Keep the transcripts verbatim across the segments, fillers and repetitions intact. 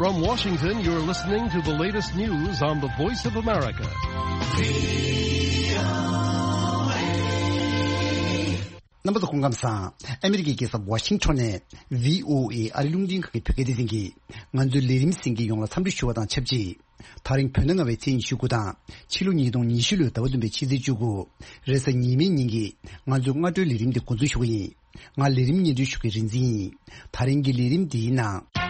From Washington, you're listening to the latest news on the Voice of America. རྣམ་པ་ཚོ་སྐུ་ཁམས་བཟང་། ཨ་མི་རི་ཀའི་རྒྱལ་ས་ཝ་ཤིང་ཊོན་ནས་བྷི་ཨོ་ཨེ་ཨ་རི་རླུང་འཕྲིན་ཁང་གི་བོད་སྐད་སྡེ་ཚན་གྱིས་ང་ཚོའི་ལས་རིམ་གསན་མཁན་ཡོངས་ལ་འཚམས་འདྲི་ཞུ་བ་དང་ཆབས་ཅིག་ད་རིང་བོད་ཟླ་ལྔ་པའི་ཚེས་ཉི་ཤུ་དགུ་དང་ཕྱི་ལོ་ཉིས་སྟོང་ཉི་ཤུ་ལོའི་ཟླ་བ་བདུན་པའི་ཕྱི་ཚེས་བཅུ་དགུ། རེས་གཟའ་ཉི་མའི་ཉིན་གྱི་ང་ཚོའི་སྔ་དྲོའི་ལས་རིམ་འདི་འགོ་འཛུགས་ཞུ་གི་ཡིན། ང་ལས་རིམ་སྙན་སྒྲོན་ཞུ་མཁན་རིག་འཛིན་ཡིན། ད་རིང་གི་ལས་རིམ་འདིའི་ནང་།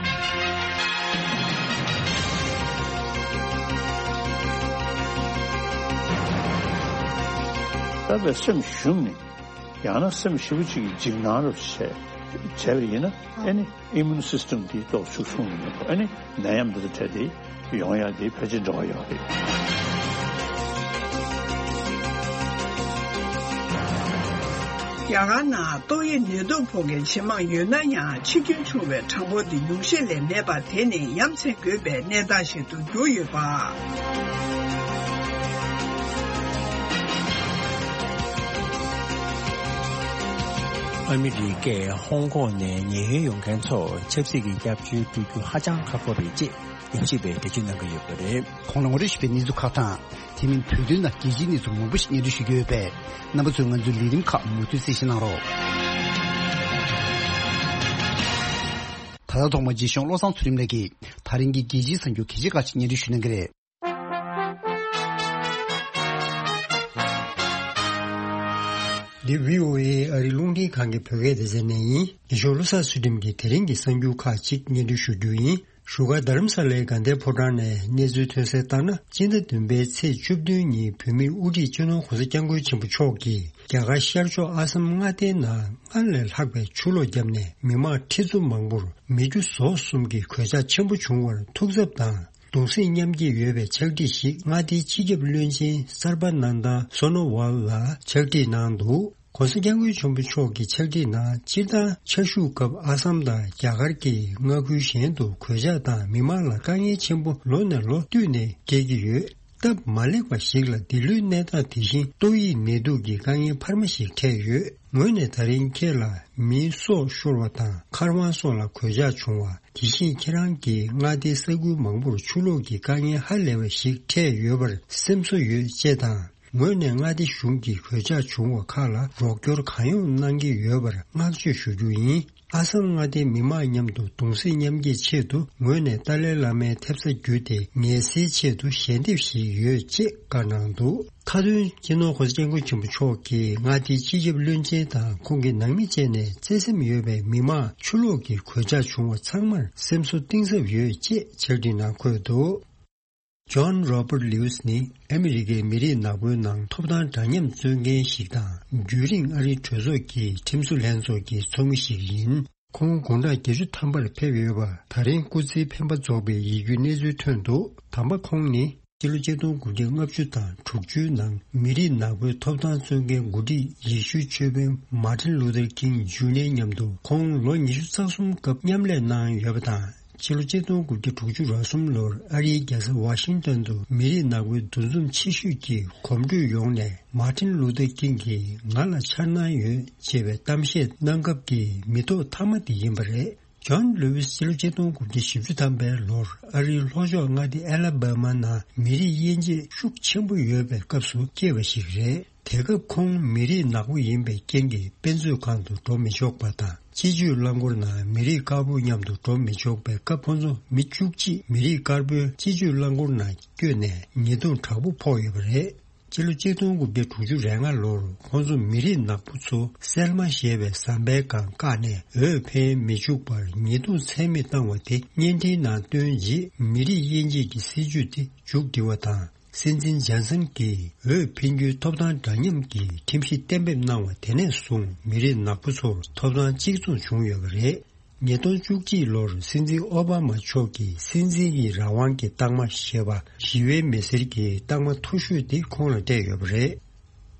ད་བའི་སེམས་ཞུམ་ནས། ཡང་ན་སེམས་ཞེ་པོ་ཅིག་གི་འཇིགས་སྣང་རུ་བྱས་བྱས་པ་ཡིན་ན། ཨེ་ནི་ཨི་མུན་སིས་ཊེམ་དེ་ཏོག་ཤུགས་ཆུང་ནས་ཨེ་ནི་ནད་ཡམས་འདི་དང་འཕྲད་དེ་ཡོང་ཡག་དེ་ཕལ་ཆེར་འབྲེལ་བ་ཡོད་རེད། རྒྱ་གར་ནང་ཏོག་དབྱིབས་ནད་དུག་ཕོག་མཁན་ཇེ་མང་ཡོད་ན་ཡང་འཆི་སྐྱོན་བྱུང་བའི་གྲངས་འབོར་དེ་ཉུང་ཤས་ལས་མེད་པ་དེ་ནི་ཡ་མཚན་དགོས་པའི་གནས་སྟངས་ཤིག་ཏུ་གྱུར་ཡོད་པ། ཨ་མི་རི་ཀས་ཧོང་ཀོང་ནས་ཉེན་གཡོལ་ཡོང་མཁན་ཚོར་ཆབ་སྲིད་ཀྱི་སྐྱབས་བཅོལ་སྤྲོད་རྒྱུ་ཧ་ཅང་ཁག་པོ་རེད་ཅེས་ཉམས་ཞིབ་པས་འགྲེལ་བརྗོད་གནང་གི་ཡོད་པ་རེད། གོང་ལ་ངོ་སྤྲོད་ཞུས་པའི་གནས་ཚུལ་ཁག་དང་། དེ་མིན་བོད་དོན་ནང་རྒྱལ་སྤྱིའི་གནས་ཚུལ་མང་པོ་ཞིག་སྙན་སྒྲོན་ཞུ་རྒྱུ་ཡོད་པས། རྣམ་པ་ཚོས་ང་ཚོའི་ལས་རིམ་ཁག་མུ་མཐུད་གསན་བཞེས་གནང་རོགས། ད་ལྟ་ཐོག་མར་རྗེས་གཞུང་བློ་བཟང་ཚུལ་ཁྲིམས་ལགས་ཀྱིས་ད་རིང་གི་རྒྱལ་སྤྱིའི་གསར་འགྱུར་གལ་ཆེ་ཁག་ཅིག་སྙན་སྒྲོན་ཞུ་གནང་གི་རེད། འདི་བྷི་ཨོ་ཨེ་ཨ་རི་རླུང་འཕྲིན་ཁང་གི་བོད་སྐད་སྡེ་ཚན་ནས་ཡིན། རྗེས་གཞུང་བློ་བཟང་ཚུལ་ཁྲིམས་ཀྱིས་དེ་རིང་གི་གསར་འགྱུར་ཁག་ཅིག་སྙན་སྒྲོན་ཞུ་རྒྱུ་ཡིན། བཞུགས་སྒར་རྡ་རམ་ས་ལའི་དགའ་ལྡན་ཕོ་བྲང་ནས་གནས་ཚུལ་ཐོན་གསལ་ལྟར་ན། སྤྱི་ཟླ་བདུན་པའི་ཚེས་བཅུ་བདུན་ཉིན་བོད་མིའི་དབུ་ཁྲིད་སྤྱི་ནོར་༧གོང་ས་༧སྐྱབས་མགོན་ཆེན་པོ་མཆོག་གིས་རྒྱ་གར་ཤར་ཕྱོགས་ཨ་སམ་མངའ་སྡེའི་ནང་སྔར་ལས་ལྷག་པའི་ཆུ་ལོག་བརྒྱབ་ནས་མི་མང་ཁྲི་ཚོ་མང་པོར་མི་རྒྱུ་ཟོག་གསུམ་གྱི་གོད་ཆག་ཆེན་པོ་བྱུང་བར་ཐུགས་འཚབ་དང་གདུང་སེམས་མཉམ་སྐྱེད་ཡོད་པའི་ཕྱག་བྲིས་ཤིག་མངའ་སྡེའི་སྤྱི་ཁྱབ་བློན་ཆེན་སར་བ་ནན་ད་སོ་ནོ་ཝལ་ལ་ཕྱག་བྲིས་གནང་འདུག ༧གོང་ས་༧སྐྱབས་མགོན་ཆེན་པོ་མཆོག་གི་ཕྱག་བྲིས་ནང་། སྤྱིར་བཏང་ཆར་ཤུགས་སྐབས་ཨ་སམ་དང་རྒྱ་གར་གྱི་མངའ་ཁུལ་གཞན་དུ་གོད་ཆག་དང་མི་མང་ལ་དཀའ་ངལ་ཆེན་པོ་ལོ་ནས་ལོ་བསྟུད་ནས་སྐྱེལ་གྱི་ཡོད། སྟབས་མ་ལེགས་པ་ཞིག་ལ་འདི་ལོའི་གནས་སྟངས་དེ་བཞིན་ཏོག་དབྱིབས་ནད་དུག་གི་དཀའ་ངལ་འཕར་མ་ཞིག་འཕྲད་ཡོད། ངོས་ནས་ད་རིང་ཁྱེད་ལ་མིའི་སྲོག་ཤོར་བ་དང་མཁར་དབང་སོགས་ལ་གོད་ཆག་བྱུང་བ། དེ་བཞིན་ཁྱེད་རང་གི་མངའ་སྡེའི་ས་ཁུལ་མང་པོར་ཆུ་ལོག་གི་དཀའ་ངལ་ཧ་ལས་པ་ཞིག་འཕྲད་ཡོད་པར་སེམས་གསོ་ཡོད་ཅེས་དང་། ངོས་ནས་མངའ་སྡེ་གཞུང་གིས་གོད་ཆག་བྱུང་བ་ཁག་ལ་རོགས་སྐྱོར་གང་ཡོང་གནང་གི་ཡོད་པར་བསྔགས་བརྗོད་ཞུ་རྒྱུ་ཡིན། ཨ་སམ་མངའ་སྡེའི་མི་མང་མཉམ་དུ་གདུང་སེམས་མཉམ་སྐྱེད་ཆེད་དུ་ངོས་ནས་ཏཱ་ལའི་བླ་མའི་ཐེབས་རྩ་བརྒྱུད་དེ་ངལ་སེལ་ཆེད་དུ་ཞལ་འདེབས་ཞིག་ཡོད་ཅེས་བཀའ་གནང་འདུག་མཐའ་དོན། སྤྱི་ནོར་༧གོང་ས་༧སྐྱབས་མགོན་ཆེན་པོ་མཆོག་གིས་མངའ་སྡེའི་སྤྱི་ཁྱབ་བློན་ཆེན་དང་ཁོང་གི་ནང་མི་བཅས་ནས་བརྩེ་སེམས་ཡོད་པའི་མི་མང་ཆུ་ལོག་གི་གོད་ཆག་བྱུང་བ་ཚང་མར་སེམས་གསོ་གཏིང་ཟབ་ཡོད་ཅེས་ཕྱག་བྲིས་ནང་འཁོད་འདུག་ཇོན་རོ་པར་ལིའུ་སི་ནི་ཨ་མི་རི་ཀའི་མི་རིགས་ནག་པོའི་ནང་ཐོབ་ཐང་འདྲ་མཉམ་རྩོད་མཁན་ཞིག་དང་། རྒྱུན་རིང་ཨ་རིའི་གྲོས་ཚོགས་ཀྱི་ཁྲིམས་བཟོ་ལྷན་ཚོགས་ཀྱི་ཚོགས་མི་ཞིག་ཡིན། ཁོང་དགུང་གྲངས་བརྒྱད་ཅུ་ཐམ་པར་ཕེབས་ཡོད་པ་ད་རིང་སྐུ་ཚེའི་འཕེན་པ་རྫོགས་པའི་ཡིད་སྐྱོའི་གནས་ཚུལ་ཐོན་འདུག་དམ་པ་ཁོང་ནི་སྤྱི་ལོ་ཆིག་སྟོང་དགུ་བརྒྱ་ལྔ་བཅུ་དང་དྲུག་ཅུའི་ནང་མི་རིགས་ནག་པོའི་ཐོབ་ཐང་རྩོད་མཁན་འགོ་ཁྲིད་ཡེ་ཤུའི་ཆོས་དཔོན་མཱ་ཏིན་ལུ་ཐར་ཀིང་ཇུ་ནེར་མཉམ་དུ་ཁོང་ལོ་ཉི་ཤུ་རྩ་གསུམ་སྐབས་མཉམ་ལས་གནང་ཡོད་པ་དང་། ཕྱི་ལོ་ཆིག་སྟོང་དགུ་བརྒྱ་དྲུག་ཅུ་རེ་གསུམ་ལོར་ཨ་རིའི་རྒྱལ་ས་ཝ་ཤིང་ཏོན་དུ་མི་རིགས་ནག་པོའི་འདུ་འཛོམས་ཆེ་ཤོས་ཀྱི་གོམ་བགྲོད་ཡོངས་ནས་མཱ་ཏིན་ལུ་ཐར་ཀིང་གིས་ང་ལ་འཆར་སྣང་ཡོད་ཅེས་པའི་གཏམ་བཤད་གནང་སྐབས་ཀྱི་མི་ཐོག་མཐའ་མ་དེ་ཡིན་པ་རེད། ཇོན་ལུ་ཝིས་ཕྱི་ལོ་ཆིག་སྟོང་དགུ་བརྒྱ་བཞི་བཅུ་ཐམ་པའི་ལོར་ཨ་རིའི་ལྷོ་ཕྱོགས་མངའ་སྡེ་ཨ་ལ་བྷ་མ་ནང་མི་རིགས་དབྱེ་འབྱེད་ཤུགས་ཆེན་པོ་ཡོད་པའི་སྐབས་སུ་སྐྱེས་པ་ཞིག་རེད། དེ་སྐབས་ཁོང་མི་རིགས་ནག་པོ་ཡིན་པའི་རྐྱེན་གྱིས་དཔེ་མཛོད་ཁང་དུ་འགྲོ་མི་ཆོག་པ་དང་། སྤྱི་སྤྱོད་རླངས་འཁོར་ནང་མི་རིགས་དཀར་པོ་མཉམ་དུ་འགྲོ་མི་ཆོག་པའི་སྐབས། ཁོང་ཚོ་མི་བཅུ་གཅིག་མི་རིགས་དཀར་པོའི་སྤྱི་སྤྱོད་རླངས་འཁོར་ནང་བསྐྱོད་ནས་ཉེས་རྡུང་དྲག་པོ་ཕོག་ཡོད་པ་རེད། སྤྱི་ལོ་ཆིག་སྟོང་དགུ་བརྒྱ་དྲུག་ཅུ་རེ་ལྔ་ལོར་ཁོང་ཚོ་མི་རིགས་ནག་པོ་ཚོ་སེལ་མ་ཞེས་པའི་ཟམ་པའི་སྒང་བཀག་ནས་འོས་འཕེན་མི་བཅུག་པར་ཉེས་རྡུང་ཚད་མེད་བཏང་བ་དེ་བརྙན་འཕྲིན་ནང་བཏོན་རྗེས། མི་རིགས་དབྱེ་འབྱེད་ཀྱི་སྲིད་ཇུས་དེ་མཇུག་བསྒྲིལ་བ་དང་། སྲིད་འཛིན་ཇོན་སན་གྱིས་འོས་འཕེན་རྒྱུའི་ཐོབ་ཐང་འདྲ་མཉམ་གྱི་ཁྲིམས་གཞི་གཏན་འབེབས་གནང་བ་དེ་ནས་བཟུང་མི་རིགས་ནག་པོ་ཚོར་ཐོབ་ཐང་གཅིག་མཚུངས་བྱུང་ཡོད་པ་རེད། ཉིས་སྟོང་བཅུ་གཅིག་ལོར་སྲིད་འཛིན་ཨོ་བྷ་མ་མཆོག་གིས་སྲིད་འཛིན་གྱི་རང་དབང་གི་རྟགས་མ་ཞེས་པ་ཞི་བའི་མི་སེར་གྱི་རྟགས་མ་མཐོ་ཤོས་དེ་ཁོང་ལ་སྤྲད་ཡོད་པ་རེད།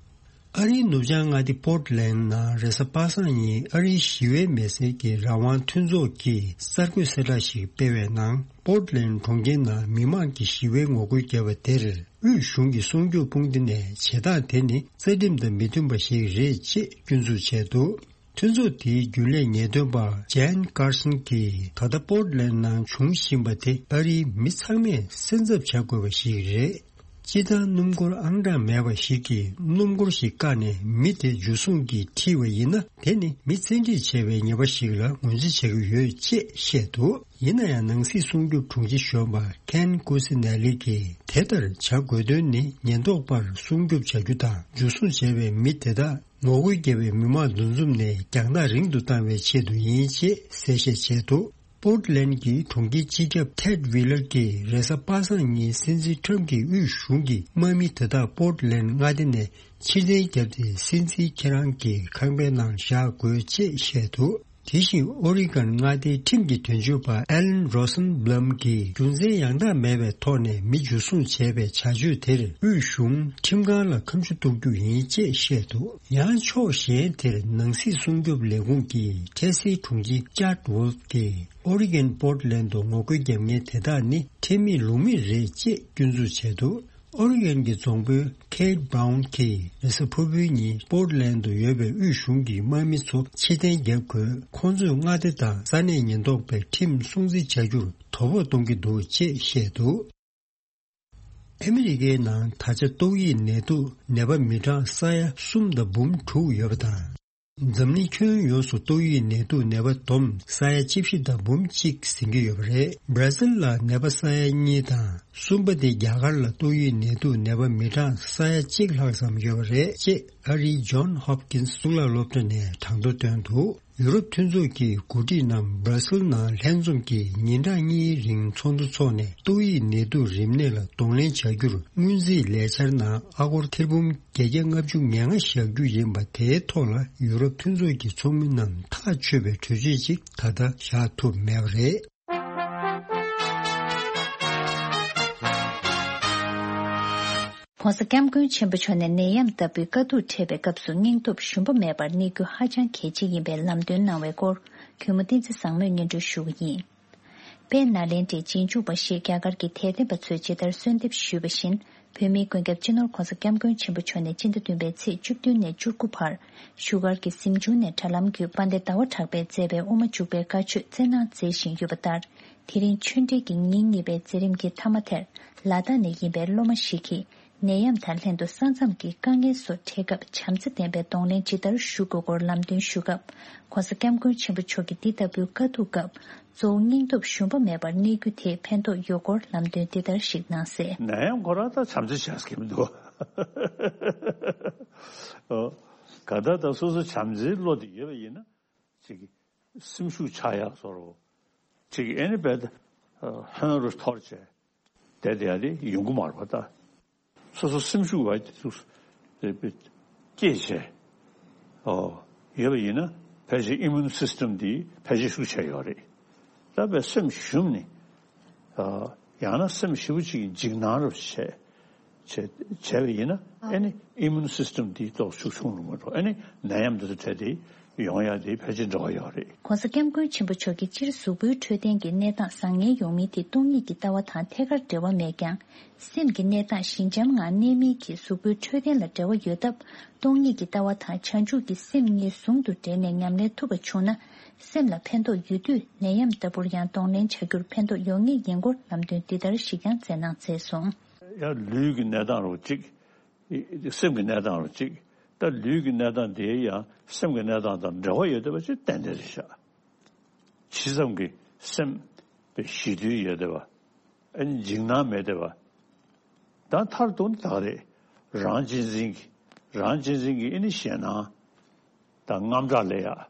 ཨ་རིའི་ནུབ་བྱང་མངའ་སྡེ་པོར་ཊི་ལེན་ནང་རེས་གཟའ་པ་སངས་ཉིན་ཨ་རིའི་ཞི་བའི་མི་སེར་གྱི་རང་དབང་མཐུན་ཚོགས་ཀྱིས་གསར་འགོད་གསལ་བསྒྲགས་ཤིག་སྤེལ་བའི་ནང་། པོར་ཊི་ལེན་གྲོང་ཁྱེར་ནང་མི་མང་གིས་ཞི་བའི་ངོ་རྒོལ་བརྒྱབ་པ་དེར། དབུས་གཞུང་གི་སྲུང་སྐྱོབ་དཔུང་སྡེ་ནས་བྱེད་སྟངས་དེ་ནི་རྩ་ཁྲིམས་དང་མི་མཐུན་པ་ཞིག་རེད་ཅེས་སྐྱོན་འཛུགས་བྱས་འདུག་མཐུན་ཚོགས་དེའི་རྒྱུན་ལས་ངེས་སྟོན་པ་ཇན་ཀར་སན་གྱིས་ད་ལྟ་པོར་ཊི་ལན་ནང་བྱུང་བཞིན་པ་དེ་ཨ་རིའི་མི་ཚང་མས་སེམས་འཚབ་བྱ་དགོས་པ་ཞིག་རེད། སྤྱིར་བཏང་སྣུམ་འཁོར་ཨང་གྲངས་མེད་པ་ཞིག་གིས་སྣུམ་འཁོར་ཞིག་བཀག་ནས་མི་དེ་འཇུ་བཟུང་གིས་ཁྲིད་པ་ཡིན་ན། དེ་ནི་མི་བཙན་ཁྲིད་བྱས་པའི་ཉེས་པ་ཞིག་ལ་ངོས་འཛིན་བྱེད་ཀྱི་ཡོད་ཅེས་བཤད་འདུག་ཡིན་ན་ཡང་ནང་སྲིད་སྲུང་སྐྱོབ་དྲུང་ཆེ་གཞོན་པ་ཁེན་ཀུ་སི་ནེ་ལི་གིས་དེ་ལྟར་བྱ་དགོས་དོན་ནི་ཉེན་རྟོག་པར་སྲུང་སྐྱོབ་བྱ་རྒྱུ་དང་འཇུ་བཟུང་བྱས་པའི་མི་དེ་དག་ངོ་རྒོལ་བརྒྱབ་པའི་མི་མང་འདུ་འཛོམས་ནས་རྒྱང་ཐག་རིང་དུ་བཏང་བའི་ཆེད་དུ་ཡིན་ཅེས་གསལ་བཤད་བྱས་འདུག་པོར་ཊི་ལན་གྱི་གྲོང་ཁྱེར་སྤྱི་ཁྱབ་ཐེད་ཝི་ལར་གྱིས་རེས་གཟའ་པ་སངས་ཉིན་སྲིད་འཛིན་ཁྲམ་གྱི་དབུས་གཞུང་གིས་དམག་མི་དེ་དག་པོར་ཊི་ལན་མངའ་སྡེ་ནས་ཕྱིར་འཐེན་བརྒྱབ་སྟེ། སྲིད་འཛིན་ཁྱེད་རང་གི་ཁང་པའི་ནང་བཞག་དགོས་ཅེས་བཤད་འདུག་དེ་བཞིན་ཨོ་རི་གོན་མངའ་སྡེའི་ཁྲིམས་ཀྱི་དོན་གཅོད་པ་ཨེ་ལན་རོ་སན་བྷ་ལམ་གྱིས་རྒྱུ་མཚན་ཡང་དག་མེད་པའི་ཐོག་ནས་མི་འཇུ་བཟུང་བྱས་པའི་བྱ་སྤྱོད་དེར་དབུས་གཞུང་ཁྲིམས་ཁང་ལ་ཁ་མཆུ་གཏུག་རྒྱུ་ཡིན་ཅེས་བཤད་འདུག་ཡང་ཕྱོགས་གཞན་དེར་ནང་སྲིད་སྲུང་སྐྱོབ་ལས་ཁུངས་ཀྱི་འཕྲལ་སེལ་དྲུང་ཆེ་ཅཱ་ཝོལ་ཕ་གིས་ཨོ་རི་གོན་པོར་ཊི་ལན་དུ་ངོ་རྒོལ་རྒྱབ་མཁན་དེ་དག་ནི་ཁྲེལ་མེད་ལུགས་མེད་རེད་ཅེས་སྐྱོན་འཛུགས་བྱས་འདུག་ཨོ་རི་གོན་གྱི་རྫོང་དཔོན་ཁེ་ཊི་བྷ་རའུན་གྱིས་རེས་གཟའ་ཕུར་བུའི་ཉིན་པོར་ཊི་ལན་དུ་ཡོད་པའི་དབུས་གཞུང་གི་དམག་མི་ཚོ་ཕྱིར་འཐེན་བརྒྱབ་དགོས། ཁོང་ཚོས་མངའ་སྡེ་དང་ས་གནས་ཉེན་རྟོག་པའི་ཁྲིམས་སྲུང་བརྩི་བྱ་རྒྱུར་དོ་ཕོག་གཏོང་གི་འདུག་ཅེས་བཤད་འདུག་ཨ་མི་རི་ཀའི་ནང་ད་ཆ་ཏོག་དབྱིབས་ནད་དུག་ནད་པ་མི་གྲངས་ས་ཡ་གསུམ་དང་འབུམ་དྲུག་ཡོད་པ་དང་། འཛམ་གླིང་ཁྱོན་ཡོངས་སུ་ཏོག་དབྱིབས་ནད་དུག་ནད་པ་བསྡོམས་ས་ཡ་བཅུ་བཞི་དང་འབུམ་གཅིག་ཟིན་གྱི་ཡོད་པ་རེད། སྦྲ་སིལ་ལ་ནད་པ་ས་ཡ་གཉིས་དང་། གསུམ་པ་དེ་རྒྱ་གར་ལ་ཏོག་དབྱིབས་ནད་དུག་ནད་པ་མི་གྲངས་ས་ཡ་གཅིག་ལྷག་ཙམ་ཡོད་པ་རེད་ཅེས་ཨ་རིའི་ཇོན་ཧོབ་ཀིན་སི་གཙུག་ལག་སློབ་གྲྭ་ནས་གྲངས་ཐོ་བཏོན་འདུག་ཡུ་རོབ་མཐུན་ཚོགས་ཀྱི་འགོ་ཁྲིད་རྣམས་སྦྲ་སིལ་ནང་ལྷན་འཛོམས་ཀྱིས་ཉིན་གྲངས་གཉིས་རིང་ཚོགས་འདུ་འཚོགས་ནས་ཏོག་དབྱིབས་ནད་དུག་རིམས་ནད་ལ་གདོང་ལེན་བྱ་རྒྱུར་སྔོན་རྩིས་ལས་འཆར་ནང་ཨ་སྒོར་ཐེར་འབུམ་བརྒྱད་བརྒྱ་ལྔ་བཅུ་ང་ལྔ་བཞག་རྒྱུ་ཡིན་པ་དེའི་ཐོག་ལ་ཡུ་རོབ་མཐུན་ཚོགས་ཀྱི་ཚོགས་མི་རྣམས་ཐག་ཆོད་པའི་གྲོས་ཆོད་ཅིག་ད་ལྟ་བཞག་ཐུབ་མེད་པ་རེད།༸གོང་ས་༸སྐྱབས་མགོན་ཆེན་པོ་མཆོག་ནས་ནད་ཡམས་ལྟ་བུའི་དཀའ་སྡུག་འཕྲད་པའི་སྐབས་སུ་སྙིང་སྟོབས་ཞུམ་པ་མེད་པར་གནས་རྒྱུ་ཧ་ཅང་གལ་ཆེ་ཡིན་པའི་ལམ་སྟོན་གནང་བའི་སྐོར། གུས་མོ་བསྟན་འཛིན་བཟང་མོས་སྙན་སྒྲོན་ཞུ་གི་ཡིན། དཔལ་ནཱ་ལེནྡྲའི་རྗེས་འཇུག་པ་ཞེས་རྒྱ་གར་གྱི་དད་ལྡན་པ་ཚོས་ཇི་ལྟར་གསོལ་འདེབས་ཞུས་པ་བཞིན། བོད་མིའི་མགོན་སྐྱབས་སྤྱི་ནོར་༸གོང་ས་༸སྐྱབས་མགོན་ཆེན་པོ་མཆོག་ནས་སྤྱི་ཟླ་བདུན་པའི་ཚེས་བཅུ་བདུན་ནས་བཅུ་དགུ་བར་བཞུགས་སྒར་གྱི་གཟིམ་ཆུང་ནས་དྲ་ལམ་བརྒྱུད་དཔལ་ལྡན་ཟླ་བ་གྲགས་པས་མཛད་པའི་དབུ་མ་འཇུག་པའི་བཀའ་ཆོས་སྩལ་གནང་མཛད་བཞིན་ཡོད་པ་ལྟར། དེ་རིང་ཆོས་འབྲེལ་གྱི་ཉིན་གཉིས་པའི་མཛད་རིམ་གྱི་མཐའ་མ་དེར་ལ་དྭགས་ནས་ཡིན་པའི་སློབ་མ་ཞིག་གིས། ནད་ཡམས་དང་ལྷན་དུ་ས་མཚམས་ཀྱི་དཀའ་ངལ་སོགས་འཕྲད་སྐབས་བྱམས་བརྩེ་ལྡན་པའི་གདོང་ལེན་ཇི་ལྟར་ཞུ་དགོས་སྐོར་ལམ་སྟོན་ཞུ་སྐབས། ༸གོང་ས་༸སྐྱབས་མགོན་ཆེན་པོ་མཆོག་གིས་འདི་ལྟ་བུའི་དཀའ་སྡུག་སྐབས་གཙོ་བོ་སྙིང་སྟོབས་ཞུམ་པ་མེད་པར་གནས་རྒྱུ་དེས་ཕན་ཐོགས་ཡོད་སྐོར་ལམ་སྟོན་འདི་ལྟར་ཞིག་གནང་གསལ། ནད་ཡམས་ཁོ་རང་ད་བྱམས་བརྩེ་བྱས་ཀྱི་མི་འདུག་ཨོ། ག་ད་ད་སོ་སོ་བྱམས་བརྩེའི་བློ་དེ་ཡོད་པ་ཡིན་ན། ཅིག་སེམས་ཤུགས་ཆག་ཡག་བཟོ་འདྲ། ཅིག་ཨེ་ནི་བས་ད་ཧོན་རུ་འཐོར་བྱས་བསྡད་བསྡད་ཡ་དེ་ཡོང་གི་མ་རེད་པ་ད། སོ་སོ་སེམས་ཤུགས་བ་དེ་ཚོ་སྐྱེད་བྱས། ཨོ། ཡོད་པ་ཡིན་ན་ཕལ་ཆེར་ཨི་མུན་སིས་ཊམ་དེ་ཕལ་ཆེར་ཤུགས་ཆེ་ཡོད་རེད། ད་བས་སེམས་ཞུམ་ནས། ཨ། ཡང་ན་སེམས་ཞེ་པོ་ཅིག་འཇིགས་སྣང་རུ་བྱས། བྱས་བྱས་པ་ཡིན་ན་ཨེ་ནི་ཨི་མུན་སིས་ཊམ་དེ་ཏོག་ཤུགས་ཆུང་རུ་མ་འགྲོ། ཨེ་ནི་ནད་ཡམས་འདི་ཚོ་འཕྲད་དེ་ཡོང་ཡ་དེ་ཕལ་ཆེར་འབྲེལ་བ་ཡོད་རེད། ༸གོང་ས་༸སྐྱབས་མགོན་ཆེན་པོ་མཆོག་གིས་སྤྱིར་གཟུགས་པོའི་འཕྲོད་བསྟེན་གྱི་གནས་སྟངས་བཟང་ངན་ཡོང་མིན་དེ་སྟོང་ཉིད་ཀྱི་ལྟ་བ་དང་ཐད་ཀར་འབྲེལ་བ་མེད་ཀྱང་། སེམས་ཀྱི་གནས་སྟངས་ཞི་འཇམ་ངང་གནས་མིན་གྱིས་གཟུགས་པོའི་འཕྲོད་བསྟེན་ལ་འབྲེལ་བ་ཡོད་སྟབས། སྟོང་ཉིད་ཀྱི་ལྟ་བ་དང་བྱང་ཆུབ་ཀྱི་སེམས་གཉིས་ཟུང་དུ་འབྲེལ་ནས་ཉམས་ལེན་ཐུབ་པ་བྱུང་ན། སེམས་ལ་ཕན་ཐོགས་ཡོད་དུས་ནད་ཡམས་ལྟ་བུར་ཡང་གདོང་ལེན་བྱ་རྒྱུར་ཕན་ཐོགས་ཡོང་ངེས་ཡིན་སྐོར་ལམ་སྟོན་འདི་ལྟར་ཞིག་ཀྱང་མཛད་གནང་མཛད་སོང་། ཡང་ལུས་ཀྱི་གནས་སྟངས་རུ་གཅིག་སེམས་ཀྱི་གནས་སྟངས་རུ་གཅིག་ད་ལུས་ཀྱི་གནས་སྟངས་དེ་ཡང་སེམས་ཀྱི་གནས་སྟངས་དང་འབྲེལ་བ་ཡོད་བསྡད་པ་ཅིག་ཏན་ཏན་རེད་ཤག་ཇི་ཙམ་གྱི་སེམས་པའི་ཞི་དུལ་ཡོད་བསྡད་པ། ཨ་ནི་འཇིགས་སྣང་མེད་བསྡད་པ། ད་མཐར་གཏུགས་ན་ད་ག་རེད། རང་གཅེས་འཛིན་གྱི་རང་གཅེས་འཛིན་གྱི་ཨ་ནི་ཞེད་སྣང་དང་དངངས་སྐྲག་ལས་ཡག་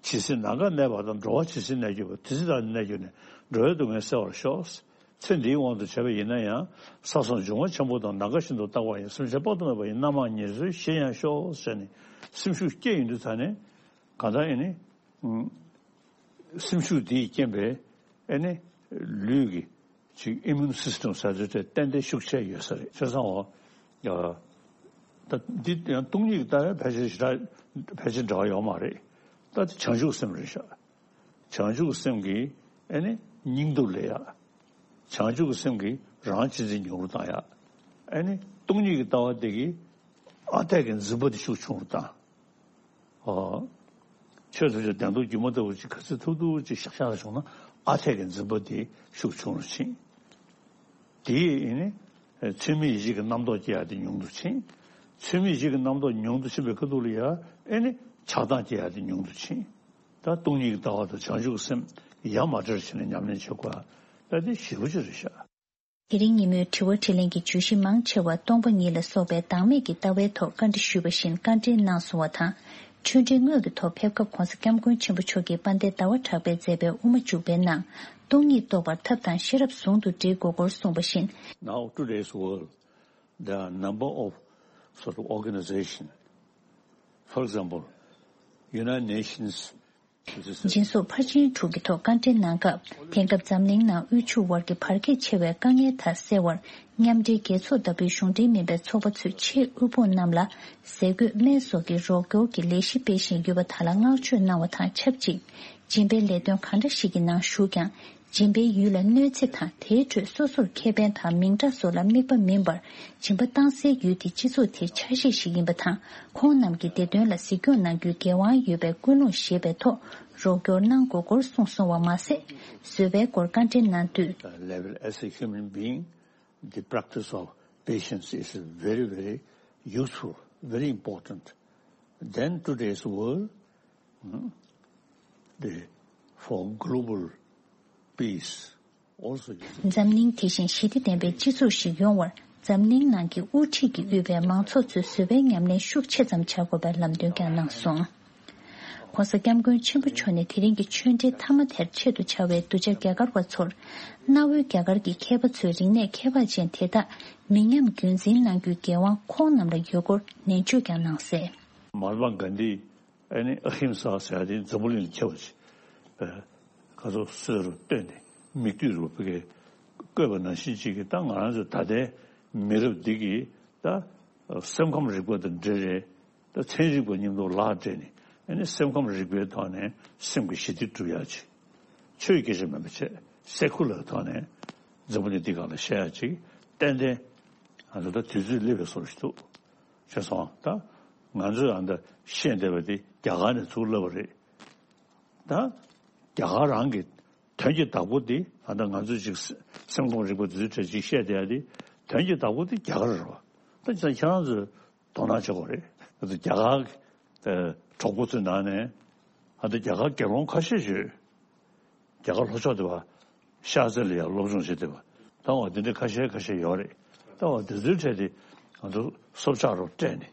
ཇི་སྲིད་ནམ་མཁའ་གནས་པ་དང་། འགྲོ་བ་ཇི་སྲིད་གནས་གྱུར་པ། དེ་སྲིད་བདག་ནི་གནས་གྱུར་ནས། འགྲོ་བའི་སྡུག་བསྔལ་སེལ་བར་ཤོག་ཚེ་འདིའི་དབང་དུ་བྱས་པ་ཡིན་ན་ཡང་། ས་གསུམ་འབྱུང་བ་ཆེན་པོ་དང་། ནམ་མཁའ་བཞིན་དུ་རྟག་པར་ཡང་། སེམས་ཅན་དཔག་ཏུ་མེད་པ་ཡི། རྣམ་མང་ཉེར་འཚོའི་གཞི་ཡང་ཤོག་ཟེར་ནས་སེམས་ཤུགས་སྐྱེད་ཡོང་དུས་ད་ནས་གང་ལྟར་ཨེ་ནི། སེམས་ཤུགས་འདིས་རྐྱེན་པས་ཨེ་ནི་ལུས་ཀྱི་ཅིག་ཨི་མུན་སིས་ཊམ་ཟེར་དུས་དེ་ཏན་ཏན་ཤུགས་ཆེ་ཡོད་ས་རེད། བྱས་ཙང་འོ། ཡ། ད་འདི་ཡང་སྟོང་ཉིད་ཀྱི་ལྟ་བའི་ཕལ་ཆེར་ཞེ་དྲག་ཕལ་ཆེར་འབྲེལ་བ་ཡོད་མ་རེད། ད་དེ་བྱང་ཆུབ་སེམས་རེད་ཤག་བྱང་ཆུབ་སེམས་ཀྱིས་ཨེ་ནི་སྙིང་སྟོབས་སླེབས་ཡག་བྱང་ཆུབ་སེམས་ཀྱིས་རང་གཅེས་འཛིན་ཉུང་རུ་བཏང་ཡག་ཨེ་ནི་སྟོང་ཉིད་ཀྱི་ལྟ་བ་དེ་གིས་ཨ་འཐས་ཀྱི་འཛིན་པ་དེ་ཤུགས་ཆུང་རུ་བཏང་། ཨོ། ཆོས་ཐམས་ཅད་བདེན་སྟོབས་སྒྱུ་མ་ལྟ་བུ་ཅིག་ག་ཚོད་ཐུབ་ཐུབ་ཅིག་བཞག་བཞག་བྱུང་ན་ཨ་འཐས་ཀྱི་འཛིན་པ་དེ་ཤུགས་ཆུང་རུ་ཕྱིན། དེ་ཡིས་ཨེ་ནི་ཚད་མེད་ཡེ་ཤེས་ཀྱི་རྣམ་རྟོག་སྐྱེ་ཡ་དེ་ཉུང་དུ་ཕྱིན། ཚད་མེད་ཡེ་ཤེས་ཀྱི་རྣམ་རྟོག་ཉུང་དུ་ཕྱིན་པའི་ཁ་ཐུག་ལ་ཡ་ཨེ་ནི་ཆགས་སྡང་སྐྱེ་ཡ་དེ་ཉུང་དུ་ཕྱིན། ད་སྟོང་ཉིད་ཀྱི་ལྟ་བ་དང་བྱང་ཆུབ་ཀྱི་སེམས་ཡ་མ་བྲལ་བྱས་ནས་ཉམས་ལེན་བྱེད་དགོས་ཡ་ད་དེ་ཞེ་པོ་ཅིག་རེད་ཤག་དེ་རིང་ཉིན་མོའི་དྲི་བ་དྲིས་ལན་གྱི་བརྗོད་གཞི་མང་ཆེ་བ་སྟོང་པ་ཉིད་ལ་སོགས་པའི་བདག་མེད་ཀྱི་ལྟ་བའི་ཐོག་བཀའ་འདྲི་ཞུས་པ་བཞིན་བཀའ་འདྲི་གནང་སོང་བ་དང་། ཆོས་འབྲེལ་དངོས་ཀྱི་ཐོག་ཕེབས་སྐབས་༸གོང་ས་༸སྐྱབས་མགོན་ཆེན་པོ་མཆོག་གིས་དཔལ་ལྡན་ཟླ་བ་གྲགས་པས་མཛད་པའི་དབུ་མ་འཇུག་པའི་ནང་སྟོང་ཉིད་རྟོགས་པར་ཐབས་དང་ཤེས་རབ་ཟུང་དུ་སྒྲིལ་དགོས་སྐོར་གསུངས་པ་བཞིན། Now today's world, there are number of sort of organization. For example, United Nations. སྦྱིན་སོགས་ཕར་ཕྱིན་དྲུག་གི་ཐོག་བཀའ་འདྲི་གནང་སྐབས། དེང་སྐབས་འཛམ་གླིང་ནང་དབུལ་ཕྱུག་དབར་གྱི་བར་ཁྱད་ཆེ་བའི་དཀའ་ངལ་དག་སེལ་བར། མཉམ་འབྲེལ་རྒྱལ་ཚོགས་ལྟ་བུའི་གཞུང་འབྲེལ་མིན་པའི་ཚོགས་པ་ཚོས་ཆེས་དབུལ་ཕོངས་རྣམས་ལ་ཟས་གོས་སྨན་སོགས་ཀྱི་རོགས་སྐྱོར་གྱི་ལས་གཞི་སྤེལ་བཞིན་ཡོད་པ་དག་ལ་བསྔགས་བརྗོད་གནང་བ་དང་ཆབས་ཅིག་སྦྱིན་པའི་ལས་དོན་གང་འདྲ་ཞིག་གི་ནང་ཞུགས་ཀྱང་། སྦྱིན་པའི་ཡུལ་ལ་གནོད་འཚེ་དང་དེའི་ཁྲོད་སོ་སོར་ཁེ་ཕན་དང་མིང་གྲགས་སོགས་ལ་དམིགས་པ་མིན་པར། སྦྱིན་པ་བཏང་སའི་ཡུལ་དེ་སྤྱི་ཚོགས་དེའི་ཆ་ཤས་ཤིག་ཡིན་པ་དང་། ཁོང་རྣམས་ཀྱི་བདེ་དོན་ལ་གཟིགས་སྐྱོང་གནང་རྒྱུའི་འགན་དབང་ཡོད་པའི་ཀུན་སློང་བཞེས་པའི་ཐོག་རོགས་སྐྱོར་གནང་དགོས་སྐོར་གསུངས་སོང་བ་མ་ཟད། བཟོད་པའི་སྐོར་བཀའ་འདྲི་གནང་དུས། Level as a human being, the practice of patience is very, very useful, very important. Then today's world, hmm, the, for global peace, འཛམ་གླིང་དེ་བཞིན་ཞི་བདེ་ལྡན་པའི་སྤྱི་ཚོགས་ཤིག་ཡོང་བར། འཛམ་གླིང་ནང་གི་དབུ་ཁྲིད་ཀྱིས་དབུས་པའི་མང་ཚོགས་ཚོས་བཟོད་པའི་ཉམས་ལེན་ཤུགས་ཆེ་ཙམ་བྱ་དགོས་པའི་ལམ་སྟོན་ཀྱང་གནང་སོང་། ༸གོང་ས་༸སྐྱབས་མགོན་ཆེན་པོ་མཆོག་ནས་དེ་རིང་གི་ཆོས་འབྲེལ་མཐའ་མ་དེར་ཆེད་དུ་བཅར་བའི་གདུལ་བྱ་རྒྱ་གར་བ་ཚོར། གནའ་བོའི་རྒྱ་གར་གྱི་མཁས་པ་ཚོའི་རིག་གནས་ཁྱད་འཕགས་ཅན་དེ་དག་མི་ཉམས་རྒྱུན་འཛིན་གནང་རྒྱུའི་འགན་དབང་ཁོང་རྣམས་ལ་ཡོད་སྐོར་ནན་བརྗོད་ཀྱང་གནང་གསལ། མ་ཧཱ་ཏ་མ་གྷན་དྷི། ཨ་ནི་ཨ་ཧིམ་ས་ཟེར་ཡ་དེ་འཛམ་བུ་གླིང་ལ་ཁྱབ་པ་ཅིག་ཨ། ཁ་སོ་སོས་རུ་བཏོན་ནས་མིག་ལྟོས་རུ་བུ་གའི་བཀོད་པ་ནང་བཞིན་ཅིག་གིས་ད་ང་རང་ཚོ་ད་ལྟའི་མི་རབས་འདི་གིས་ད་སེམས་ཁམས་རིག་པ་དང་འབྲེལ་རེད། ད་ཚན་རིག་པ་མཉམ་དུ་ལག་སྦྲེལ་ནས་ཨ་ནི་སེམས་ཁམས་རིག་པའི་ཐོག་ནས་སེམས་ཀྱི་ཞི་བདེ་སྒྲུབ་ཡ་ཅིག་ཆོས་སྐད་ཆ་མིན་པ་བྱས་སེ་ཁུ་ལར་ཐོག་ནས་འཛམ་བུ་གླིང་འདི་སྒང་ལ་བཤད་ཡ་ཅིག་ཏན་ཏན་ང་ཚོ་ད་དུས་ཚོད་སླེབས་པའི་བཟོ་ཞིག་འདུག་ཤེས་སོང་། ད་ང་ཚོས་ཨ་ད་ཤེས་བསྡད་པ་དེ་རྒྱ་གར་ནས་ཚུར་བསླབས་པ་རེད། ད་རྒྱ་གར་རང་གི་དོན་གྱི་བདག་པོ་དེ་ཨ་ད་ང་ཚོས་ཅིག་སེམས་ཁམས་རིག་པ་དེ་ཚོའི་གྲས་ཅིག་བཤད་བསྡད་ཡ་དེ་དོན་གྱི་བདག་པོ་དེ་རྒྱ་གར་རེད་བ། ད་ཅིག་ཁྱེད་རང་ཚོས་དོ་སྣང་བྱེད་དགོས་རེད། ང་ཚོ་རྒྱ་གར་གྱི་གྲོགས་པོ་ཚོའི་ནང་ནས་ཨ་ད་རྒྱ་གར་རྒྱལ་འབངས་ཁ་ཤས་ཤིག་རྒྱ་གར་ལྷོ་ཕྱོགས་དེ་བ་ཤར་རྩེ་ལ་ཡང་སློབ་སྦྱོང་བྱེད་བསྡད་པ་ད་བ་དེ་འདྲའི་ཁ་ཤས་ཁ་ཤས་ཡོད་རེད། ད་བ་དེ་ཚོའི་གྲས་དེ་ང་ཚོ་སྲོག་ཆགས་རོགས་སྤྲད་ནས་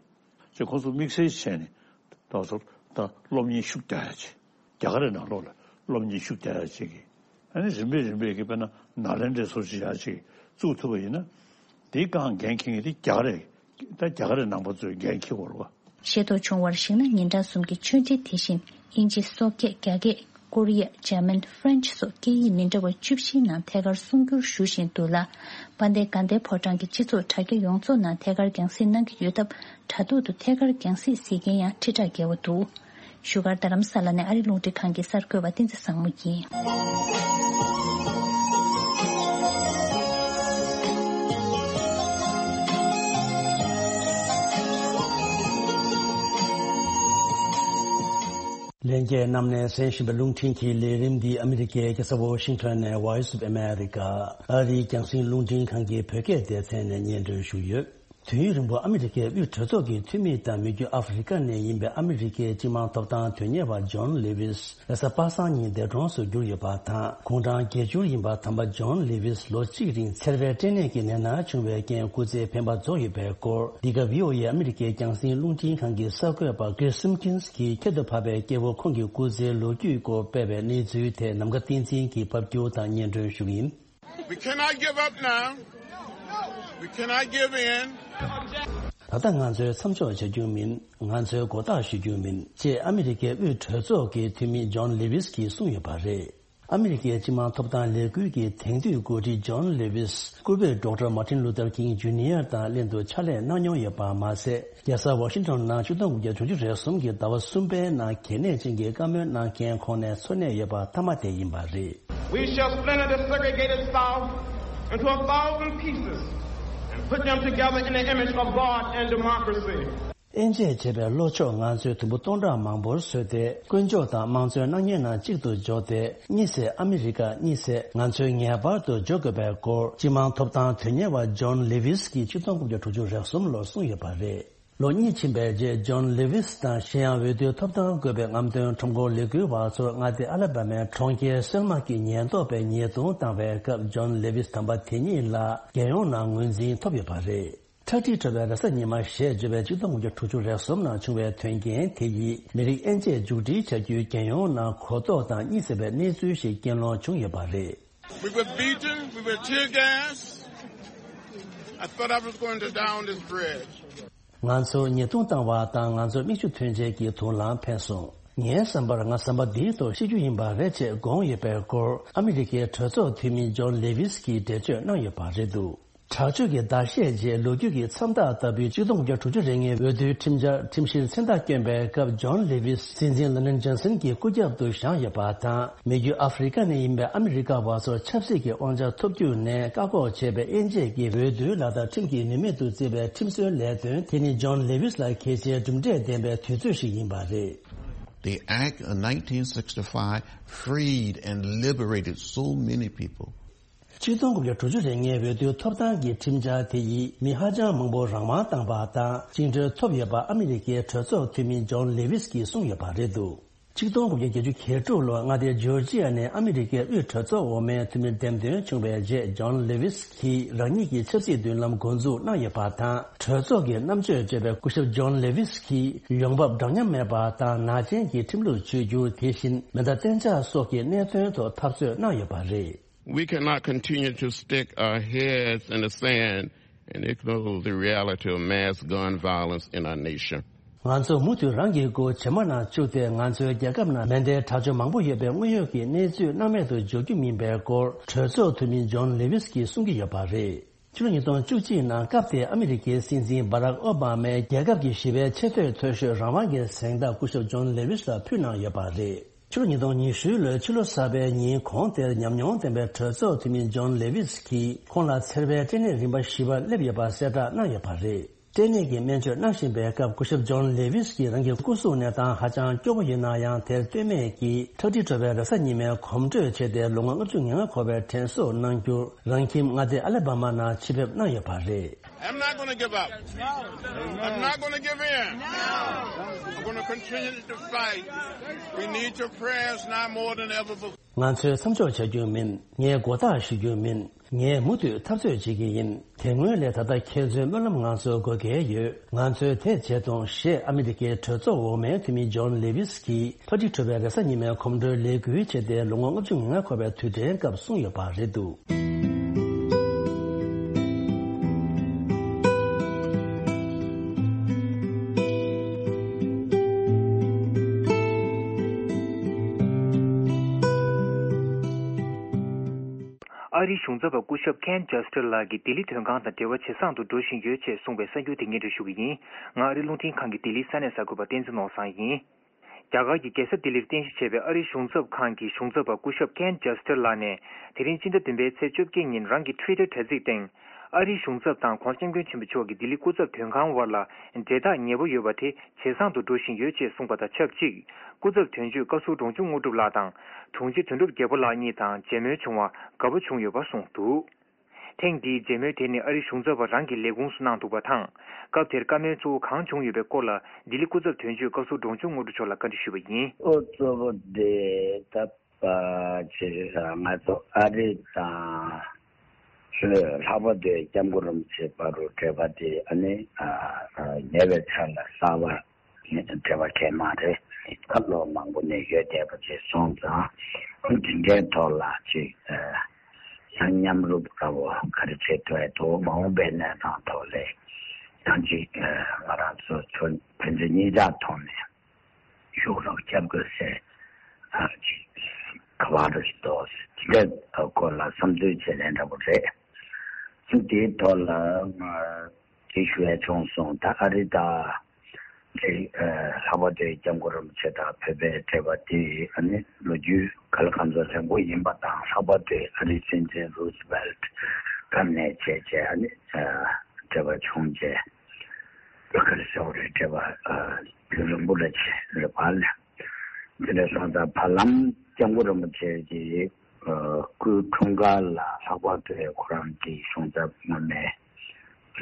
ཅེས་ཁོང་ཚོ་དམིགས་བསལ་བྱས་ནས་ད་བ་ཚོར་ད་སློབ་གཉེར་ཤུགས་རྒྱག་ཡ་ཅིག་རྒྱ་གར་རི་ནང་ལོགས་ལ་སློབ་གཉེར་ཤུགས་རྒྱག་ཡ་ཅིག་གིས་ཨ་ནི་རིམ་པས་རིམ་པས་ཀྱི་དཔེར་ན་ནཱ་ལེནྡྲའི་སོར་ཅིག་ཡ་ཅིག་བཙུགས་ཐུབ་པ་ཡིན་ན་དེའི་སྒང་འགན་འཁྱེར་མཁན་དེ་རྒྱ་གར་རེད། ད་རྒྱ་གར་རི་ནང་པ་ཚོས་འགན་འཁྱེར་དགོས་རེད་བ། ཤེས་རྟོགས་བྱུང་བར་གཞིགས་ན་ཉིན་གྲངས་གསུམ་གྱི་ཆོས་འབྲེལ་དེ་བཞིན་དབྱིན་ཇི། སོག་སྐད། རྒྱ་སྐད། ཀོ་རི་ཡ། འཇར་མན། ཧྥ་རན་ཆི་སོགས་སྐད་ཡིག་མི་འདྲ་བ་བཅུ་བཞིའི་ནང་ཐད་ཀར་གསུང་སྒྱུར་ཞུ་བཞིན་འདུག་ལ། དཔལ་ལྡན་དགའ་ལྡན་ཕོ་བྲང་གི་སྤྱི་ཚོགས་དྲ་རྒྱ་ཡོངས་རྫོགས་ནང་ཐད་ཀར་རྒྱང་སྲིང་གནང་གི་ཡོད་སྟབས་དྲ་ཐོག་ཏུ་ཐད་ཀར་རྒྱང་སྲིང་གཟིགས་མཁན་ཡང་ཁྲི་ཕྲག་བརྒལ་བ་འདུག་བཞུགས་སྒར་རྡ་རམ་ས་ལ་ནས་ཨ་རི་རླུང་འཕྲིན་ཁང་གི་གསར་འགོད་པ་བསྟན་འཛིན་བཟང་མོ་ཡིན། ལྷན་རྒྱས་རྣམས་ནས་གསན་བཞིན་པའི་རླུང་འཕྲིན་གྱི་ལས་རིམ་འདི་ཨ་མི་རི་ཀའི་རྒྱལ་ས་ཝ་ཤིང་ཊོན་ནས་Voice of America ཨ་རིའི་རྒྱང་སྲིང་རླུང་འཕྲིན་ཁང་གི་བོད་སྐད་སྡེ་ཚན་ནས་སྙན་སྒྲོན་ཞུས་ཡོད། དུས་ཡུན་རིང་པོ་ཨ་མི་རི་ཀའི་དབུས་གྲོས་ཚོགས་ཀྱི་འཐུས་མི་དང་མི་རྒྱུད་ཨ་ཧྥེ་རི་ཀ་ནས་ཡིན་པའི་ཨ་མི་རི་ཀའི་སྤྱི་དམངས་ཐོབ་ཐང་དོན་གཉེར་བ་ཇོན་ལེ་ཝིས་རེས་གཟའ་པ་སངས་ཉིན་འདས་གྲོངས་སུ་གྱུར་ཡོད་པ་དང་། དགུང་གྲངས་བརྒྱད་ཅུ་ཡིན་པ་དམ་པ་ཇོན་ལེ་ཝིས་ལོ་གཅིག་རིང་ཚེ་རབས་སྐྲན་ནད་ཀྱི་ནད་མནར་བྱུང་བའི་རྐྱེན་སྐུ་ཚེ་འཕེན་པ་རྫོགས་ཡོད་པའི་སྐོར། འདི་ག་བྷི་ཨོ་ཨེ་ཨ་མི་རི་ཀའི་རྒྱང་སྲིང་རླུང་འཕྲིན་ཁང་གི་གསར་འགོད་པ་Chris Simpkins གྱིས་ཁྱད་དུ་འཕགས་པའི་སྐྱེ་བོ་ཁོང་གི་སྐུ་ཚེའི་ལོ་རྒྱུས་སྐོར་སྤེལ་བའི་གནས་ཚུལ་དེ་ནམ་མཁའ་བསྟན་འཛིན་གྱིས་ཕབ་སྒྱུར་དང་སྙན་སྒྲོན་ཞུ་གི་ཡིན། We cannot give up now. We cannot give in. ད་ལྟ་ང་ཚོས་མཚམས་འཇོག་བྱ་རྒྱུ་མིན། ང་ཚོས་མགོ་བཏགས་གཞོལ་རྒྱུ་མིན། ཅེས་ཨ་མི་རི་ཀའི་དབུས་གྲོས་ཚོགས་ཀྱི་འཐུས་མི་ཇོན་ལེ་ཝིས་ཀྱིས་གསུངས་ཡོད་པ་རེད། ཨ་མི་རི་ཀའི་སྤྱི་དམངས་ཐོབ་ཐང་ལས་འགུལ་གྱི་དེང་དུས་འགོ་ཁྲིད་ཇོན་ལེ་ཝིས་སྐུ་བོས་Doctor Martin Luther King Junior དང་ལྷན་དུ་ཕྱག་ལས་གནང་མྱོང་ཡོད་པ་མ་ཟད། རྒྱལ་ས་ཝ་ཤིང་ཊོན་ནང་ཆིག་སྟོང་དགུ་བརྒྱ་དྲུག་ཅུ་རེ་གསུམ་གྱི་ཟླ་བ་གསུམ་པའི་ནང་གལ་གནད་ཅན་གྱི་བཀའ་མོལ་གནང་མཁན་ཁོང་ནས་འཚོ་གནས་ཡོད་པ་མཐའ་མ་དེ་ཡིན་པ་རེད། We shall splinter the segregated South into a thousand pieces and put them together in the image of God and democracy. དབྱེ་འབྱེད་བྱས་པའི་ལྷོ་ཕྱོགས་ང་ཚོས་དུམ་བུ་སྟོང་ཕྲག་མང་པོར་བཟོས་ཏེ། དཀོན་མཆོག་དང་དམངས་གཙོའི་སྣང་བརྙན་ནང་གཅིག་ཏུ་འཇོག་སྟེ། གཉིད་སད་ཨ་མི་རི་ཀ་གཉིད་སད། ང་ཚོས་ངེས་པར་དུ་འཇོག་དགོས་པའི་སྐོར། སྤྱི་དམངས་ཐོབ་ཐང་དོན་གཉེར་བ་ཇོན་ལེ་ཝིས་ཀྱིས་ཆིག་སྟོང་དགུ་བརྒྱ་དྲུག་ཅུ་རེ་གསུམ་ལོར་གསུངས་ཡོད་པ་རེད། ལོ་གཉིས་ཕྱིན་པའི་རྗེས། ཇོན་ལེ་ཝིས་དང་གཞན་ཡང་འོས་བསྡུའི་ཐོབ་ཐང་དགོས་པའི་རྔམ་སྟོན་ཁྲོམ་སྐོར་ལས་འགུལ་བ་ཚོར་མངའ་སྡེ་ཨ་ལ་བྷ་མའི་གྲོང་ཁྱེར་སེལ་མ་གི་ཉེན་རྟོག་པས་ཉེས་རྡུང་བཏང་བའི་སྐབས། ཇོན་ལེ་ཝིས་དམ་པ་དེ་ཉིད་ལ་རྒྱལ་ཡོངས་ནང་ངོས་འཛིན་ཐོབ་ཡོད་པ་རེད། ཁྲག་དྲི་བྲོ་བའི་རེས་གཟའ་ཉི་མ་ཞེས་བརྗོད་པའི་ཆིག་སྟོང་དགུ་བརྒྱ་དྲུག་ཅུ་རེ་གསུམ་ནང་བྱུང་བའི་དོན་རྐྱེན་དེ་ཡིས། མི་རིགས་དབྱེ་འབྱེད་མཇུག་སྒྲིལ་བྱ་རྒྱུའི་རྒྱལ་ཡོངས་ནང་གོ་རྟོགས་དང་གཉིད་སད་པའི་གནས་ཚུལ་ཞིག་རྐྱེན་སློང་བྱུང་ཡོད་པ་རེད། We were beaten, we were tear gassed. I thought I was going to die on this bridge. ང་ཚོར་ཉེས་རྡུང་བཏང་བ་དང་། ང་ཚོར་མིག་ཆུ་ཐོན་བྱེད་ཀྱི་དུག་རླངས་འཕེན་སོང་། ངའི་བསམ་པར་ང་ཟམ་པ་འདིའི་ཐོག་ཤི་རྒྱུ་ཡིན་པ་རེད་ཅེས་དགོངས་ཡོད་པའི་སྐོར། ཨ་མི་རི་ཀའི་གྲོས་ཚོགས་འཐུས་མི་ཇོན་ལེ་ཝིས་ཀྱིས་འགྲེལ་བརྗོད་གནང་ཡོད་པ་རེད་འདུག་དྲག་སྤྱོད་ཀྱི་ཟླ་ཤས་རྗེས། ལོ་རྒྱུས་ཀྱི་མཚམས་རྟགས་ལྟ་བུའི་ཆིག་སྟོང་དགུ་བརྒྱ་དྲུག་ཅུ་རེ་ལྔའི་འོས་བསྡུའི་ཁྲིམས་འཆར་ཁྲིམས་གཞིར་མཚན་རྟགས་བསྐྱོན་པའི་སྐབས། ཇོན་ལེ་ཝིས་སྲིད་འཛིན་ལན་ཌོན་ཇོན་སན་གྱི་སྐུ་རྒྱབ་ཏུ་བཞེངས་ཡོད་པ་དང་། མི་རྒྱུད་ཨ་ཧྥེ་རི་ཀ་ནས་ཡིན་པའི་ཨ་མི་རི་ཀ་བ་ཚོར་ཆབ་སྲིད་ཀྱི་དབང་ཆ་ཐོབ་རྒྱུ་ནས་བཀག་འགོག་བྱས་པའི་དབྱེ་འབྱེད་ཀྱི་འོས་བསྡུའི་ལག་བསྟར་ཁྲིམས་ཀྱིས་ནུས་མེད་དུ་བརྩིས་པའི་ཁྲིམས་བཟོའི་ལས་དོན་དེ་ནི་ཇོན་ལེ་ཝིས་ལ་གལ་ཆེའི་གྲུབ་འབྲས་ལྡན་པའི་དུས་ཚོད་ཞིག་ཡིན་པ་རེད། The Act of nineteen sixty-five freed and liberated so many people. ཆིག་སྟོང་དགུ་བརྒྱ་དྲུག་ཅུ་རེ་ལྔའི་འོས་བསྡུའི་ཐོབ་ཐང་གི་ཁྲིམས་འཆར་དེ་ཡིས་མི་ཧ་ཅང་མང་པོ་རང་དབང་བཏང་པ་དང་། བཅིངས་འགྲོལ་ཐོབ་ཡོད་པ་ཨ་མི་རི་ཀའི་གྲོས་ཚོགས་འཐུས་མི་ཇོན་ལེ་ཝིས་ཀྱིས་གསུངས་ཡོད་པ་རེད་འདུག་ཆིག་སྟོང་དགུ་བརྒྱ་བརྒྱད་ཅུ་གྱ་དྲུག་ལོར་མངའ་སྡེ་ཇོར་ཇི་ཡ་ནས་ཨ་མི་རི་ཀའི་དབུས་གྲོས་ཚོགས་འོག་མའི་འཐུས་མི་འདེམས་ཐོན་བྱུང་བའི་རྗེས། ཇོན་ལེ་ཝིས་ཀྱིས་རང་ཉིད་ཀྱི་ཆབ་སྲིད་མདུན་ལམ་འགོ་འཛུགས་གནང་ཡོད་པ་དང་། གྲོས་ཚོགས་ཀྱི་རྣམ་དཔྱོད་ཅེས་པའི་སྐུ་ཞབས་ཇོན་ལེ་ཝིས་ཀྱིས་ཡོང་འབབ་འདྲ་མཉམ་མེད་པ་དང་། ནག་ཅན་གྱི་ཁྲིམས་ལུགས་བཅོས་བསྒྱུར། དེ་བཞིན་མེ་མདའ་གཏན་འཇགས་སོགས་ཀྱི་གནད་དོན་ཐོག་འཐབ་རྩོད་གནང་ཡོད་པ་རེད། We cannot continue to stick our heads in the sand and ignore the reality of mass gun violence in our nation. ང་ཚོ་མུ་མཐུད་རང་གི་མགོ་བྱེ་མ་ནང་བཅུག་སྟེ། ང་ཚོའི་རྒྱལ་ཁབ་ནང་མེ་མདའི་དྲག་སྤྱོད་མང་པོ་ཡོད་པའི་དངོས་ཡོད་ཀྱི་གནས་ཚུལ་སྣང་མེད་དུ་འཇོག་རྒྱུ་མིན་པའི་སྐོར། གྲོས་ཚོགས་འཐུས་མི་ཇོན་ལེ་ཝིས་ཀྱིས་གསུང་གི་ཡོད་པ་རེད། ཕྱི་ལོ་ཉིས་སྟོང་བཅུ་གཅིག་ནང་སྐབས་དེའི་ཨ་མི་རི་ཀའི་སྲིད་འཛིན་བྷ་རག་ཨོ་བྷ་མས་རྒྱལ་ཁབ་ཀྱི་ཞི་བའི་ཆེས་མཐོའི་མཐོ་ཤོས་རང་དབང་གི་གཟེངས་རྟགས་སྐུ་ཞབས་ཇོན་ལེ་ཝིས་ལ་ཕུལ་གནང་ཡོད་པ་རེད། ཕྱི་ལོ་ཉིས་སྟོང་ཉི་ཤུ་ལོའི་ཕྱི་ལོ་གསར་པའི་ཉིན་གོང་དེར་ཉམས་མྱོང་ལྡན་པའི་གྲོས་ཚོགས་འཐུས་མི་ཇོན་ལེ་ཝིས་ཀྱིས་ཁོང་ལ་འཚེར་བའི་སྐྲན་ནད་རིམ་པ་བཞི་པ་སླེབས་ཡོད་པ་གསལ་བསྒྲགས་གནང་ཡོད་པ་རེད། སྐྲན་ནད་ཀྱི་སྨན་བཅོས་གནང་བཞིན་པའི་སྐབས། སྐུ་ཞབས་ཇོན་ལེ་ཝིས་ཀྱིས་རང་གི་སྐུ་གཟུགས་གནས་སྟངས་ཧ་ཅང་སྐྱོ་པོ་ཡིན་ན་ཡང་། དེར་ལྟོས་མེད་ཀྱིས་ཁྲག་དྲི་བྲོ་བའི་རེས་གཟའ་ཉི་མའི་གོམ་བགྲོད་བྱས་ཏེ། ལོ་ངོ་ལྔ་བཅུ་ང་ལྔ་འཁོར་བའི་དྲན་གསོ་གནང་རྒྱུར། རང་ཁྱིམ་མངའ་སྡེ་ཨ་ལ་བྷ་མ་ནང་ཆེད་ཕེབས་གནང་ཡོད་པ་རེད། I'm not going to give up. I'm not going to give in. I'm going to continue to fight. We need your prayers now more than ever before. ང་ཚོས་མཚམས་འཇོག་བྱ་རྒྱུ་མིན། ངས་མགོ་ཐག་གཞུ་རྒྱུ་མིན། ངས་མུ་མཐུད་འཐབ་རྩོད་བྱེད་ཀྱི་ཡིན། དེ་སྔོན་ལས་ད་ལྟ་ཁྱེད་ཚོའི་སྨོན་ལམ་ང་ཚོར་དགོས་གལ་ཡོད། ང་ཚོས་དེ་བྱེད་ཐུབ། ཞེས་ཨ་མི་རི་ཀའི་གྲོས་ཚོགས་འོག་མའི་འཐུས་མི་ཇོན་ལེ་ཝིས་ཀྱིས་ཁྲག་དྲི་བྲོ་བའི་རེས་གཟའ་ཉི་མའི་གོམ་བགྲོད་ལས་འགུལ་བྱས་ཏེ། ལོ་ངོ་ལྔ་བཅུ་ང་ལྔ་འཁོར་བའི་དུས་དྲན་སྐབས་གསུངས་ཡོད་པ་རེད་འདུག་ཨ་རིའི་གཞུང་ཚབ་པ་སྐུ་ཞབས་ཁེན་ཇེ་སི་ཊར་ལགས་ཀྱིས་ལྡི་ལི་མདུན་ཁང་དང་འབྲེལ་བ་ཇེ་བཟང་དུ་འགྲོ་བཞིན་ཡོད་ཅེས་གསུངས་པའི་གསར་འགྱུར་དེ་སྙན་སྒྲོན་ཞུ་གི་ཡིན། ང་ཨ་རི་རླུང་འཕྲིན་ཁང་གི་ལྡི་ལིའི་ས་གནས་གསར་འགོད་པ་བསྟན་འཛིན་ནོར་བཟང་ཡིན། རྒྱ་གར་གྱི་རྒྱལ་ས་ལྡི་ལིར་རྟེན་གཞི་བྱས་པའི་ཨ་རིའི་གཞུང་ཚབ་ཁང་གི་གཞུང་ཚབ་པ་སྐུ་ཞབས་ཁེན་ཇེ་སི་ཊར་ལགས་ནས། དེ་རིང་སྤྱི་ཟླ་བདུན་པའི་ཚེས་བཅོ་བརྒྱད་ཉིན་རང་གི་ཊུ་ཝི་ཊར་དྲ་ཚིགས་སྟེང་། ཨ་རིའི་གཞུང་ཚབ་དང་༸གོང་ས་༸སྐྱབས་མགོན་ཆེན་པོ་མཆོག་གི་ལྡི་ལི་སྐུ་ཚབ་དོན་ཁང་དབར་ལ་འབྲེལ་ཐག་ཉེ་པོ་ཡོད་པ་དེ་ཇེ་བཟང་དུ་འགྲོ་བཞིན་ཡོད་ཅེས་གསུངས་པ་དང་ཆབས་ཅིག་སྐུ་ཚབ་དོན་གཅོད་བཀའ་ཟུར་འབྲོང་ཆུང་དངོས་གྲུབ་ལགས་དང་དྲུང་ཆེ་དོན་གྲུབ་རྒྱལ་པོ་ལགས་གཉིས་དང་མཇལ་མོལ་བྱུང་བར་དགའ་པོ་བྱུང་ཡོད་པ་གསུངས་འདུག་ཐེངས་འདིའི་མཇལ་མོལ་དེ་ནི་ཨ་རིའི་གཞུང་ཚབ་པ་རང་གི་ལས་ཁུངས་སུ་གནང་འདུག་པ་དང་། སྐབས་དེར་བཀའ་མོལ་གཙོ་བོ་གང་བྱུང་ཡོད་པའི་སྐོར་ལ་ལྡི་ལི་སྐུ་ཚབ་དོན་གཅོད་བཀའ་ཟུར་འབྲོང་ཆུང་དངོས་གྲུབ་མཆོག་ལ་བཀའ་འདྲི་ཞུས་པ་ཡིན། ཨོ་གཙོ་བོ་དེ་ད་ཕྱི་ང་ཚོ་ཨ་རི་དང་ལྷག་པར་དུ་སྐྱབས་མགོན་རིན་པོ་ཆེ་བར་དུ་འབྲེལ་བ་དེ་ཨ་ནི་ཉེ་བའི་ཆར་ལ་གསར་པ་འབྲེལ་བ་གལ་མ་རེད། ད་ལོ་མང་པོ་ནས་ཡོད་བསྡད་པ་ཅིག་སོང་ཙང་དེ་འདྲའི་ཐོག་ལ་ཅིག་ཡང་མཉམ་རུབ་འདྲ་བོ་ག་རེ་བྱེད་ཐུབ་ཡ་འདུག་མ་འོངས་པའི་གནས་སྟངས་ཐོག་ལ་ཡང་ཅིག་ང་རང་ཚོ་ཕན་ཚུན་གཉིས་ཆ་ཐོག་ནས་ཤུགས་རོགས་རྒྱབ་དགོས་ཟེར་ཅིག་ག་བ་རེ་འདུག་དེ་འདྲའི་སྐོར་ལ་བསམ་ཚུལ་བྱེད་ལེན་འདྲ་བོ་རེད། དེའི་ཐོག་ལ་ང་དེ་ཞུ་ཡ་བྱུང་སོང་། ད་ཨ་རི་དང་དེ་ལྷག་པར་དུ་སྐྱབས་མགོན་རིན་པོ་ཆེ་དང་བོད་པའི་འབྲེལ་བ་དེ་ཨ་ནི་ལོ་རྒྱུས་ག་ལ་གང་འཚམ་རིང་པོ་ཡིན་པ་དང་། ལྷག་པར་དུ་ཨ་རིའི་སྲིད་འཛིན་རུ་སི་ཝེལ་ཊི་སྐབས་ནས་བྱས་བྱས་ཨ་ནི་འབྲེལ་བ་བྱུང་བྱས། བོད་སྐད་ལ་ཟེར་བ་རེད། དྲི་བ་རྒྱུན་རིང་པོ་ལ་བྱེད་རེད་པ་ལ། དེ་འདྲ་སོང་ཙང་བར་ལམ་སྐྱབས་མགོན་རིན་པོ་ཆེ་གི་སྐུའི་འཁྲུངས་སྐར་ལ་ལྷག་པར་དུ་ཁོ་རང་གི་གཞུང་ཚབ་སྔོན་མའི་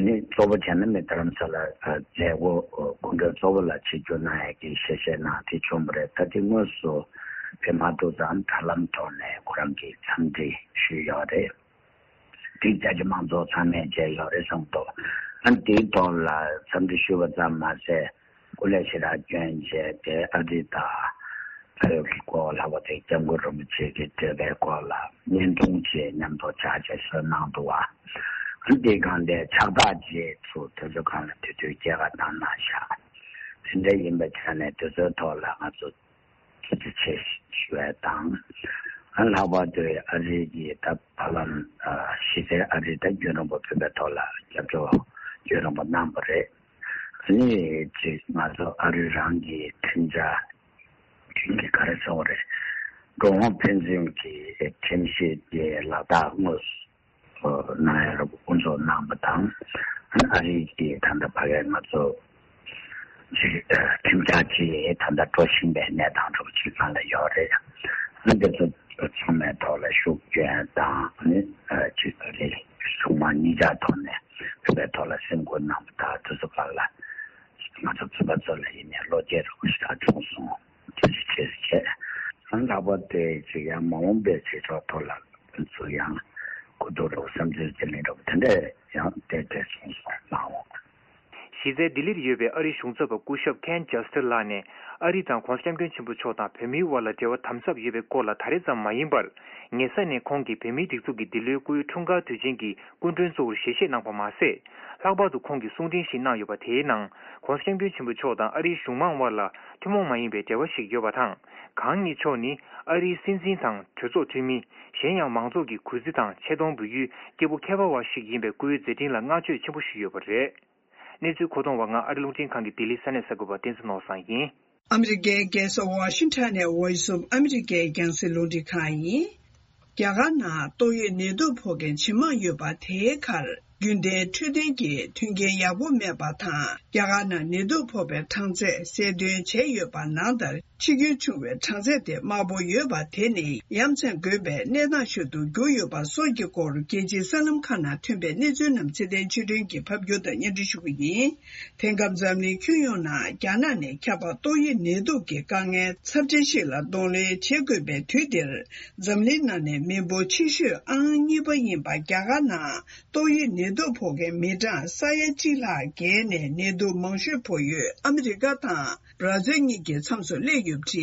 ནི་གཙོ་བོ་བྱས་ན་མི་རྡ་རམ་ས་ལ་མཛད་སྒོ་སྐུ་མགྲོན་གཙོ་བོ་ལ་ཆིབས་བསྒྱུར་གནང་ཡས་ཀྱི་ཞལ་བཞེས་གནང་དེ་བྱུང་བ་རེད། ད་དེ་དངོས་སུ་ཕེབས་མ་ཐུབ་ཙང་དྲ་ལམ་ཐོག་ནས་ཁོ་རང་གིས་འཚམས་འདྲི་ཞུས་ཡོད་རེད། དེ་རྒྱ་ཆེ་མང་ཚོགས་ཚང་མས་མཇལ་ཡོད་རེད་བསམ་འདུག་ཨ་ནི་དེའི་ཐོག་ལ་འཚམས་འདྲི་ཞུས་པ་ཙམ་མ་ཟད་སྐུ་ལས་ཞེ་དྲག་བསྐྱོན་བྱས་ཏེ་ཨ་རི་དང་ཕ་ཡུལ་གྱི་སྐོར་ལྷག་པར་དུ་སྐྱབས་མགོན་རིན་པོ་ཆེ་གི་བགྲེས་པའི་སྐོར་ལ་བརྙན་ཐུང་ཅིག་མཉམ་དུ་ཕྱག་ཕྱིད་བཟོས་གནང་འདུག་བ། ཨ་ནི་དེའི་སྒང་དེ་ཕྱག་རྟགས་ཅིག་ཚུར་དུས་ཚོད་སྒང་ལ་དེ་དུས་སྐྱེལ་ག་བཏང་གནང་བཞག་དེ་འདྲ་ཡིན་པའི་ཆ་ནས་དུས་ཚོད་ཐོག་ལ་ང་ཚོ་ཐུགས་རྗེ་ཆེ་ཞུ་ཡ་དང་། ཨ་ལྷག་པར་དུ་ཨ་རི་གི་ད་བར་ལམ་གཞི་རྩའི་ཨ་རི་ད་རྒྱུན་རིང་པོ་ཕེབས་པའི་ཐོག་ལ་རྒྱབ་སྐྱོར་རྒྱུན་རིང་པོ་གནང་བ་རེད། ཨ་ནི་ཅིག་ང་ཚོ་ཨ་རི་རང་གི་ཁྲིམས་འཆར་ཁྲིམས་ཀྱི་ག་རེ་ཟེར་བ་རེད། འགྲོ་འོང་ཕན་ཚུན་གྱི་ཁྲིམས་གཞི་དེ་ལག་བསྟར་དངོས་སུ་གནང་ཡ་རུ་དབུ་འཛུགས་གནང་བ་དང་། ཨ་རི་གི་ད་ལྟ་ཕ་གིར་ང་ཚོ་ཅིག་ཁྲིམས་འཆར་ཅིག་ད་ལྟ་འགྲོ་བཞིན་པའི་གནས་སྟངས་འདྲ་པོ་ཅིག་སྒང་ལ་ཡོད་རེད། ཨ་འདི་ཚོ་ཚང་མའི་ཐོག་ལ་ཤུགས་སྐྱོན་དང་ནི་ཅིག་རེད་གཞུང་མང་གཉིས་ཆར་ཐོག་ནས་བོད་པའི་ཐོག་ལ་སེམས་ཁུར་གནང་བ་དང་དེ་ཚོ་སྒང་ལ་ང་ཚོ་བོད་པ་ཚོ་ལ་ཡིན་ནའི་བློ་སྐྱེད་རོགས་ཞེ་དྲག་བྱུང་སོང་། ཐུགས་རྗེ་ཆེ་ཞུ་བྱས། ཨ་ལྷག་པར་དུ་ཅིག་ཡང་མ་འོངས་པའི་བྱེད་ཕྱོགས་ཐོག་ལ་ང་ཚོ་ཡང་གོ་བསྡུར་རོགས་བསམ་ཚུལ་བརྗེ་ལེན་རོགས་དེ་འདྲས་ཡང་བལྟས་བལྟས་སོང་སོང་མ་འོངས། གཞི་རྩའི་ལྡི་ལིར་ཡོད་པའི་ཨ་རིའི་གཞུང་ཚབ་པ་སྐུ་ཞབས་Ken Juster་ལགས་ནས་ཨ་རི་དང་༸གོང་ས་༸སྐྱབས་མགོན་ཆེན་པོ་མཆོག་དང་བོད་མིའི་དབར་ལ་འབྲེལ་བ་དམ་ཟབ་ཡོད་པའི་སྐོར་ལ་ད་རེས་ཙམ་མ་ཡིན་པར། ཉེ་ས་ནས་ཁོང་གིས་བོད་མིའི་སྒྲིག་འཛུགས་ཀྱི་འདི་ལོའི་སྐུའི་འཁྲུངས་སྐར་དུས་ཆེན་གྱི་སྐུ་མགྲོན་གཙོ་བོར་ཞལ་བཞེས་གནང་པ་མ་ཟད། ལྷག་པར་དུ་ཁོང་གིས་གསུང་འཕྲིན་ཞིག་གནང་ཡོད་པ་དེའི་ནང་༸གོང་ས་༸སྐྱབས་མགོན་ཆེན་པོ་མཆོག་དང་ཨ་རིའི་གཞུང་མང་དབར་ལ་ཐུན་མོང་མ་ཡིན་པའི་འབྲེལ་བ་ཞིག་ཡོད་པ་དང་། གང་ཉིད་མཆོག་ནི་ཨ་རིའི་སྲིད་འཛིན་དང་གྲོས་ཚོགས་འཐུས་མི། གཞན་ཡང་མང་ཚོགས་ཀྱི་གུས་བརྩི་དང་ཆེ་མཐོང་འབུལ་ཡུལ་སྐྱེས་བུ་མཁས་པ་བ་ཞིག་ཡིན་པའི་སྐུའི་མཛད་འཕྲིན་ལ་བསྔགས་བརྗོད་ཆེན་པོ་ཞུས་ཡོད་པ་རེད། གནས་ཚུལ་མཁོ་གཏོང་བ་ང་ཨ་རི་རླུང་འཕྲིན་ཁང་གི་ལྡི་ལི་ས་གནས་གསར་འགོད་པ་བསྟན་འཛིན་ནོར་བཟང་ཡིན། ཨ་མི་རི་ཀའི་རྒྱལ་ས་ཝ་ཤིང་ཊོན་ནས་Voice of America་རྒྱང་སྲིང་རླུང་འཕྲིན་ཁང་ཡིན། རྒྱ་གར་ནང་ཏོག་དབྱིབས་ནད་དུག་ཕོག་མཁན་ཇེ་མང་ཡོད་པ་དེའི་ཁར་རྒྱུན་ལྡན་འཕྲོད་བསྟེན་གྱི་མཐུན་རྐྱེན་ཡག་པོ་མེད་པ་དང་རྒྱ་གར་ནང་ནད་དུག་ཕོག་པའི་གྲངས་ཚད་གསལ་སྟོན་བྱས་ཡོད་པ་ནང་ལྟར། འཆི་སྐྱོན་བྱུང་བའི་གྲངས་ཚད་དེ་དམའ་པོ་ཡོད་པ་དེ་ནི་ཡ་མཚན་དགོས་པའི་གནས་སྟངས་ཤིག་ཏུ་གྱུར་ཡོད་པ་སོགས་ཀྱི་སྐོར་རྒྱལ་སྤྱིའི་གསར་ལམ་ཁག་ནང་ཐོན་པའི་གནས་ཚུལ་རྣམས་ཚེ་བརྟན་ཆོས་སྒྲོན་གྱིས་ཕབ་སྒྱུར་དང་སྙན་སྒྲོན་ཞུ་གི་ཡིན། དེང་སྐབས་འཛམ་གླིང་ཁྱོན་ཡོངས་ནང་རྒྱ་ནག་ནས་ཁྱབ་པ་ཏོག་དབྱིབས་ནད་དུག་གི་དཀའ་ངལ་ཚབས་ཆེན་ཞིག་ལ་གདོང་ལེན་བྱེད་དགོས་པའི་དུས་འདིར། འཛམ་གླིང་ནང་ནས་མི་འབོར་ཆེ་ཤོས་ཨང་གཉིས་པ་ཡིན་པ་རྒྱ་གར་ནང་ཏོག་དབྱིབས་ནད་དུག་ཕོག་མཁན་མི་གྲངས་ས་ཡ་གཅིག་ལྷག་བརྒལ་ནས་ནད་དུག་མང་ཤོས་ཕོག་ཡུལ་ཨ་མི་རི་ཀ་དང་། བར་ཛིལ་གཉིས་ཀྱི་མཚམས་སུ་སླེབས་ཡོད་པ་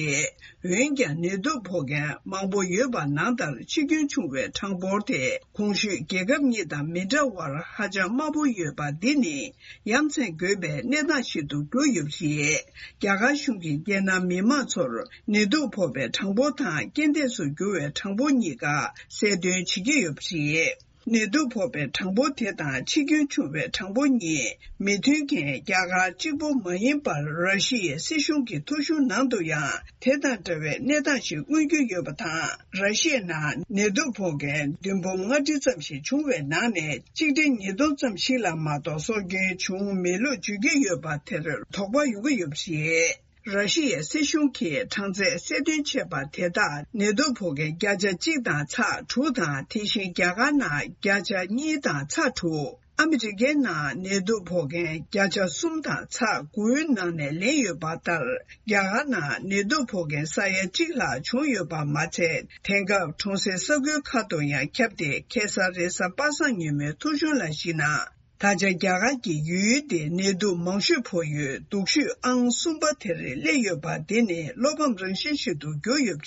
རེད། འོན་ཀྱང་ནད་དུག་ཕོག་མཁན་མང་པོ་ཡོད་པ་ནང་ལྟར་འཆི་སྐྱོན་བྱུང་བའི་གྲངས་འབོར་དེ་གོང་ཞུས་རྒྱལ་ཁབ་གཉིས་དང་མི་འདྲ་བར་ཧ་ཅང་དམའ་པོ་ཡོད་པ་འདི་ནི་ཡ་མཚན་དགོས་པའི་གནས་སྟངས་ཤིག་ཏུ་གྱུར་ཡོད་པ་རེད། རྒྱ་གར་གཞུང་གིས་རྒྱལ་ནང་མི་མང་ཚོར་ནད་དུག་ཕོག་པའི་གྲངས་འབོར་དང་རྐྱེན་འདས་སུ་གྱུར་བའི་གྲངས་འབོར་གཉིས་ཀ་གསལ་སྟོན་བྱེད་ཀྱི་ཡོད་པ་རེད། ནད་དུག་ཕོག་པའི་གྲངས་འབོར་དེ་དང་འཆི་སྐྱོན་བྱུང་བའི་གྲངས་འབོར་གཉིས་མི་མཐུན་རྐྱེན་རྒྱ་གར་གཅིག་པུ་མ་ཡིན་པར་ར་ཤི་ཡའི་སྲིད་གཞུང་གི་ཐོ་གཞུང་ནང་དུ་ཡང་དེ་དང་འདྲ་བའི་གནས་སྟངས་ཤིག་མངོན་གྱི་ཡོད་པ་དང་། ར་ཤི་ཡའི་ནང་ནད་དུག་ཕོག་མཁན་བདུན་འབུམ་ལྔ་ཁྲི་ཙམ་ཞིག་བྱུང་བའི་ནང་ནས་གཅིག་ཁྲི་ཉིས་སྟོང་ཙམ་ཞིག་ལ་མ་གཏོགས་སྲོག་སྐྱོན་བྱུང་མེད་ལུགས་བརྗོད་ཀྱི་ཡོད་པ་དེར་དོགས་པ་ཡོང་གི་ཡོད་པ་རེད། ར་ཤི་ཡའི་སྲིད་གཞུང་གིས་གྲངས་ཚད་གསལ་སྟོན་བྱས་པ་དེ་དག་ནད་དུག་ཕོག་མཁན་བརྒྱ་ཆ་གཅིག་དང་ཚེག་དྲུག་དང་། དེ་བཞིན་རྒྱ་གར་ནང་བརྒྱ་ཆ་གཉིས་དང་ཚེག་དྲུག་ཨ་མི་རི་ཀའི་ནང་ནད་དུག་ཕོག་མཁན་བརྒྱ་ཆ་གསུམ་དང་ཚེག་དགུའི་ནང་ནས་ལེན་ཡོད་པ་ལྟར། རྒྱ་གར་ནང་ནད་དུག་ཕོག་མཁན་ས་ཡ་གཅིག་ལྷག་བྱུང་ཡོད་པ་མ་ཚད། དེང་སྐབས་གྲོང་གསེབ་ས་ཁུལ་ཁག་ཏུ་ཡང་ཁྱབ་སྟེ། ཁེ་སང་རེས་གཟའ་པ་སངས་ཉིན་མོའི་ཐོ་གཞུང་ལ་གཞིགས་ན། ད་ཆ་རྒྱ་གར་གྱི་ཡུལ་དེ་ནད་དུག་མང་ཤོས་ཕོག་ཡུལ་སྡུག་ཤོས་ཨང་གསུམ་པ་དེར་སླེབས་ཡོད་པ་འདི་ནི་བློ་ཕམ་རང་བཞིན་ཞིག་ཏུ་གྱུར་ཡོད་པ་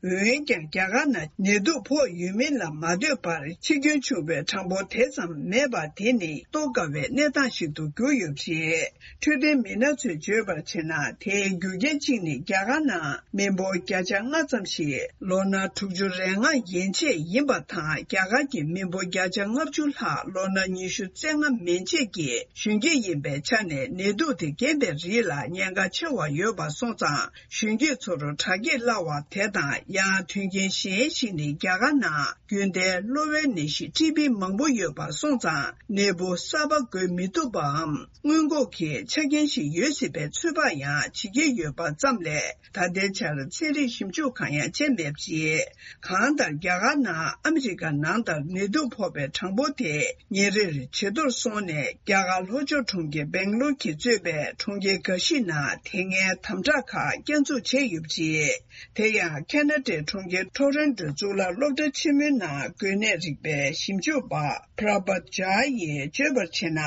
རེད། འོན་ཀྱང་རྒྱ་གར་ནང་ནད་དུག་ཕོག་ཡོད་མིན་ལ་མ་ལྟོས་པར་འཆི་སྐྱོན་བྱུང་བའི་གྲངས་འབོར་དེ་ཙམ་མེད་པ་དེ་ནི་རྟོགས་དཀའ་བའི་གནས་སྟངས་ཤིག་ཏུ་གྱུར་ཡོད་པ་རེད། འཕྲོད་བསྟེན་མི་སྣ་ཚོས་བརྗོད་པར་བྱས་ན། དེའི་རྒྱུ་རྐྱེན་གཅིག་ནི་རྒྱ་གར་ནང་མི་འབོར་བརྒྱ་ཆ་ལྔ་ཙམ་ཞིག་ལོ་ན་དྲུག་ཅུ་རེ་ལྔ་ཡན་ཆད་ཡིན་པ་དང་། རྒྱ་གར་གྱི་མི་འབོར་བརྒྱ་ཆ་ལྔ་བཅུ་ལྷག་ལོ་ན་ཉི་ཤུ་རྩ་ལྔ་མན་ཆད་ཀྱི་གཞོན་སྐྱེས་ཡིན་པའི་ཆ་ནས། ནད་དུག་དེ་རྐྱེན་པས་རིགས་ལ་ཉེན་ཁ་ཆེ་བ་ཡོད་པ་སོང་ཙང་། གཞོན་སྐྱེས་ཚོར་དྲག་སྐྱེད་སླ་བ་དེ་དང་། ཡང་དོན་རྐྱེན་གཞན་ཞིག་ནི། རྒྱ་གར་ནང་རྒྱུན་ལྡན་གློ་བའི་ནད་གཞི་ཊི་བི་མང་པོ་ཡོད་པ་སོང་ཙང་། ནད་འབུ་གསར་པ་འགོས་མི་ཐུབ་པའམ་སྔོན་འགོག་གི་ཆ་རྐྱེན་ཞིག་ཡོད་སྲིད་པའི་ཚོད་དཔག་ཡང་བྱེད་ཀྱི་ཡོད་པ་ཙམ་ལས། ད་ལྟའི་ཆར་ཚན་རིག་ཞིབ་འཇུག་གང་ཡང་བྱས་མེད་པ་རེད། གང་ལྟར། རྒྱ་གར་ནང་ཨ་མི་རི་ཀ་ནང་ལྟར་ནད་དུག་ཕོག་པའི་གྲངས་འབོར་དེ་ཉིན་རེར་ཇེ་མཐོར་སོང་ནས། རྒྱ་གར་ལྷོ་ཕྱོགས་གྲོང་ཁྱེར་སྦེང་ལོར་གྱིས་གཙོས་པའི་གྲོང་ཁྱེར་འགའ་ཞིག་ནང་དེ་སྔའི་དམ་དྲག་ཁག་བསྐྱར་འཛུགས་བྱས་ཡོད་པ་རེད། དེ་ཡང་ཁེ་ན་ཌའི་གྲོང་ཁྱེར་ཊོ་རོན་ཊོའི་གཙུག་ལག་སློབ་གྲྭ་ཆེན་མོའི་ནང་འགོས་ནད་རིག་པའི་ཞིབ་འཇུག་པ་Prabhat Jha ཡིས་བརྗོད་པར་བྱས་ན།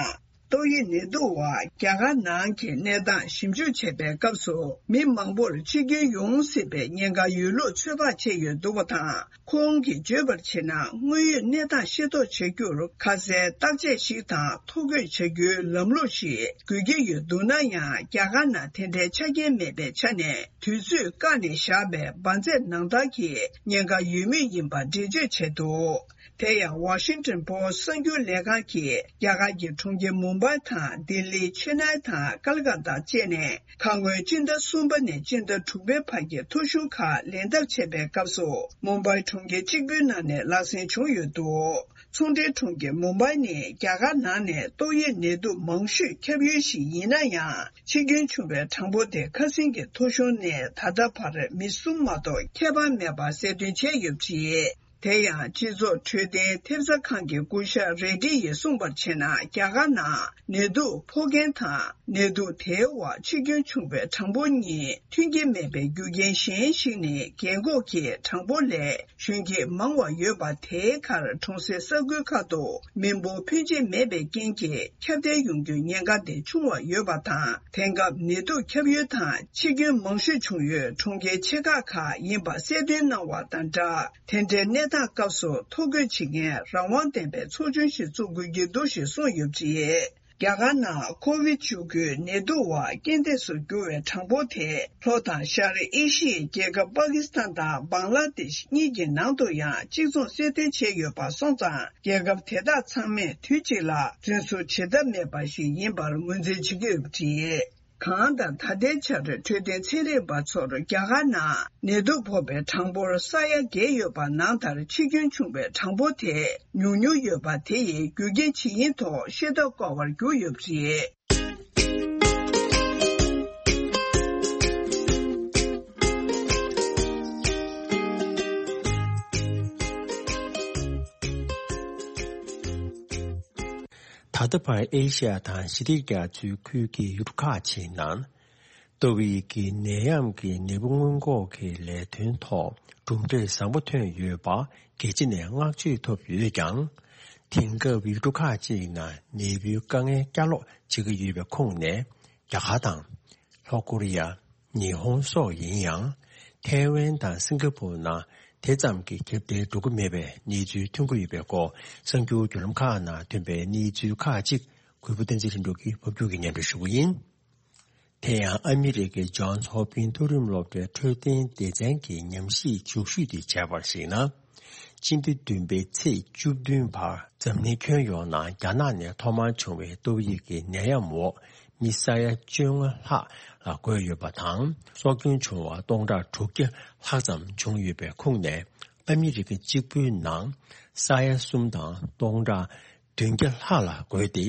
ཏོག་དབྱིབས་ནད་དུག་བ་རྒྱ་གར་ནང་གི་གནས་སྟངས་ཞིབ་འཇུག་བྱེད་པའི་སྐབས་སུ། མི་མང་པོར་འཆི་སྐྱོན་ཡོང་སྲིད་པའི་ཉེན་ཁ་ཡོད་ལུགས་ཚོད་དཔག་བྱས་ཡོད་འདུག་པ་དང་། ཁོང་གིས་བརྗོད་པར་བྱས་ན། དངོས་ཡོད་གནས་སྟངས་ཤེས་རྟོགས་བྱ་རྒྱུར་ཁ་གསལ་བརྟག་དཔྱད་ཞིག་དང་ཐོ་འགོད་བྱ་རྒྱུའི་ལམ་ལུགས་ཤིག་དགོས་ཀྱི་ཡོད་འདུག་ན་ཡང་། རྒྱ་གར་ནང་དེ་འདྲའི་ཆ་རྐྱེན་མེད་པའི་ཆ་ནས། དུས་ཚོད་བཀག་ནས་བཞག་པའི་འབར་རྫས་ནང་ལྟར་གྱི་ཉེན་ཁ་ཡོད་མུས་ཡིན་པ་འགྲེལ་བརྗོད་བྱས་འདུག་དེ་ཡང་Washington Post གསར་འགྱུར་ལས་ཁང་གིས་རྒྱ་གར་གྱི་གྲོང་ཁྱེར་མུམ་བྷའི་དང་ལྡི་ལི། ཆེ་ནའི་དང་ཀལ་ཀ་ཏ་བཅས་ནས། ཁ་སྔོན་སྤྱི་ཟླ་གསུམ་པ་ནས་སྤྱི་ཟླ་དྲུག་པའི་བར་གྱི་ཐོ་གཞུང་ཁག་ལེན་ཐབས་བྱས་པའི་སྐབས་སུ། མུམ་བྷའི་གྲོང་ཁྱེར་གཅིག་པུའི་ནང་ནས་ལག་སེང་བྱུང་ཡོད་འདུག་ཚོང་འབྲེལ་གྲོང་ཁྱེར་མུམ་བྷའི་ནི་རྒྱ་གར་ནང་ནས་ཏོག་དབྱིབས་ནད་དུག་མང་ཤོས་ཁྱབ་ཡུལ་ཞིག་ཡིན་ན་ཡང་། འཆི་སྐྱོན་བྱུང་བའི་གྲངས་འབོར་དེ་ཁ་སང་གི་ཐོ་གཞུང་ནས་ད་ལྟ་བར་མི་གསུམ་མ་གཏོགས་ཁྱད་པར་མེད་པ་གསལ་སྟོན་བྱས་ཡོད་པ་རེད། དེ་ཡང་སྤྱི་ཚོགས་འཕྲོད་བསྟེན་ཐེབས་རྩ་ཁང་གི་སྐུ་ཞབས་རེ་ཌི་ཡིས་གསུངས་པར་བྱས་ན། རྒྱ་གར་ནང་ནད་དུག་ཕོག་མཁན་དང་ནད་དུག་དེའི་འོག་འཆི་སྐྱོན་བྱུང་བའི་གྲངས་འབོར་གཉིས་མཐུན་རྐྱེན་མེད་པའི་རྒྱུ་རྐྱེན་གཞན་ཞིག་ནི། རྒན་འཁོགས་ཀྱི་གྲངས་འབོར་ལས་གཞོན་སྐྱེས་མང་བ་ཡོད་པ། དེའི་ཁར་གྲོང་གསེབ་ས་ཁུལ་ཁག་ཏུ་མི་འབོར་ཕོན་ཆེ་མེད་པའི་རྐྱེན་གྱིས་ཁྱབ་གདལ་ཡོང་རྒྱུའི་ཉེན་ཁ་དེ་ཆུང་བ་ཡོད་པ་དང་། དེང་སྐབས་ནད་དུག་ཁྱབ་ཡུལ་དང་འཆི་སྐྱོན་མང་ཤོས་བྱུང་ཡུལ་གྲོང་ཁྱེར་ཆེ་ཁག་ཁག་ཡིན་པ་གསལ་སྟོན་གནང་བ་དང་སྦྲགས། དེ་འདྲའི་གནས་སྟངས་སྐབས་སུ་ཐོ་འགོད་བྱེད་མཁན་རང་དབང་ལྡན་པའི་ཚོགས་ཆུང་ཞིག་བཙུགས་དགོས་ཀྱི་འདུག་ཞེས་གསུངས་ཡོད་པ་རེད། རྒྱ་གར་ནང་ཁོ་བིད་བཅུ་དགུ་ནད་དུག་བ་རྐྱེན་འདས་སུ་གྱུར་བའི་གྲངས་འབོར་དེ། ལྷོ་དང་ཤར་ཨེ་ཤི་ཡའི་རྒྱལ་ཁབ་པ་ཀི་སི་ཐན་དང་བང་ལ་དེཤ་གཉིས་ཀྱི་ནང་དུ་ཡང་གཅིག་མཚུངས་གསལ་སྟོན་བྱས་ཡོད་པ་སོང་ཙང་། རྒྱལ་ཁབ་དེ་དག་ཚང་མས་དུས་གཅིག་ལ་རྫུན་བཟོ་བྱེད་ཐབས་མེད་པ་ཞིག་ཡིན་པར་ངོས་འཛིན་བྱེད་ཀྱི་ཡོད་པ་རེད། གང་ལྟར། ད་ལྟའི་ཆར་འཕྲོད་བསྟེན་ཚན་རིག་པ་ཚོར་རྒྱ་གར་ནང་ནད་དུག་ཕོག་པའི་གྲངས་འབོར་ས་ཡ་བརྒྱད་ཡོད་པ་ནང་ལྟར་འཆི་སྐྱོན་བྱུང་བའི་གྲངས་འབོར་དེ་ཉུང་ཉུང་ཡོད་པ། དེ་ཡི་རྒྱུ་རྐྱེན་ཇི་ཡིན་ཐོག་ཤེས་རྟོགས་དཀའ་བར་གྱུར་ཡོད་པ་རེད། ད་ལྟ་བར་ཨེ་ཤ་ཡ་དང་ཞི་བདེ་རྒྱ་མཚོའི་ཁུལ་གྱི་ཡུལ་གྲུ་ཁག་ཅིག་ནང་། ཏོག་དབྱིབས་ཀྱི་ནད་ཡམས་ཀྱི་ནད་འབུ་སྔོན་འགོག་གི་ལས་དོན་ཐོག་གྲུབ་འབྲས་བཟང་པོ་ཐོན་ཡོད་པ་རྒྱལ་སྤྱི་ནས་བསྔགས་བརྗོད་ཐོབ་ཡོད་ཀྱང་། དེང་སྐབས་ཡུལ་གྲུ་ཁག་ཅིག་ནང་ནད་འབུའི་དཀའ་ངལ་བསྐྱར་ལོག་བྱེད་ཀྱི་ཡོད་པའི་ཁོངས་ནས། རྒྱ་གར་དང་། ལྷོ་ཀོ་རི་ཡ། ཉི་ཧོང་སོགས་ཡིན་ཡང་། ཐའེ་ཝན་དང་སིང་ག་པུར་ནང་དེ་ཙམ་གྱི་ཁྱབ་གདལ་འགྲོ་གི་མེད་པའི་གནས་ཚུལ་ཐོན་གྱི་ཡོད་པའི་སྐོར། གསར་འགྱུར་བརྒྱུད་ལམ་ཁག་ནང་ཐོན་པའི་གནས་ཚུལ་ཁག་ཅིག་གུས་པ་བསྟན་འཛིན་ལྷུན་གྲུབ་ཀྱིས་ཕབ་སྒྱུར་གྱིས་སྙན་སྒྲོན་ཞུ་གི་ཡིན། དེ་ཡང་ཨ་མི་རི་ཀའི་ཇོན་སི་ཧོབ་ཀིན་མཐོ་རིམ་སློབ་གྲྭའི་འཕྲོད་བསྟེན་སྡེ་ཚན་གྱི་ཉམས་ཞིབ་འཇུག་ཞུས་ཏེ་བྱས་པར་གཞིགས་ན། སྤྱི་ཟླ་བདུན་པའི་ཚེས་བཅུ་བདུན་བར་འཛམ་གླིང་ཁྱོན་ཡོངས་ནང་རྒྱ་ནག་ནས་ཐོག་མར་བྱུང་བའི་ཏོག་དབྱིབས་ཀྱི་ནད་ཡམས་འོག་མི་ས་ཡ་བཅོ་ལྔ་ལྷག་ལ་འགོས་ཡོད་པ་དང་། སྲོག་སྐྱོན་བྱུང་བ་སྟོང་ཕྲག་དྲུག་བརྒྱ་ལྷག་ཙམ་བྱུང་ཡོད་པའི་ཁོངས་ནས། ཨ་མི་རི་ཀ་གཅིག་པུའི་ནང་ས་ཡ་གསུམ་དང་སྟོང་ཕྲག་བདུན་བརྒྱ་ལྷག་ལ་འགོས་ཏེ།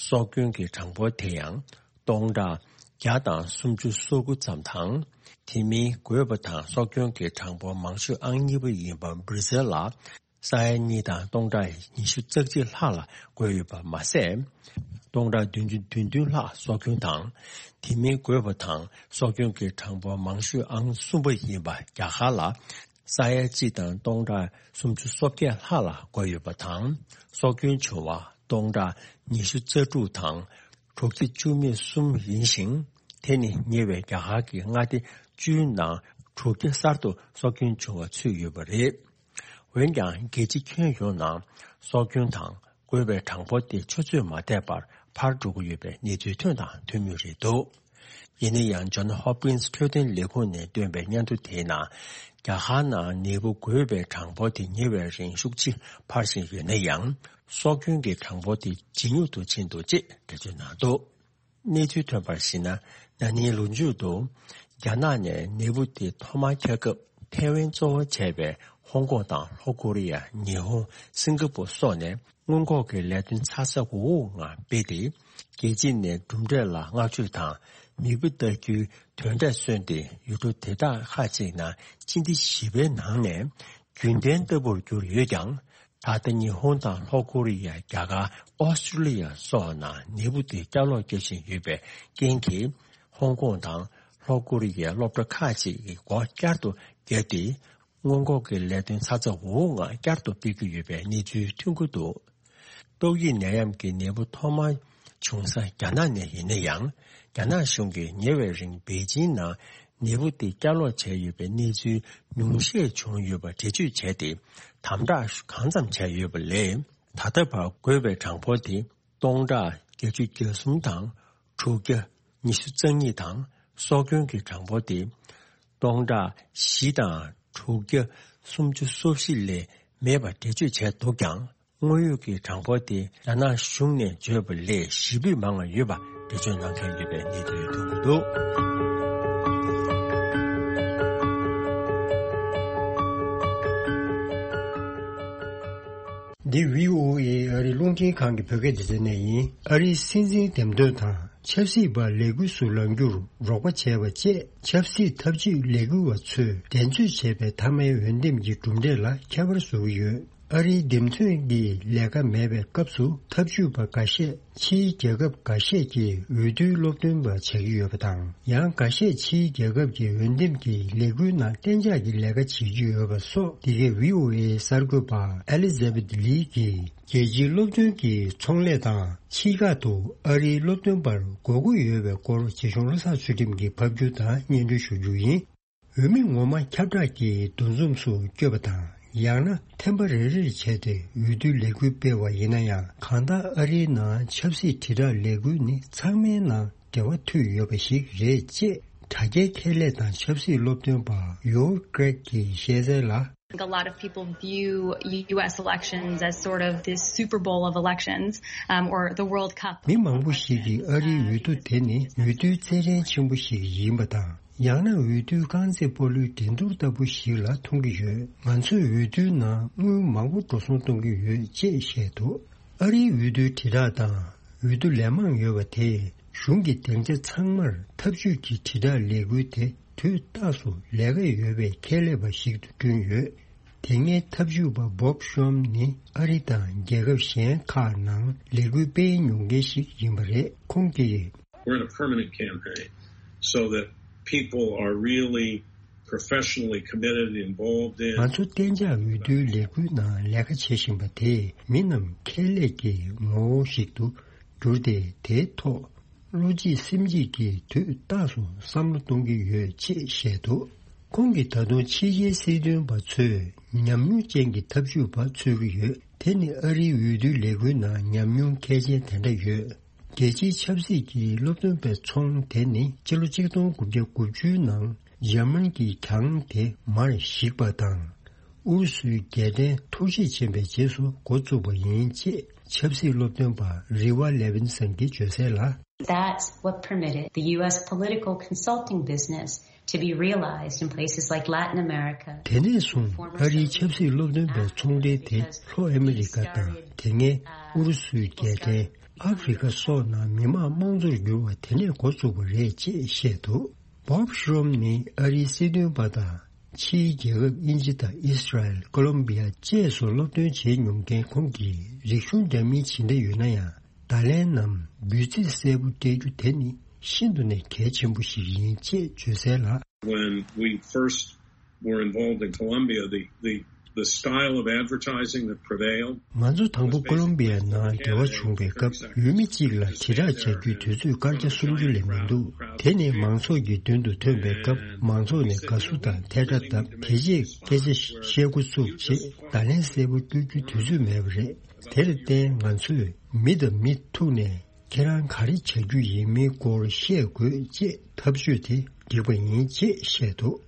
སྲོག་སྐྱོན་གྱི་གྲངས་འབོར་དེ་ཡང་སྟོང་ཕྲག་བརྒྱ་དང་སུམ་ཅུ་སོ་དགུ་ཙམ་དང་། དེ་མིན་འགོས་པ་དང་སྲོག་སྐྱོན་གྱི་གྲངས་འབོར་མང་ཤོས་ཨང་གཉིས་པ་ཡིན་པ་བྷར་ཛིལ་ལ། ས་ཡ་གཉིས་དང་སྟོང་ཕྲག་ཉི་ཤུ་རྩ་གཅིག་ལྷག་ལ་འགོས་ཡོད་པ་མ་ཟད། སྟོང་ཕྲག་བདུན་ཅུ་དོན་བདུན་ལྷག་སྲོག་སྐྱོན་དང་། དེ་མིན་འགོས་པ་དང་སྲོག་སྐྱོན་གྱི་གྲངས་འབོར་མང་ཤོས་ཨང་གསུམ་པ་ཡིན་པ་རྒྱ་གར་ལ། ས་ཡ་གཅིག་དང་སྟོང་ཕྲག་སུམ་ཅུ་སོ་བརྒྱད་ལྷག་ལ་འགོས་ཡོད་པ་དང་། སྲོག་སྐྱོན་བྱུང་བ་སྟོང་ཕྲག་ཉི་ཤུ་རྩ་དྲུག་དང་། དྲུག་བརྒྱ་བཅུ་མེད་གསུམ་ཡིན་ཞིང་། དེ་ནི་ཉེ་བའི་རྒྱ་གར་གྱི་མངའ་སྡེ་བཅུའི་ནང་དྲུག་བརྒྱ་གསར་དུ་སྲོག་སྐྱོན་བྱུང་བ་ཚུད་ཡོད་པ་རེད། འོན་ཀྱང་རྒྱལ་སྤྱི་ཁྱོན་ཡོངས་ནང་སྲོག་སྐྱོན་དང་འགོས་པའི་གྲངས་འབོར་དེ་ཆུ་ཚོད་མ་འདས་པར་འཕར་འགྲོ་གི་ཡོད་པའི་གནས་ཚུལ་ཐོན་དང་ཐོན་མུས་རེད་འདུག་ཡིན་ན་ཡང་ཇོན་ཧོབ་ཀིན་སི་འཕྲོད་བསྟེན་ལས་ཁུངས་ནས་བཏོན་པའི་སྙན་ཐོ་དེའི་ནང་། རྒྱ་གར་ནང་ནད་འབུ་འགོས་པའི་གྲངས་འབོར་དེ་ཉེ་བའི་རིང་ཤུགས་ཆེ་འཕར་བཞིན་ཡོད་ན་ཡང་། སྲོག་སྐྱོན་གྱི་གྲངས་འབོར་དེ་ཇེ་ཉུང་དུ་ཕྱིན་འདུག་ཅེས་འགྲེལ་བརྗོད་གནང་འདུག་གནས་ཚུལ་ཐོན་པར་གཞིགས་ན། ན་ནིང་ལོ་མཇུག་ཏུ་རྒྱ་ནག་ནས་ནད་འབུ་དེ་ཐོག་མར་ཁྱབ་སྐབས་ ཐའེ་ཝན་གཙོ་བོ་བྱས་པའི་ཧོང་ཀོང་དང་ལྷོ་ཀོ་རི་ཡ། ཉི་ཧོང་། སིང་ག་པུར་སོགས་ནས་སྔོན་འགོག་གི་ལས་དོན་ཚ་ཚ་འུར་འུར་ངང་སྤེལ་ཏེ། རྒྱལ་སྤྱི་ནས་གྲུབ་འབྲས་ལ་བསྔགས་བརྗོད་དང་མིད་པ་ལྟ་རྒྱུའི་དོན་འབྲས་སོན་ཏེ། ཡུལ་གྲུ་དེ་དག་ཁག་ཅིག་ནང་སྤྱི་ཟླ་བཞི་པའི་ནང་ནས་རྒྱུན་ལྡན་ལྟ་བུར་གྱུར་ཡོད་ཀྱང་། ད་ལྟ་ཉི་ཧོང་དང་ལྷོ་ཀོ་རི་ཡ། རྒྱ་གར། ཨོ་སི་ཀྲུ་ལི་ཡ་སོགས་ནང་ནད་འབུ་དེ་བསྐྱར་ལོག་རྒྱག་བཞིན་ཡོད་པའི་རྐྱེན་གྱིས། ཧོང་ཀོང་དང་ལྷོ་ཀོ་རི་ཡའི་སློབ་གྲྭ་ཁག་ཅིག་གི་སྒོ་བསྐྱར་དུ་བརྒྱབ་སྟེ། སྔོན་འགོག་གི་ལས་དོན་ཚ་ཚ་འུར་འུར་ངང་བསྐྱར་དུ་སྤེལ་གྱི་ཡོད་པའི་གནས་ཚུལ་ཐོན་གྱི་འདུག། ཏོག་དབྱིབས་ནད་ཡམས་ཀྱི་ནད་འབུ་ཐོག་མར་བྱུང་ས་རྒྱ་ནག་ནས་ཡིན་ན་ཡང་། རྒྱ་ནག་གཞུང་གིས་ཉེ་བའི་རིང་པེ་ཅིང་ནང་ནད་འབུ་དེ་བསྐྱར་ལོག་བྱས་ཡོད་པའི་གནས་ཚུལ་ཉུང་ཤས་བྱུང་ཡོད་པ་འགྲེལ་བརྗོད་བྱས་ཏེ། དམ་དྲག་གང་ཙམ་བྱས་ཡོད་པ་ལས། ད་ལྟ་བར་འགོས་པའི་གྲངས་འབོར་དེ་སྟོང་ཕྲག་བརྒྱད་ཅུ་གྱ་གསུམ་དང་དྲུག་བརྒྱ་ཉི་ཤུ་རྩ་གཉིས་དང་། སྲོག་སྐྱོན་གྱི་གྲངས་འབོར་དེ་སྟོང་ཕྲག་བཞི་དང་དྲུག་བརྒྱ་སུམ་ཅུ་སོ་བཞི་ལས་མེད་པ་འགྲེལ་བརྗོད་བྱས་འདུག་ཀྱང་། དངོས་ཡོད་ཀྱི་གྲངས་འབོར་དེ་རྒྱ་ནག་གཞུང་ནས་བརྗོད་པ་ལས་བཞི་ཕུད་མང་བ་ཡོད་པ་འགྲེལ་བརྗོད་གནང་མཁན་ཡོད་པའི་གནས་ཚུལ་ཐོན་གྱི་འདུག། འདི་བྷི་ཨོ་ཨེ་ཨ་རིའི་རླུང་འཕྲིན་ཁང་གི་བོད་སྐད་སྡེ་ཚན་ནས་ཡིན། ཨ་རིའི་སྲིད་འཛིན་འདེམས་ཐོན་དང་ཆབ་སྲིད་པ་ལས་འགུལ་སུ་ལངས་རྒྱུར་རོགས་པ་བྱས་པ་བཅས་ཆབ་སྲིད་འཐབ་ཇུས་ལས་འགུལ་བ་ཚོས་འགྲན་རྩོད་བྱས་པའི་མཐའ་མའི་འོས་འདེམས་ཀྱི་གྲུབ་འབྲས་ལ་ཁྱད་པར་བཟོ་གི་ཡོད། ཨ་རིའི་འདེམས་ཐོན་གྱི་ལས་ཀ་མེད་པའི་སྐབས་སུ་འཐབ་ཇུས་པ་འགའ་ཤས་ཕྱིའི་རྒྱལ་ཁབ་འགའ་ཤས་ཀྱི་འོས་བསྡུའི་སློབ་སྟོན་པ་བྱེད་ཀྱི་ཡོད་པ་དང་། ཡང་འགའ་ཤས་ཕྱིའི་རྒྱལ་ཁབ་ཀྱི་འོས་འདེམས་ཀྱི་ལས་འགུལ་ནང་གཏན་འཇགས་ཀྱི་ལས་ཀ་བྱེད་ཀྱི་ཡོད་པ་སོགས། འདི་གའི་བྷི་ཨོ་ཨེའི་གསར་འགོད་པ་ཨེ་ལི་ཛ་བེད་ལི་གིས་རྒྱལ་སྤྱིའི་སློབ་སྟོན་གྱི་ཚོང་ལས་དང་ཕྱི་ཁག་ཏུ་ཨ་རིའི་སློབ་སྟོན་པར་དགོས་མཁོ་ཡོད་པའི་སྐོར་རྗེ་གཞུང་བློ་བཟང་ཚུལ་ཁྲིམས་ཀྱིས་ཕབ་སྒྱུར་དང་སྙན་སྒྲོན་ཞུ་རྒྱུ་ཡིན། འོས་མི་ངོ་མ་ཁྱབ་བསྒྲགས་ཀྱི་འདུ་འཛོམས་སུ་བསྐྱོད་པ་དང་། ཡང་ན་ཐེམ་པ་རེ་རེར་བྱས་ཏེ་འོས་བསྡུའི་ལས་འགུལ་སྤེལ་བ་ཡིན་ན་ཡང་། གང་ལྟར་ཨ་རིའི་ནང་ཆབ་སྲིད་དྲིལ་བསྒྲགས་ལས་འགུལ་ནི་ཚང་མའི་ནང་འབྲེལ་བ་མཐུད་ཡོད་པ་ཞིག་རེད་ཅེས་དྲ་རྒྱའི་ཁྱད་ལས་དང་ཆབ་སྲིད་སློབ་སྟོན་པ་ཡོར་ཀྲེག་གིས་བཤད་གསལ་ལ། I think a lot of people view U S elections as sort of this Super Bowl of elections, um, or the World Cup. མི་མང་པོ་ཞིག་གིས་ཨ་རིའི་འོས་བསྡུ་དེ་ནི་འོས་བསྡུའི་རྩེད་འགྲན་ཆེན་པོ་ཞིག་ཡིན་པ་དང་། ཡང་ན་འོས་བསྡུའི་རྐང་རྩེད་སྤོ་ལོའི་འགྲན་བསྡུར་ལྟ་བུ་ཞིག་ལ་མཐོང་གི་ཡོད། ང་ཚོས་འོས་བསྡུའི་ནང་དངུལ་མང་པོ་འགྲོ་སོང་གཏོང་གི་ཡོད་ཅེས་བཤད་འདུག། ཨ་རིའི་འོས་བསྡུའི་དྲིལ་བསྒྲགས་དང་འོས་བསྡུ་ལན་མང་ཡོད་པ་དེས་གཞུང་གི་སྡིངས་ཆ་ཚང་མར་འཐབ་ཇུས་ཀྱི་དྲིལ་བསྒྲགས་ལས་འགུལ་དེ་དུས་རྟག་ཏུ་ལས་ཀ་ཡོད་པའི་ཁྱད་ལས་པ་ཞིག་ཏུ་བསྐྲུན་ཡོད། དེ་སྔའི་འཐབ་ཇུས་པ་བོབ་ཤོམ་ནི་ཨ་རི་དང་རྒྱལ་ཁབ་གཞན་ཁག་ནང་ལས་འགུལ་སྤེལ་མྱོང་མཁན་ཞིག་ཡིན་པ་རེད། ཁོང་གིས། We're in a permanent campaign so that people are really professionally committed, involved in. ང་ཚོ་གཏན་འཇགས་འོས་བསྡུའི་ལས་འགུལ་ནང་ལས་ཀ་བྱེད་བཞིན་པ་དེས་མི་རྣམས་ཁྱད་ལས་ཀྱི་ངོ་བོ་ཞིག་ཏུ་གྱུར་ཏེ། དེའི་ཐོག་བློ་གཅིག་སེམས་གཅིག་གིས་དུས་རྟག་ཏུ་བསམ་བློ་གཏོང་གི་ཡོད་ཅེས་བཤད་འདུག། ཁོང་གིས་ད་དུང་ཕྱི་རྒྱལ་སྲིད་དོན་པ་ཚོས་ཉམས་མྱོང་ཅན་གྱི་འཐབ་ཇུས་པ་འཚོལ་གྱི་ཡོད། དེ་ནི་ཨ་རིའི་འོས་བསྡུའི་ལས་འགུལ་ནང་ཉམས་མྱོང་མཁས་ཅན་དེ་འདྲ་ཡོད། རྒྱལ་སྤྱིའི་ཆབ་སྲིད་ཀྱི་སློབ་སྟོན་པའི་ཚོང་དེ་ནི་ཕྱི་ལོ་ཆིག་སྟོང་དགུ་བརྒྱ་དགུ་བཅུའི་ནང་འཇར་མན་གྱིས་གྱང་དེ་མར་བཤིག་པ་དང་། ཨུ་རུ་སུའི་རྒྱལ་ཕྲན་འཐོར་ཞིག་ཕྱིན་པའི་རྗེས་སུ་འགོ་བཙུགས་པ་ཡིན་ཅེས་ཆབ་སྲིད་སློབ་སྟོན་པ་རི་ཝ་ལེ་ཝིན་སན་གྱིས་བརྗོད་གསལ་ལ། That's what permitted the U S political consulting business to be realized in places like Latin America. དེ་ནས་བཟུང་ཨ་རིའི་ཆབ་སྲིད་སློབ་སྟོན་པའི་ཚོང་འབྲེལ་དེ་ལྷོ་ཨ་མི་རི་ཀ་དང་། དེ་སྔའི་ཨུ་རུ་སུའི་རྒྱལ་ཕྲན། ཨ་ཧྥེ་རི་ཁ་སོགས་ནང་མི་དམངས་དམངས་གཙོར་བསྒྱུར་བ་དེ་ནས་འགོ་བཙུགས་པ་རེད་ཅེས་བཤད་འདུག། བོབ་ཤོམ་ནི་ཨ་རིའི་སྲིད་དོན་པ་དང་། ཕྱིའི་རྒྱལ་ཁབ་དབྱིན་ཇི་དང་ཨིས་ར་ཨེལ། ཀོ་ལོམ་བི་ཡ་བཅས་སུ་སློབ་སྟོན་བྱེད་མྱོང་མཁན་ཁོང་གིས། རིག་གཞུང་འདྲ་མིན་ཇི་འདྲ་ཡོད་ན་ཡང་། བརྡ་ལན་ནམ་འབོད་ཚིག་གསལ་པོ་སྤྲད་རྒྱུ་དེ་ནི་ཤིན་ཏུ་ནས་གལ་ཆེན་པོ་ཞིག་ཡིན་ཅེས་བརྗོད་གསལ་ལ། When we first were involved in Colombia, the, the, the style of advertising that prevailed. ང་ཚོ་དང་པོ་ཀོ་ལོམ་བི་ཡ་ནང་འབྲེལ་བ་བྱུང་བའི་སྐབས། འོས་མི་གཅིག་ལ་དྲིལ་བསྒྲགས་བྱ་རྒྱུའི་དུས་ཚོད་སྐར་ཆ་སུམ་ཅུ་ལས་མི་འདུག། དེ་ནི་མང་ཚོགས་ཀྱི་མདུན་དུ་ཐོན་པའི་སྐབས། མང་ཚོགས་ནས་དགའ་བསུ་དང་ཐལ་སྒྲ་བཏབ། དེ་རྗེས་སྐད་ཆ་བཤད་འགོ་བཙུགས་རྗེས། བརྡ་ལན་གསལ་པོ་སྐྱོར་རྒྱུའི་དུས་ཚོད་མེད་པ་རེད། དེར་བརྟེན་ང་ཚོས་མི་དང་མི་ཐུག་ནས། ཁྱེད་རང་ག་རེ་བྱ་རྒྱུ་ཡིན་མིན་སྐོར་བཤད་དགོས་ཅེས་འཐབ་ཇུས་དེ་བསྒྲིགས་པ་ཡིན་ཅེས་བཤད་འདུག།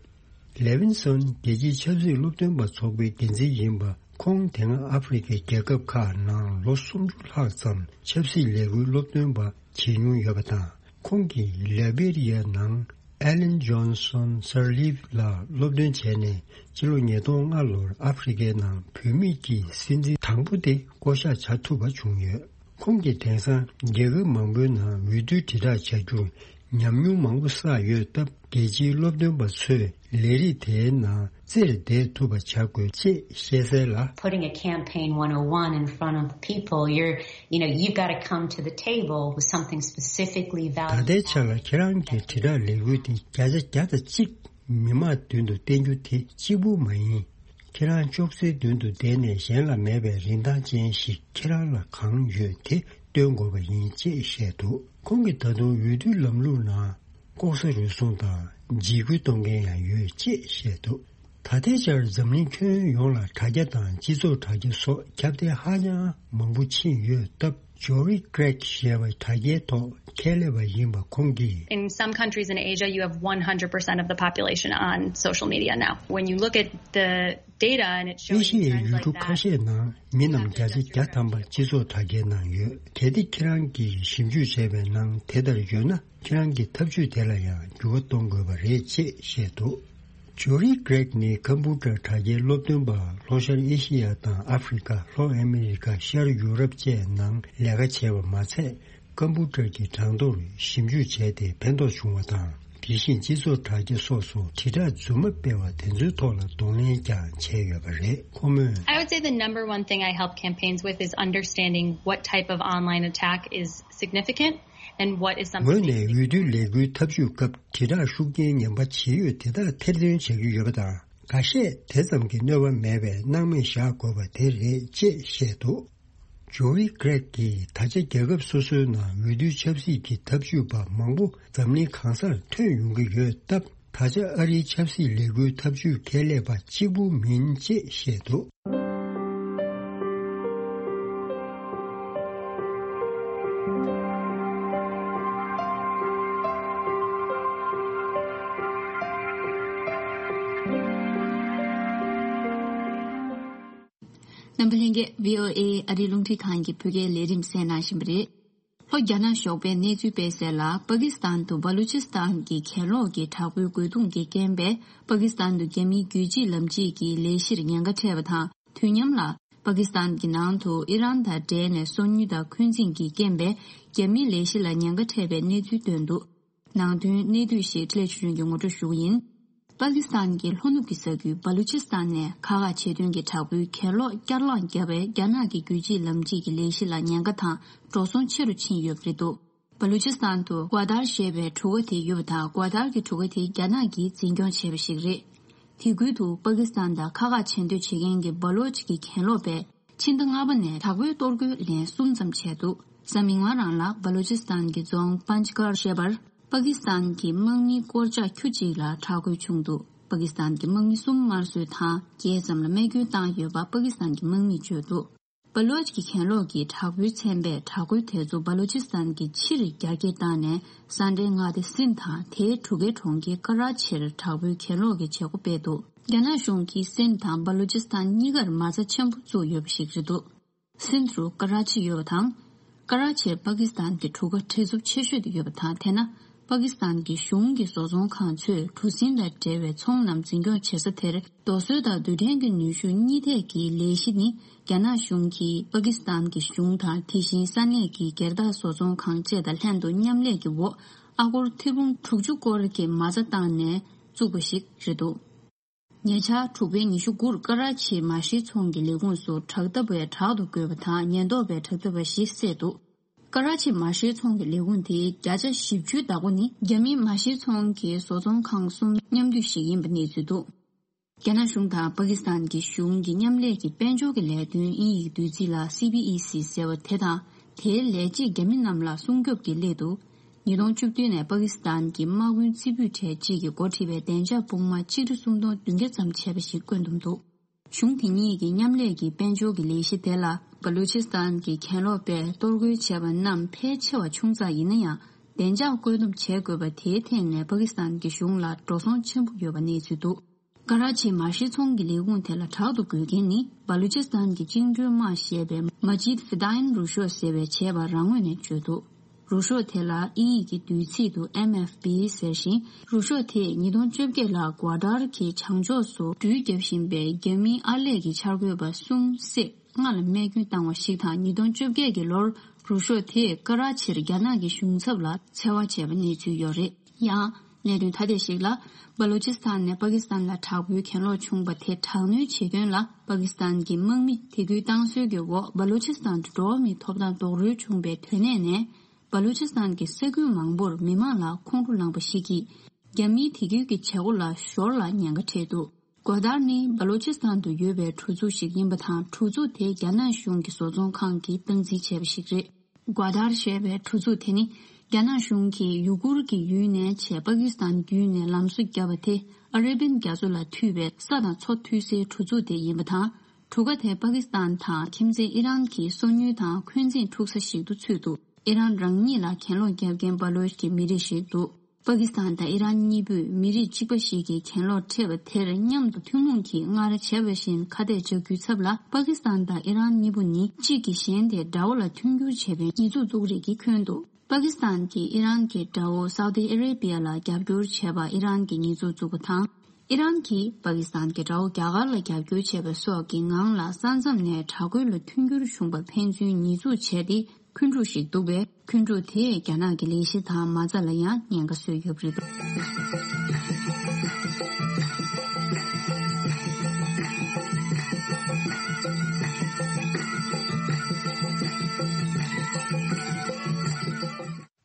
ལེ་ཝིན་སོན་རྒྱལ་སྤྱིའི་ཆབ་སྲིད་སློབ་སྟོན་པ་ཚོགས་པའི་འགན་འཛིན་ཡིན་པ། ཁོང་དེ་སྔ་ཨ་ཧྥེ་རི་ཁའི་རྒྱལ་ཁབ་ཁག་ནང་ལོ་སུམ་ཅུ་ལྷག་ཙམ་ཆབ་སྲིད་ལས་འགུལ་སློབ་སྟོན་པ་བྱེད་མྱོང་ཡོད་པ་དང་། ཁོང་གིས་ལེ་བེ་རི་ཡ་ནང་ Ellen Johnson Sirleaf ལགས་སློབ་སྟོན་བྱས་ནས་ཕྱི་ལོ་ཉིས་སྟོང་ལྔ་ལོར་ཨ་ཧྥེ་རི་ཁའི་ནང་བུད་མེད་ཀྱི་སྲིད་འཛིན་དང་པོ་དེ་བསྐོ་གཞག་བྱ་ཐུབ་པ་བྱུང་ཡོད། ཁོང་གིས་དེང་སང་རྒྱལ་ཁབ་མང་པོའི་ནང་འོས་བསྡུ་དྲིལ་བསྒྲགས་བྱ་རྒྱུར་ཉམས་མྱོང་མང་པོ་བསགས་ཡོད་སྟབས། རྒྱལ་སྤྱིའི་སློབ་སྟོན་པ་ཚོས་ལས་རིགས་དེའི་ནང་རྩེར་བསྡད་ཐུབ་པ་བྱ་དགོས་ཅེས་བཤད་གསལ་ལ། Putting a campaign one oh one in front of people, you're, you know, you've got to come to the table with something specifically ད valued. ལྟའི་ཆ་ལ་ཁྱེད་རང་གི་དྲིལ་བསྒྲགས་ལས་འགུལ་དེ་བརྒྱ་ཆ་བརྒྱ་དང་གཅིག་མི་མང་མདུན་དུ་བསྟན་རྒྱུ་དེ་གཅིག་པུ་མ་ཡིན། ཁྱེད་རང་ཅོག་ཙེའི་མདུན་དུ་བསྡད་ནས་གཞན་ལ་མེད་པའི་རིན་ཐང་ཅན་ཞིག་ཁྱེད་རང་ལ་གང་ཡོད་དེ་སྟོན་དགོས་པ་ཡིན་ཅེས་བཤད་འདུག་ཁོང་གིས་ད་དུང་འོས་བསྡུ་ལམ་ལུགས་ནང་ལྐོག་ཟ་རུལ་སུངས་དང་འཇིགས་སྐུལ་གཏོང་མཁན་ཡང་ཡོད་ཅེས་བཤད་འདུག་ད་ལྟའི་ཆར་འཛམ་གླིང་ཁྱོན་ཡོངས་ལ་དྲ་རྒྱ་དང་སྤྱི་ཚོགས་དྲ་རྒྱ་སོགས་ཁྱབ་གདལ་ཧ་ཅང་མང་པོ་ཕྱིན་ཡོད་སྟབས། Jori Grech ཞེས་པ་དྲ་རྒྱའི་ཐོག་ཁྱད་ལས་པ་ཡིན་པ་ཁོང་གིས། In some countries in Asia, you have one hundred percent of the population on social media now. When you look at the data and it ཨེ shows ཤི you ཡའི་trends ཡུལ་གྲུ་like ཁ that, ཤས་ནང་མི་རྣམས་བརྒྱ་ཆ་བརྒྱ་ཐམ་པ་སྤྱི་ཚོགས་དྲ་རྒྱའི་ནང་ཡོད། གལ་ཏེ་ཁྱེད་རང་གིས་ཞིབ་འཇུག་བྱས་པའི་ནང་དེ་ལྟར་ཡོད་ན། ཁྱེད་རང་གི་ཐབས་ཇུས་དེ་ལ་ཡང་འགྱུར་བ་གཏོང་དགོས་པ་རེད་ཅེས་བཤད་འདུག Jori Grech ནི་ཀམ་པུ་ཊར་དྲ་རྒྱའི་སློབ་སྟོན་པ། ལྷོ་ཤར་ཨེ་ཤི་ཡ་དང་ཨ་ཧྥེ་རི་ཁ། ལྷོ་ཨ་མེ་རི་ཁ། ཤར་ཡུ་རོབ་བཅས་ནང་ལས་ཀ་བྱས་པ་མ་ཚད། ཀམ་པུ་ཊར་གྱི་གྲངས་ཐོར་ཞིབ་འཇུག་བྱས་ཏེ་ཕན་ཐོགས་བྱུང་བ་དང་། དེ་བཞིན་སྤྱི་ཚོགས་དྲ་རྒྱ་སོགས་སུ་དྲིལ་བསྒྲགས་རྫུན་མ་སྤེལ་བ་དེ་ཚོའི་ཐོག་ལ་གདོང་ལེན་ཀྱང་བྱས་ཡོད་པ་རེད། ཁོ་མོས། I would say the number one thing I help campaigns with is understanding what type of online attack is significant and what is something ངོས་ནས་འོས་བསྡུ་ལས་འགུལ་ཐབས་ཇུས་སྐབས་དྲིལ་བསྒྲགས་ཤུགས་རྐྱེན་ངན་པ་ཇི་ཡོད་དེ་དག་ཐེར་འདོན་བྱ་རྒྱུ་ཡོད་པ་དང་། འགའ་ཤས་དེ་ཙམ་གྱི་གནོད་པ་མེད་པའི་སྣང་མེད་བཞག་དགོས་པ་དེ་རེད་ཅེས་བཤད་འདུག Jori Grech གིས་ད་ཆ་རྒྱལ་ཁབ་སོ་སོའི་ནང་འོས་བསྡུ་ཆབ་སྲིད་ཀྱི་ཐབས་ཇུས་པ་མང་པོ་འཛམ་གླིང་གང་སར་ཐོན་ཡོང་གི་ཡོད་སྟབས། ད་ཆ་ཨ་རིའི་ཆབ་སྲིད་ལས་འགུལ་ཐབས་ཇུས་ཁྱད་ལས་པ་གཅིག་པུ་མིན་ཅེས་བཤད་འདུག་རྣམ་པ་ལྷན་རྒྱས། བྷི་ཨོ་ཨེ་ཨ་རིའི་རླུང་འཕྲིན་ཁང་གི་བོད་སྐད་ལས་རིམ་གསན་གནང་བཞིན་པ་རེད། ལྷོ་རྒྱ་ནག་ཞོགས་པའི་གནས་ཚུལ་སྤེལ་གསལ་ལ། པ་ཀི་སི་ཐན་དུ་བ་ལུ་ཅི་སི་ཐན་གྱི་གྱེན་ལོག་གི་དྲག་པོའི་རྒོལ་རྡུང་གི་རྐྱེན་པས། པ་ཀི་སི་ཐན་དུ་རྒྱ་མིའི་རྒྱུད་གཅིག་ལམ་གཅིག་གི་ལས་གཞིར་ཉེན་ཁ་འཕྲད་པ་དང་། དུས་མཉམ་ལ། པ་ཀི་སི་ཐན་གྱི་ནང་དུ་ཨི་རན་དང་འབྲེལ་ནས་སོ་ཉུལ་དང་འཁོན་འཛིང་གི་རྐྱེན་པས། རྒྱ་མིའི་ལས་གཞི་ལ་ཉེན་ཁ་འཕྲད་པའི་གནས་ཚུལ་བཏོན་འདུག་ནང་དོན་གནད་བསྡུས་ཤིག་ཁྲི་ལས་ཆུ་ཆུན་གྱིས་ངོ་སྤྲོད་ཞུ་གི་ཡིན། པ་ཀི་སི་ཐན་གྱི་ལྷོ་ནུབ་ཀྱི་ས་ཁུལ་བ་ལུ་ཅི་སི་ཐན་ནས་ཁག་ཁག་བྱེད་དོན་གྱི་དྲག་པོའི་གྱེན་ལོག་བསྐྱར་ལངས་བརྒྱབ་པས། རྒྱ་ནག་གི་རྒྱུད་གཅིག་ལམ་གཅིག་གི་ལས་གཞི་ལ་ཉེན་ཁ་དང་འགྲོ་སོང་ཆེ་རུ་ཕྱིན་ཡོད་པ་རེད་འདུག་བ་ལུ་ཅི་སི་ཐན་དུ་གྷ་དར་ཞེས་པའི་གྲུ་ཁ་དེ་ཡོད་པ་དང་། གྷ་དར་གྱི་གྲུ་ཁ་དེ་རྒྱ་ནག་གིས་འཛིན་སྐྱོང་བྱས་པ་ཞིག་རེད། དེ་ཁུལ་དུ་པ་ཀི་སི་ཐན་དང་ཁག་ཁག་བྱེད་འདོད་བྱེད་མཁན་གྱི་བ་ལོ་ཅི་གི་གྱེན་ལོག་པས། ཕྱི་ཟླ་ལྔ་པ་ནས་དྲག་པོའི་གཏོར་རྒོལ་ལན་གསུམ་ཙམ་བྱས་འདུག་གཟའ་མིག་དམར་རང་ལ་བ་ལུ་ཅི་སི་ཐན་གྱི་རྫོང་པན་ཇི་གར་ཞེས་པར། པ་ཀི་སི་ཐན་གྱི་དམག་མིའི་སྐོར་ལྕགས་ཁྱུ་གཅིག་ལ་དྲག་རྒོལ་བྱུང་འདུག་པ་ཀི་སི་ཐན་གྱི་དམག་མི་གསུམ་དམར་གསོད་དང་། བརྒྱད་ཙམ་ལ་རྨས་སྐྱོན་བཏང་ཡོད་པ་པ་ཀི་སི་ཐན་གྱི་དམག་མིས་བརྗོད་འདུག་བ་ལོ་ཅི་གི་གྱེན་ལོག་གི་དྲག་པོའི་ཚན་པས་དྲག་རྒོལ་དེ་ཚོ་བ་ལུ་ཅི་སི་ཐན་གྱི་ཕྱིར་རྒྱ་སྐྱེད་བཏང་ནས། ས་འབྲེལ་མངའ་སྡེ་སིན་དང་དེའི་གྲུ་ཁའི་གྲོང་ཁྱེར་ཀ་ར་ཆིར་དྲག་པོའི་གྱེན་ལོག་གི་བྱེད་སྒོ་སྤེལ་འདུག་རྒྱ་ནག་གཞུང་གིས་སིན་དང་བ་ལུ་ཅི་སི་ཐན་གཉིས་ཀར་མ་རྩ་ཆེན་པོ་བཙུགས་ཡོད་པ་ཞིག་རེད་འདུག་སིན་དུ་ཀ་ར་ཆི་ཡོད་པ་དང་། ཀ་ར་ཆིར་པ་ཀི་སི་ཐན་གྱི་གྲུ་ཁ་བྲེལ་འཚུབ་ཆེ་ཤོས་དེ་ཡོད་པ་དང་། དེས་ན། པ་ཀི་སི་ཐན་གྱི་གཞུང་གི་བཟོ་ཚོང་ཁང་ཚོས་གྲུ་གཟིངས་དང་འབྲེལ་བའི་ཚོང་རྣམས་འཛིན་སྐྱོང་བྱེད་ས་དེར། རྡོ་སོལ་དང་རྡུལ་ཕྲན་གྱི་ནུས་ཤུགས་གཉིས་ཐད་ཀྱི་ལས་གཞི་ནི། རྒྱ་ནག་གཞུང་གིས་པ་ཀི་སི་ཐན་གྱི་གཞུང་དང་། དེ་བཞིན་ས་གནས་ཀྱི་སྒེར་བདག་བཟོ་ཚོང་ཁང་བཅས་དང་ལྷན་དུ་མཉམ་ལས་ཀྱི་འོག་ཨ་སྒོར་ཐེར་འབུམ་དྲུག་ཅུ་སྐོར་གྱི་མ་རྩ་བཏང་ནས་བཙུགས་པ་ཞིག་རེད་འདུག་ཉེ་ཆར་དྲུག་པའི་ཉི་ཤུ་དགུར་ཀ་ར་ཆིའི་མ་ཤེས་ཚོང་གི་ལས་ཁུངས་སུ་དྲག་འཐབ་པས་དྲག་ཏུ་རྒོལ་བ་དང་། ཉེན་རྟོག་པས་དྲག་འཐབ་པ་བཞི་བསད་འདུག་ཀ་ར་ཆིའི་མ་ཤེས་ཚོང་གི་ལས་ཁུངས་དེའི་བརྒྱ་ཆ་བཞི་བཅུའི་བདག་པོ་ནི། རྒྱ་མིའི་མ་ཤེས་ཚོང་གི་བཟོ་ཚོང་ཁང་གསུམ་མཉམ་འདུས་ཤིག་ཡིན་པ་གནས་ཚུལ་འདུག་རྒྱ་ནག་གཞུང་དང་པ་ཀི་སི་ཐན་གྱི་གཞུང་གི་མཉམ་ལས་ཀྱི་དཔལ་འབྱོར་གྱི་ལས་དོན་དབྱིན་ཡིག་བསྡུས་ཚིག་ལ་སི་བྷི་ཨི་སི་ཟེར་བ་དེ་དང་། དེའི་ལས་བྱེད་རྒྱ་མི་རྣམས་ལ་སྲུང་སྐྱོབ་ཀྱི་སླད་དུ། ཉིས་སྟོང་བཅུ་བདུན་ནས་པ་ཀི་སི་ཐན་གྱི་དམག་དཔོན་རྩེ་ཕུད་གྲས་གཅིག་གིས་འགོ་ཁྲིད་པའི་བདེ་འཇགས་དཔུང་དམག་ཆིག་ཁྲི་སུམ་སྟོང་བདུན་བརྒྱ་ཙམ་བྱས་པ་ཞིག་བཀོད་འདོམས་འདུག་གཞུང་དེ་གཉིས་ཀྱི་མཉམ་ལས་ཀྱི་དཔལ་འབྱོར་གྱི་ལས་གཞི་དེ་ལ། བ་ལུ་ཅི་སི་ཐན་གྱི་གྱེན་ལོག་པས་གཏོར་རྒོལ་བྱས་པ་རྣམས་ཕལ་ཆེ་བ་ཆུང་ཙག་ཡིན་ན་ཡང་། བདེ་འཇགས་བཀོད་འདོམས་བྱེད་དགོས་པ་དེའི་ཐད་ནས་པ་ཀི་སི་ཐན་གྱི་གཞུང་ལ་འགྲོ་སོང་ཆེན་པོ་ཡོད་པ་གནས་ཚུལ་འདུག་ཀ་ར་ཆིའི་མ་ཤེས་ཚོང་གི་ལས་ཁུངས་དེ་ལ་དྲག་ཏུ་རྒོལ་མཁན་ནི། བ་ལུ་ཅི་སི་ཐན་གྱི་བཅིངས་འགྲོལ་དམག་ཞེས་པའི་མ་ཇིད་ཧྥི་དཱ་ཡིན་རུ་ཤོ་ཟེར་བས་བྱས་པ་རང་ངོས་ནས་བརྗོད་འདུག་རུ་ཤོག་དེ་ལ་དབྱིན་ཡིག་གི་བསྡུས་ཚིག་ཏུ་ཨེམ་ཨེཕ་པི་ཟེར་ཞིང་། རུ་ཤོག་དེས་ཉིས་སྟོང་བཅོ་བརྒྱད་ལ་གོ་ཏར་གྱི་བྱང་ཕྱོགས་སུ་འགྲུལ་བརྒྱབ་བཞིན་པའི་རྒྱ་མིའི་ཨར་ལས་ཀྱི་འཆར་འགོད་པ་གསུམ་བསད། ལྔ་ལ་རྨས་སྐྱོན་བཏང་བ་ཞིག་དང་། ཉིས་སྟོང་བཅོ་བརྒྱད་ཀྱི་ལོར་རུ་ཤོག་དེས་ཀ་ར་ཆིར་རྒྱ་ནག་གི་གཞུང་ཚབ་ལ་འཚེ་བ་བྱས་པ་གནས་ཚུལ་ཡོད་རེད། ཡང་། གནད་དོན་ཐ་དད་ཞིག་ལ། སྦ་ལུ་ཅི་སི་ཐན་ནས་པ་ཀི་སི་ཐན་ལ་དྲག་པོའི་གྱེན་ལོག་བྱུང་བ་དེ་དྲག་གནོན་བྱེད་དོན་ལ། པ་ཀི་སི་ཐན་གྱི་དམག་མི་དད་གུས་བཏང་སྲོལ་གྱི་འོག་སྦ་ལུ་ཅི་སི་ཐན་དུ་འགྲོ་བ་མིའི་ཐོབ་ཐང་རྡོག་རོལ་བྱུང་བའི་དོན་གནད་ནས། སྦ་ལུ་ཅི་སི་ཐན་གྱི་ས་ཁུལ་མང་པོར་མི་མང་ལ་ཁོང་ཁྲོ་ལངས་པ་ཞིག་གིས། རྒྱ་མིའི་དད་གུས་ཀྱི་བྱེད་སྒོ་ལ་ཞོར་ལ་ཉེན་ཁ་འཕྲད་འདུག་གོ་ཏར་ནི་སྦ་ལུ་ཅི་སི་ཐན་དུ་ཡོད་པའི་གྲུ་ཚུགས་ཤིག་ཡིན་པ་དང་། གྲུ་ཚུགས་དེ་རྒྱ་ནག་གཞུང་གི་བཟོ་ཚོང་ཁང་གིས་སྟངས་འཛིན་བྱས་པ་ཞིག་རེད། གོ་ཏར་ཞེས་པའི་གྲུ་ཚུགས་དེ་ནི། རྒྱ་ནག་གཞུང་གིས་ཡུ་གུར་གྱི་ཡུལ་ནས་བྱས་པ་ཀི་སི་ཐན་བརྒྱུད་ནས་ལམ་བཟོ་བརྒྱབ་པ་དེ། ཨ་རབ་པན་རྒྱ་མཚོ་ལ་མཐུད་པའི་ས་དང་མཚོ་མཐུད་སའི་གྲུ་ཚུགས་དེ་ཡིན་པ་དང་། གྲུ་ཁ་དེ་པ་ཀི་སི་ཐན་དང་ཁྱིམ་མཚེས་ཨི་རན་གྱི་སོ་ཉུལ་དང་འཁོན་འཛིན་འཁྲུག་ས་ཞིག་ཏུ་ཚུད་འདུག་ཨི་རན་རང་ཉིད་ལ་གྱེན་ལོག་བརྒྱབ་མཁན་སྦ་ལོ་ཆི་གི་མི་རིགས་ཤིག་འདུག་པ་ཀི་སི་ཐན་དང་ཨི་རན་གཉིས་པོས་མི་རིགས་གཅིག་པ་ཞིག་གིས་གྱེན་ལོག་འཕྲད་པ་དེར་མཉམ་དུ་ཐུན་མོང་གིས་སྔར་བྱས་པ་བཞིན་ཁ་གཏད་བཅག་རྒྱུའི་ཚབ་ལ། པ་ཀི་སི་ཐན་དང་ཨི་རན་གཉིས་པོ་ནི་གཅིག་གིས་གཞན་དེ་དགྲ་བོ་ལ་མཐུན་འགྱུར་བྱས་པའི་ཉེས་འཛུགས་བཙུགས་རིགས་ཀྱིས་འཁོན་འདུག་པ་ཀི་སི་ཐན་གྱིས་ཨི་རན་གྱི་དགྲ་བོ་སའུ་ཏི་ཨ་རེ་བྷི་ཡ་ལ་རྒྱབ་སྐྱོར་བྱས་པ་ཨི་རན་གྱིས་ཉེས་འཛུགས་བཙུགས་པ་དང་། ཨི་རན་གྱིས་པ་ཀི་སི་ཐན་གྱི་དགྲ་བོ་རྒྱ་གར་ལ་རྒྱབ་སྐྱོར་བྱས་པ་སོགས་ཀྱི་ངང་ལ། ས་མཚམས་ནས་དྲག་རྒོལ་ལ་མཐུན་འགྱུར་བྱུང་པ་ཕན་ཚུན་ཉེས་འཛུགས་བྱས་ཏེ། འཁོན་འཁྲུག་ཞིག་འདུག་པས། འཁོན་འཁྲུག་དེས་རྒྱ་ནག་གི་ལས་གཞི་དང་མ་རྩ་ལ་ཡང་ཉེན་ཁ་བཟོས་ཡོད་པ་རེད།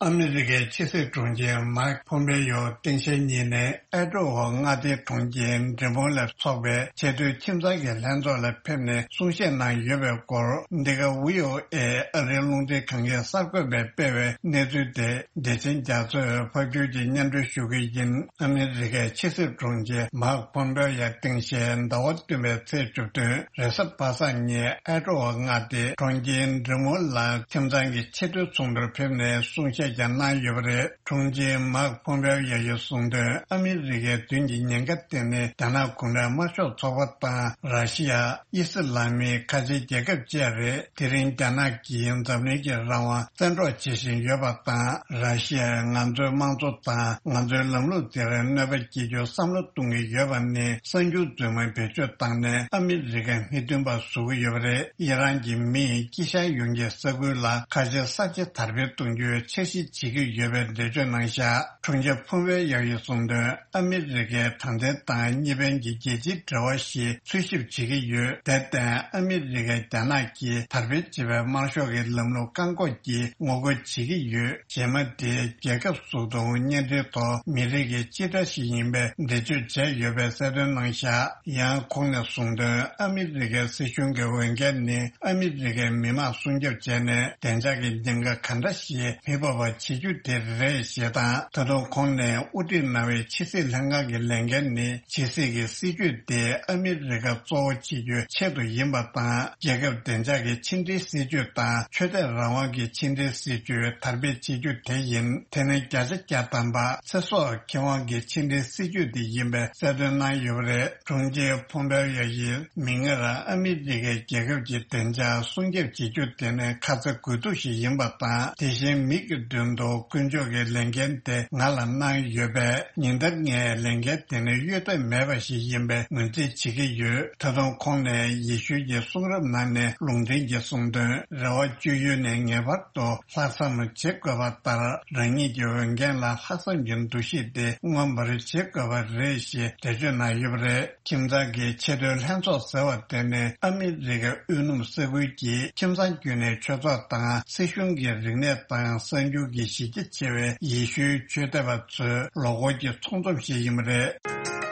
ཨ་མི་རི་ཀའི་ཕྱི་སྲིད་དྲུང་ཆེ་མཱིག་ཕོམ་པེ་ཡོ་སྟངས་དཔྱལ་གཉིས་ནས་ཨེ་ཀྲོ་ཝ་མངའ་སྡེའི་གྲོང་ཁྱེར་འབྲི་མོ་ལ་འཚོགས་པའི་ཆེས་མཐོའི་ཁྱིམ་ཚང་གི་ལྷན་ཚོགས་ལ་ཕེབས་ནས་གསུང་བཤད་གནང་ཡོད་པའི་སྐོར། འདི་ག་བྷི་ཨོ་ཨེ་ཨ་རིའི་རླུང་འཕྲིན་ཁང་གིས་གསར་འགོད་པས་སྤེལ་བའི་གནས་ཚུལ་དེ། བདེ་ཆེན་རྒྱ་མཚོས་ཕབ་སྒྱུར་གྱིས་སྙན་སྒྲོན་ཞུ་གི་ཡིན། ཨ་མི་རི་ཀའི་ཕྱི་སྲིད་དྲུང་ཆེ་མཱིག་ཕོམ་པེ་ཡོ་ཡ་སྟངས་དཔྱལ་ཟླ་བ་བདུན་པའི་ཚེས་བཅུ་བདུན་རེས་གཟའ་པ་སངས་ཉིན་ཨེ་ཀྲོ་ཝ་མངའ་སྡེའི་གྲོང་ཁྱེར་འབྲི་མོ་ལ་ཁྱིམ་ཚང་གི་ཆེས་མཐོའི་ཚོགས་འདུར་ཕེབས་ནས་གསུང་བཤད་ཀྱང་གནང་ཡོད་པ་རེད། དྲུང་ཆེ་མཱིག་ཕོམ་པེ་ཡོ་ཡིས་གསུངས་དོན། ཨ་མི་རི་ཀའི་མདུན་གྱི་ཉེན་ཁ་དེ་ནི་རྒྱ་ནག་གུང་ཁྲན་དམར་ཤོག་ཚོགས་པ་དང་། ར་ཤི་ཡ། དབྱི་སི་ལ་མིའི་ཁ་ཆེའི་རྒྱལ་ཁབ་བཅས་རེད། དེ་རིང་རྒྱ་ནག་གིས་འཛམ་གླིང་གི་རང་དབང་བཙན་འཕྲོག་བྱེད་བཞིན་ཡོད་པ་དང་། ར་ཤི་ཡས་ང་ཚོའི་དམངས་གཙོ་དང་ང་ཚོའི་ལམ་ལུགས་དེར་གནོད་པ་སྐྱེལ་རྒྱུའི་བསམ་བློ་གཏོང་གི་ཡོད་པ་ནི། གསར་འགྱུར་རྫུན་མ་བེད་སྤྱོད་བཏང་ནས་ཨ་མི་རི་ཀའི་མི་མཐུན་པ་བཟོ་གི་ཡོད་པ་རེད། ཨི་རན་གྱི་མིས་དཀྱིལ་ཤར་ཡོངས་ཀྱི་ས་ཁུལ་ལ་ཁ་ཆེའི་གསར་བརྗེ་དར་སྤེལ་གཏོང་རྒྱུའི་འཆར་གཞི་བྱེད་ཀྱི་ཡོད་པའི་འགྲེལ་བརྗོད་གནང་བཞག་དྲུང་ཆེ་ཕོམ་པེ་ཡོ་ཡིས་གསུངས་དོན། ཨ་མི་རི་ཀས་དྲང་བདེན་དང་གཉིས་ཕན་གྱི་རྒྱལ་སྤྱིའི་འབྲེལ་བ་ཞིག་འཚོལ་ཞིབ་བྱེད་ཀྱི་ཡོད། དེར་བརྟེན། ཨ་མི་རི་ཀས་རྒྱ་ནག་གིས་དར་སྤེལ་བྱེད་པའི་དམར་ཤོག་གི་ལམ་ལུགས་བཀག་འགོག་གི་ངོ་རྒོལ་བྱེད་ཀྱི་ཡོད། རྗེས་མ་དེ་རྒྱལ་ཁབ་སོ་སོའི་བརྙན་འཕྲིན་ཐོག་མི་རིགས་ཀྱི་སྤྱི་སྒྲ་ཞིག་ཡིན་པའི་འགྲེལ་བརྗོད་བྱས་ཡོད་པའི་གསལ་སྟོན་གནང་བཞག་ཡང་ཁོང་ནས་གསུངས་དོན། ཨ་མི་རི་ཀའི་སྲིད་གཞུང་གི་འོས་འགན་ནི། ཨ་མི་རི་ཀའི་མི་དམངས་སྲུང་སྐྱོབ་བྱས་ནས་བདེ་འཇགས་ཀྱི་ཉེན་ཁ་ག་འདྲ་ཞིག་མི་ཕོག་པ་བྱེད་རྒྱུ་དེ་རེད་ཞེས་དང་། ད་དུང་ཁོང་ནས་དབུ་ཁྲིད་གནང་བའི་ཕྱི་སྲིད་ལྷན་ཁང་གི་ལས་འགན་ནི། ཕྱི་སྲིད་ཀྱི་སྲིད་ཇུས་དེ་ཨ་མི་རི་ཀ་གཙོ་བོ་བྱེད་རྒྱུའི་ཆེད་དུ་ཡིན་པ་དང་། རྒྱལ་ཁབ་བདེ་འཇགས་ཀྱི་ཕྱི་འབྲེལ་སྲིད་ཇུས་དང་ཆོས་དད་རང་དབང་གི་ཕྱི་འབྲེལ་སྲིད་ཇུས་དར་སྤེལ་བྱེད་རྒྱུ་དེ་ཡིན། དེ་ནི་བརྒྱ་ཆ་བརྒྱ་ཐམ་པ་ཚེ་སྲོག་ཁེ་དབང་གི་ཕྱི་འབྲེལ་སྲིད་ཇུས་དེ་ཡིན་པའི་གསལ་སྟོན་གནང་ཡོད་པ་རེད། དྲུང་ཆེ་ཕོམ་པེ་ཡོ་ཡིས། མིག་སྔར་ཨ་མི་རི་ཀའི་རྒྱལ་ཁབ་ཀྱི་བདེ་འཇགས་སྲུང་སྐྱོབ་བྱེད་རྒྱུ་དེ་ནི་ཁ་ཚ་དགོས་གཏུགས་ཤིག་ཡིན་པ་དང་། དེ་བཞིན་མི་གི་མདུན་དུ་དཀོན་མཆོག་གིས་ལས་འགན་དེ་ང་ལ་གནང་ཡོད་པས། ཉིན་ལྟར་ངས་ལས་འགན་དེ་ནི་གཡོལ་ཐབས་མེད་པ་ཞིག་ཡིན་པའི་ངོས་འཛིན་བྱེད་ཀྱི་ཡོད། ད་དུང་ཁོང་ནས་ཡེ་ཤུའི་གསུང་རབ་ནང་ནས་ལུང་འདྲེན་གྱིས་གསུངས་དོན། རེ་བ་བཅོལ་ཡུལ་ནས་ངེས་པར་དུ་ལྷག་བསམ་བྱེད་དགོས་པ་ལྟར། རང་ཉིད་ཀྱི་འོས་འགན་ལ་ལྷག་བསམ་གྱི་འདུ་ཤེས་དེ་མངོན་པར་བྱེད་དགོས་པ་རེད་ཞེས་འགྲེལ་བརྗོད་གནང་ཡོད་པ་རེད། ཁྱིམ་ཚང་གི་ཆེས་མཐོའི་ལྷན་ཚོགས་ཟེར་བ་དེ་ནི་ཨ་མི་རི་ཀའི་དབུས་གནམ་ས་ཁུལ་གྱི་ཁྱིམ་ཚང་བརྒྱུད་ནས་ཆོས་ཚོགས་དང་སྲིད་གཞུང་གི་རིག་གནས་དང་གསར་འགྱུར་གྱི་གཞི་རྒྱ་ཆེ་བའི་ཡེ་ཤུའི་ཆོས་དད་པ་ཚོའི་ལོ་འཁོར་གྱི་ཚོགས་འཛོམས་ཤིག་ཡིན་པ་རེད།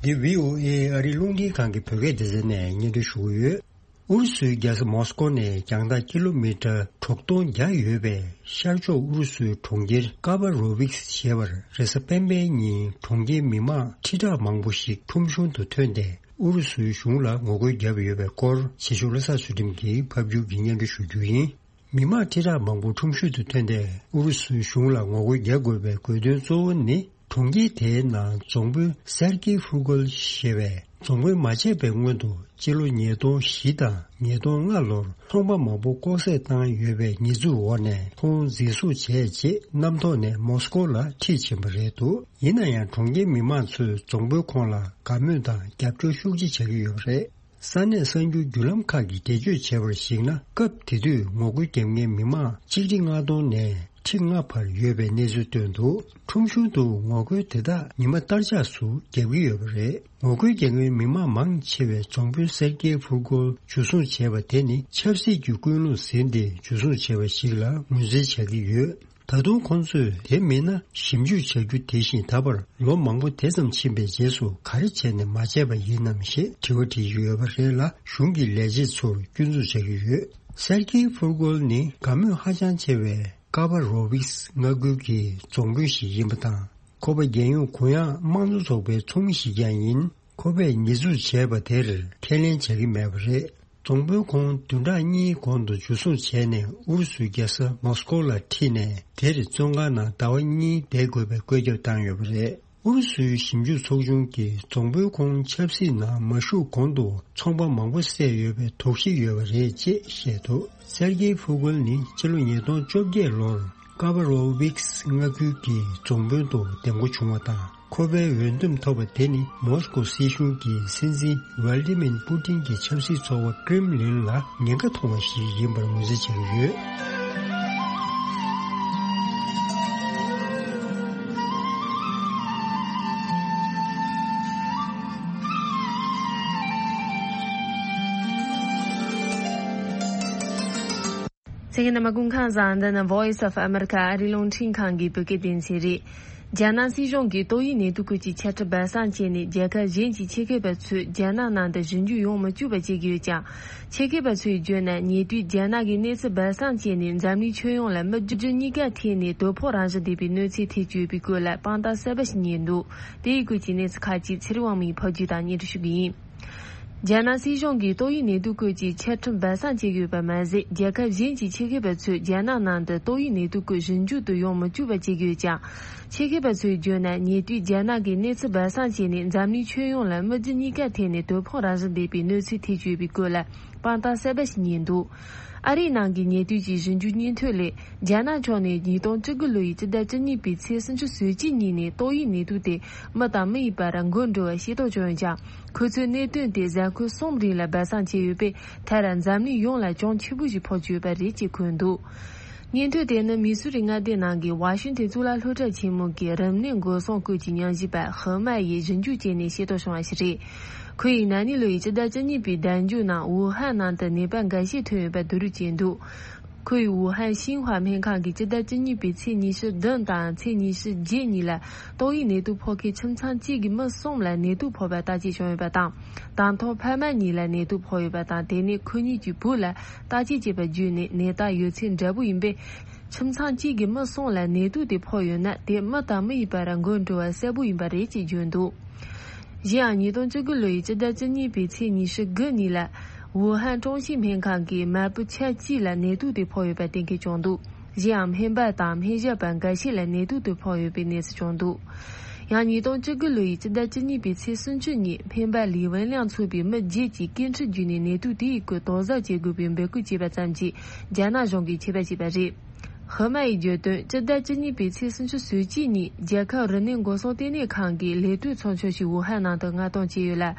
འདི་བྷི་ཨོ་ཨེ་ཨ་རིའི་རླུང་འཕྲིན་ཁང་གི་བོད་སྐད་སྡེ་ཚན་ནས་སྙན་སྒྲོན་ཞུ་གི་ཡོད། ཨུ་རུ་སུའི་རྒྱལ་ས་མོ་སི་ཀོ་ནས་རྒྱང་ཐག་ཀི་ལོ་མི་ཊར་དྲུག་སྟོང་བརྒྱ་ཡོད་པའི་ཤར་ཕྱོགས་ཨུ་རུ་སུའི་གྲོང་ཁྱེར་ཀ་བ་རོ་བིག་ཞེས་པར་རེས་གཟའ་སྤེན་པའི་ཉིན་གྲོང་ཁྱེར་མི་མང་ཁྲི་ཕྲག་མང་པོ་ཞིག་ཁྲོམ་གཞུང་དུ་ཐོན་ཏེ། ཨུ་རུ་སུའི་གཞུང་ལ་ངོ་རྒོལ་བརྒྱབ་ཡོད་པའི་སྐོར། ཕྱི་ཕྱོགས་བློ་བཟང་ཚུལ་ཁྲིམས་ཀྱིས་ཕབ་སྒྱུར་གྱིས་སྙན་སྒྲོན་ཞུ་རྒྱུ་ཡིན། མི་མང་ཁྲི་ཕྲག་མང་པོ་ཁྲོམ་གཞུང་དུ་ཐོན་ཏེ། ཨུ་རུ་སུའི་གཞུང་ལ་ངོ་རྒོལ་རྒྱག་དགོས་པའི་དགོས་དོན་གཙོ་བོ་ནི། གྲོང་ཁྱེར་དེའི་ནང་རྫོང་དཔོན་སེར་ཀི་ཧྥུ་གོལ་ཞེས་པས་ རྫོང་དཔོན་མ་བྱས་པའི་སྔོན་དུ་སྤྱི་ལོ་ཉིས་སྟོང་བཞི་དང་ཉིས་སྟོང་ལྔ་ལོར་ཚོང་པ་མང་པོ་ལྐོག་བསད་བཏང་ཡོད་པའི་ཉེས་འཛུགས་འོག་ནས་ཁོང་འཛིན་བཟུང་བྱས་རྗེས་གནམ་ཐོག་ནས་མོ་སྐོ་ལ་ཁྲིད་ཕྱིན་པ་རེད་འདུག་ཡིན་ན་ཡང་གྲོང་ཁྱེར་མི་མང་ཚོས་རྫོང་དཔོན་ཁོང་ལ་དགའ་མོས་དང་རྒྱབ་སྐྱོར་ཤུགས་ཆེ་བྱ་གི་ཡོད་པ་རེད། ས་གནས་གསར་འགྱུར་བརྒྱུད་ལམ་ཁག་གིས་འགྲེལ་བརྗོད་བྱས་པར་གཞིགས་ན། སྐབས་དེ་དུས་ངོ་རྒོལ་བརྒྱབ་མཁན་མི་མང་ཆིག་ཁྲི་ལྔ་སྟོང་ནས་ཁྲི་ལྔ་བར་ཡོད་པའི་གནས་ཚུལ་བཏོན་འདུག་ཁྲོམ་གཞུང་དུ་ངོ་རྒོལ་དེ་དག་ཉི་མ་ལྟར་ཆགས་སུ་བརྒྱབ་ཀྱི་ཡོད་པ་རེད། ངོ་རྒོལ་བརྒྱབ་མཁན་མི་མང་མང་ཆེ་བས་རྫོང་དཔོན་སེར་ཀེ་ཕུར་གོལ་འཇུ་བཟུང་བྱས་པ་དེ་ནི་ཆབ་སྲིད་ཀྱི་ཀུན་སློང་ཟིན་ཏེ་འཇུ་བཟུང་བྱས་པ་ཞིག་ལ་ངོས་འཛིན་བྱ་གི་ཡོད། ད་དུང་ཁོང་ཚོས་དེ་མིན་ན་ཞིབ་འཇུག་བྱ་རྒྱུ་དེ་བཞིན་ད་བར་ལོ་མང་པོ་དེ་ཙམ་ཕྱིན་པའི་རྗེས་སུ་ག་རེ་བྱས་ནས་མ་བྱས་པ་ཡིན་ནམ་ཞེས་དྲི་བ་དྲིས་ཀྱི་ཡོད་པ་རེད་ལ། གཞུང་གི་ལས་བྱེད་ཚོར་སྐྱོན་འཛུགས་བྱ་གི་ཡོད། སེར་ཀེ་ཕུར་གོལ་ནི་དགའ་མོས་ཧ་ཅང་ཆེ་བའི་ཀ་བ་རོ་བིགས་མངའ་ཁུལ་གྱི་རྫོང་དཔོན་ཞིག་ཡིན་པ་དང་། ཁོ་པ་རྒྱལ་ཡོངས་གུ་ཡངས་དམངས་གཙོ་ཚོགས་པའི་ཚོགས་མི་ཞིག་ཀྱང་ཡིན། ཁོ་པས་ཉེས་འཛུགས་བྱས་པ་དེར་ཁས་ལེན་བྱ་གི་མེད་པ་རེད། རྫོང་དཔོན་ཁོང་བདུན་ཕྲག་གཉིས་གོང་དུ་འཇུ་བཟུང་བྱས་ནས་ཨུ་རུ་སུའི་རྒྱལ་ས་མོ་སྐོ་ལ་ཁྲིད་ནས་དེར་བཙོན་ཁང་ནང་ཟླ་བ་གཉིས་བསྡད་དགོས་པའི་བཀོད་ཁྱབ་བཏང་ཡོད་པ་རེད། ཨུ་རུ་སུའི་ཞིབ་འཇུག་ཚོགས་ཆུང་གིས་རྫོང་དཔོན་ཁོང་ཆབ་སྲིད་ནང་མ་ཞུགས་གོང་དུ་ཚོང་པ་མང་པོ་བསད་ཡོད་པའི་དོགས་གཞི་ཡོད་པ་རེད་ཅེས་བཤད་འདུག་སེར་ཀེ་ཕུ་གུལ་ནི་ཕྱི་ལོ་ཉིས་སྟོང་བཅོ་བརྒྱད་ལོར་ཀ་བ་རོ་ཝིགས་མངའ་ཁུལ་གྱི་རྫོང་དཔོན་དུ་འདེམས་བསྐོ་བྱུང་བ་དང་། ཁོ་པའི་འོས་འདེམས་ཐོབ་པ་དེ་ནི་མོ་སྐོ་སྲིད་གཞུང་གི་སྲིད་འཛིན་ཝལ་ཏི་མིར་པུ་ཏིན་གྱི་ཆབ་སྲིད་ཚོགས་པ་ཀྲེམ་ལིན་ལ་ཉེན་ཁ་མཐོང་བ་ཞིག་ཡིན་པར་ངོས་འཛིན་བྱེད་ཀྱི་ཡོད། གསན་མཁན་རྣམ་པ་སྐུ་ཁམས་བཟང་། འདི་ནི་Voice of America ཨ་རིའི་རླུང་འཕྲིན་ཁང་གི་བོད་སྐད་སྡེ་ཚན་རེད། རྒྱ་ནག་སྲིད་གཞུང་གིས་ཏོག་དབྱིབས་ནད་དུག་སྐོར་གྱི་འཆར་གཞི་སྦས་གསང་བྱས་ནས། རྒྱལ་ཁབ་གཞན་གྱི་ཆེད་མཁས་པ་ཚོས་རྒྱ་ནག་ནང་དུ་ཞིབ་འཇུག་ཡོང་མི་བཅུག་པ་བྱེད་ཀྱི་ཡོད་ཀྱང་། ཆེད་མཁས་པ་ཚོས་བརྗོད་ན། ཉེ་དུས་རྒྱ་ནག་གིས་གནས་ཚུལ་སྦས་གསང་བྱས་ནས། འཛམ་གླིང་ཁྱོན་ཡོངས་ལ་མི་བཅུ་གཉིས་ཀ་ཐེ་ནས་དོ་ཕོག་རང་བཞིན་ལྡན་པའི་གནོད་འཚེ་ཐེབས་ཀྱི་ཡོད་པའི་སྐོར་ལ་དཔང་རྟགས་གསར་པ་ཞིག་རྙེད་འདུག་དེའི་སྐོར་གྱི་གནས་ཚུལ་ཁག་ཅིག་ཚེ་རིང་དབང་མོས་ཕབ་སྒྱུར་དང་སྙན་སྒྲོན་ཞུ་གི་ཡིན། རྒྱ་ནག་སྲིད་གཞུང་གིས་ཏོག་དབྱིབས་ནད་དུག་སྐོར་གྱི་འཆར་གཞི་སྦས་གསང་བྱེད་ཀྱི་ཡོད་པ་མ་ཟད། རྒྱལ་ཁབ་གཞན་གྱི་ཆེད་མཁས་པ་ཚོས་རྒྱ་ནག་ནང་དུ་ཏོག་དབྱིབས་ནད་དུག་སྐོར་ཞིབ་འཇུག་ཏུ་ཡོང་མི་བཅུག་པ་བྱེད་ཀྱི་ཡོད་ཀྱང་། ཆེད་མཁས་པ་ཚོས་བརྗོད་ན། ཉེ་དུས་རྒྱ་ནག་གིས་གནས་ཚུལ་སྦས་གསང་བྱས་ནས། འཛམ་གླིང་ཁྱོན་ཡོངས་ལ་མི་བཅུ་གཉིས་ཀ་ཐེ་ནས་དོ་ཕོག་རང་བཞིན་ལྡན་པའི་གནོད་འཚེ་ཐེབས་ཀྱི་ཡོད་པའི་སྐོར་ལ་དཔང་རྟགས་གསར་པ་ཞིག་རྙེད་འདུག་ཨ་རིའི་ནང་གི་ཉེ་དུས་ཀྱི་ཞིབ་འཇུག་སྙན་ཐོ་ལས། རྒྱ་ནག་ཕྱོགས་ནས་ཉིས་སྟོང་བཅུ་དགུ་ལོ་ཡི་སྤྱི་ཟླ་བཅུ་གཉིས་པའི་ཚེས་སུམ་ཅུ་སོ་གཅིག་ཉིན་ནས་ཏོག་དབྱིབས་ནད་དུག་དེ་མི་དང་མི་ཡི་བར་འགོས་འགྲོ་བ་ཤེས་རྟོགས་བྱུང་ཡོད་ཀྱང་། ཁོ་ཚོའི་གནད་དོན་དེ་གཟའ་འཁོར་གསུམ་རིང་ལ་སྦས་གསང་བྱས་ཡོད་པས། མཐར་འཛམ་གླིང་ཡོངས་ལ་གྱང་ཆེན་པོ་ཞིག་ཕོག་བཅུག་ཡོད་པ་རེད་ཅེས་འཁོད་འདུག་སྙན་ཐོ་དེ་ནི་མི་སུ་རི་མངའ་སྡེ་ནང་གི་ཝ་ཤིང་ཏན་གཙུག་ལག་སློབ་གྲྭ་ཆེན་མོ་གི་རིམས་ནད་འགོག་སྲུང་སྐོར་གྱི་ཉམས་ཞིབ་པ་ཧི་མ་ཡིས་ཞིབ་འཇུག་བྱས་ནས་ཤེས་རྟོགས་བྱུང་བ་ཞིག་རེད། ཁོ་ཡིས་ན་ནིང་ལོ་ཡི་སྤྱི་ཟླ་བཅུ་གཉིས་པའི་ཟླ་མཇུག་ནང་ཝུ་ཧན་ནང་དུ་ནད་པ་འགའ་ཤས་ཐོན་ཡོད་པ་བསྡུ་རུབ་བྱས་འདུག་ཁོ་ཡིས་ཝུ་ཧན་ཤིན་ཧྭ་སྨན་ཁང་གིས་སྤྱི་ཟླ་བཅུ་གཉིས་པའི་ཚེས་ཉི་ཤུ་བདུན་དང་ཚེས་ཉི་ཤུ་བརྒྱད་གཉིས་ལ་ཏོག་དབྱིབས་ནད་དུག་ཕོག་མཁན་ཁྱིམ་ཚང་གཅིག་གི་མི་གསུམ་ལ་ནད་དུག་ཕོག་པ་བརྟག་དཔྱད་བྱུང་ཡོད་པ་དང་། དང་ཐོག་ཕ་མ་གཉིས་ལ་ནད་དུག་ཕོག་ཡོད་པ་དང་། དེ་ནས་ཁོ་གཉིས་ཀྱི་བུ་ལ་བརྟག་དཔྱད་བྱས་པ་བརྒྱུད་ནས་ནད་རྟགས་ཡོད་ཚད་འདྲ་པོ་ཡིན་པས། ཁྱིམ་ཚང་གཅིག་གི་མི་གསུམ་ལ་ནད་དུག་དེ་ཕོག་ཡོད་ན། དེ་མི་དང་མི་ཡི་བར་འགོས་འགྲོ་བ་གསལ་པོ་ཡིན་པ་རེད་ཅེས་བརྗོད་འདུག་གཞན་ཡང་ཉིས་སྟོང་བཅུ་དགུ་ལོ་ཡི་སྤྱི་ཟླ་བཅུ་གཉིས་པའི་ཚེས་ཉི་ཤུ་དགུ་ཉིན་ལ། ཝུ་ཧན་ཀྲུང་ཤིས་སྨན་ཁང་གི་མ་བུ་ཆ་གཅིག་ལ་ནད་དུག་དེ་ཕོག་ཡོད་པ་གཏན་འཁེལ་བྱུང་འདུག་གཞན་ཡང་སྨན་པ་དང་སྨན་ཞབས་པ་འགའ་ཤས་ལ་ནད་དུག་དེ་ཕོག་ཡོད་པའི་གནས་ཚུལ་བྱུང་འདུག་ཡང་ཉིས་སྟོང་བཅུ་དགུ་ལོ་ཡི་སྤྱི་ཟླ་བཅུ་གཉིས་པའི་ཚེས་སུམ་ཅུ་ཉིན་སྨན་པ་ལི་ཝེན་ལིང་ཚོགས་པའི་མི་བརྒྱད་ཀྱིས་སྐད་འཕྲིན་བརྒྱུད་ནས་ནད་དུག་དེའི་སྐོར་དོགས་ཟབ་བྱེད་དགོས་པའི་འབོད་སྐུལ་བྱས་པ་ཙམ་གྱིས་རྒྱ་ནག་གཞུང་གིས་ཆད་པ་བྱས་པ་རེད། ཧི་མ་ཡིས་བརྗོད་དོན། སྤྱི་ཟླ་བཅུ་གཉིས་པའི་ཚེས་སུམ་ཅུ་སོ་གཅིག་ཉིན་རྒྱལ་ཁབ་རིམས་ནད་འགོག་སྲུང་ལྟེ་གནས་ཁང་གི་ལས་དོན་ཚོགས་ཆུང་ཞིག་ཝུ་ཧན་ནང་དུ་མངགས་གཏོང་བྱས་ཡོད་ལ།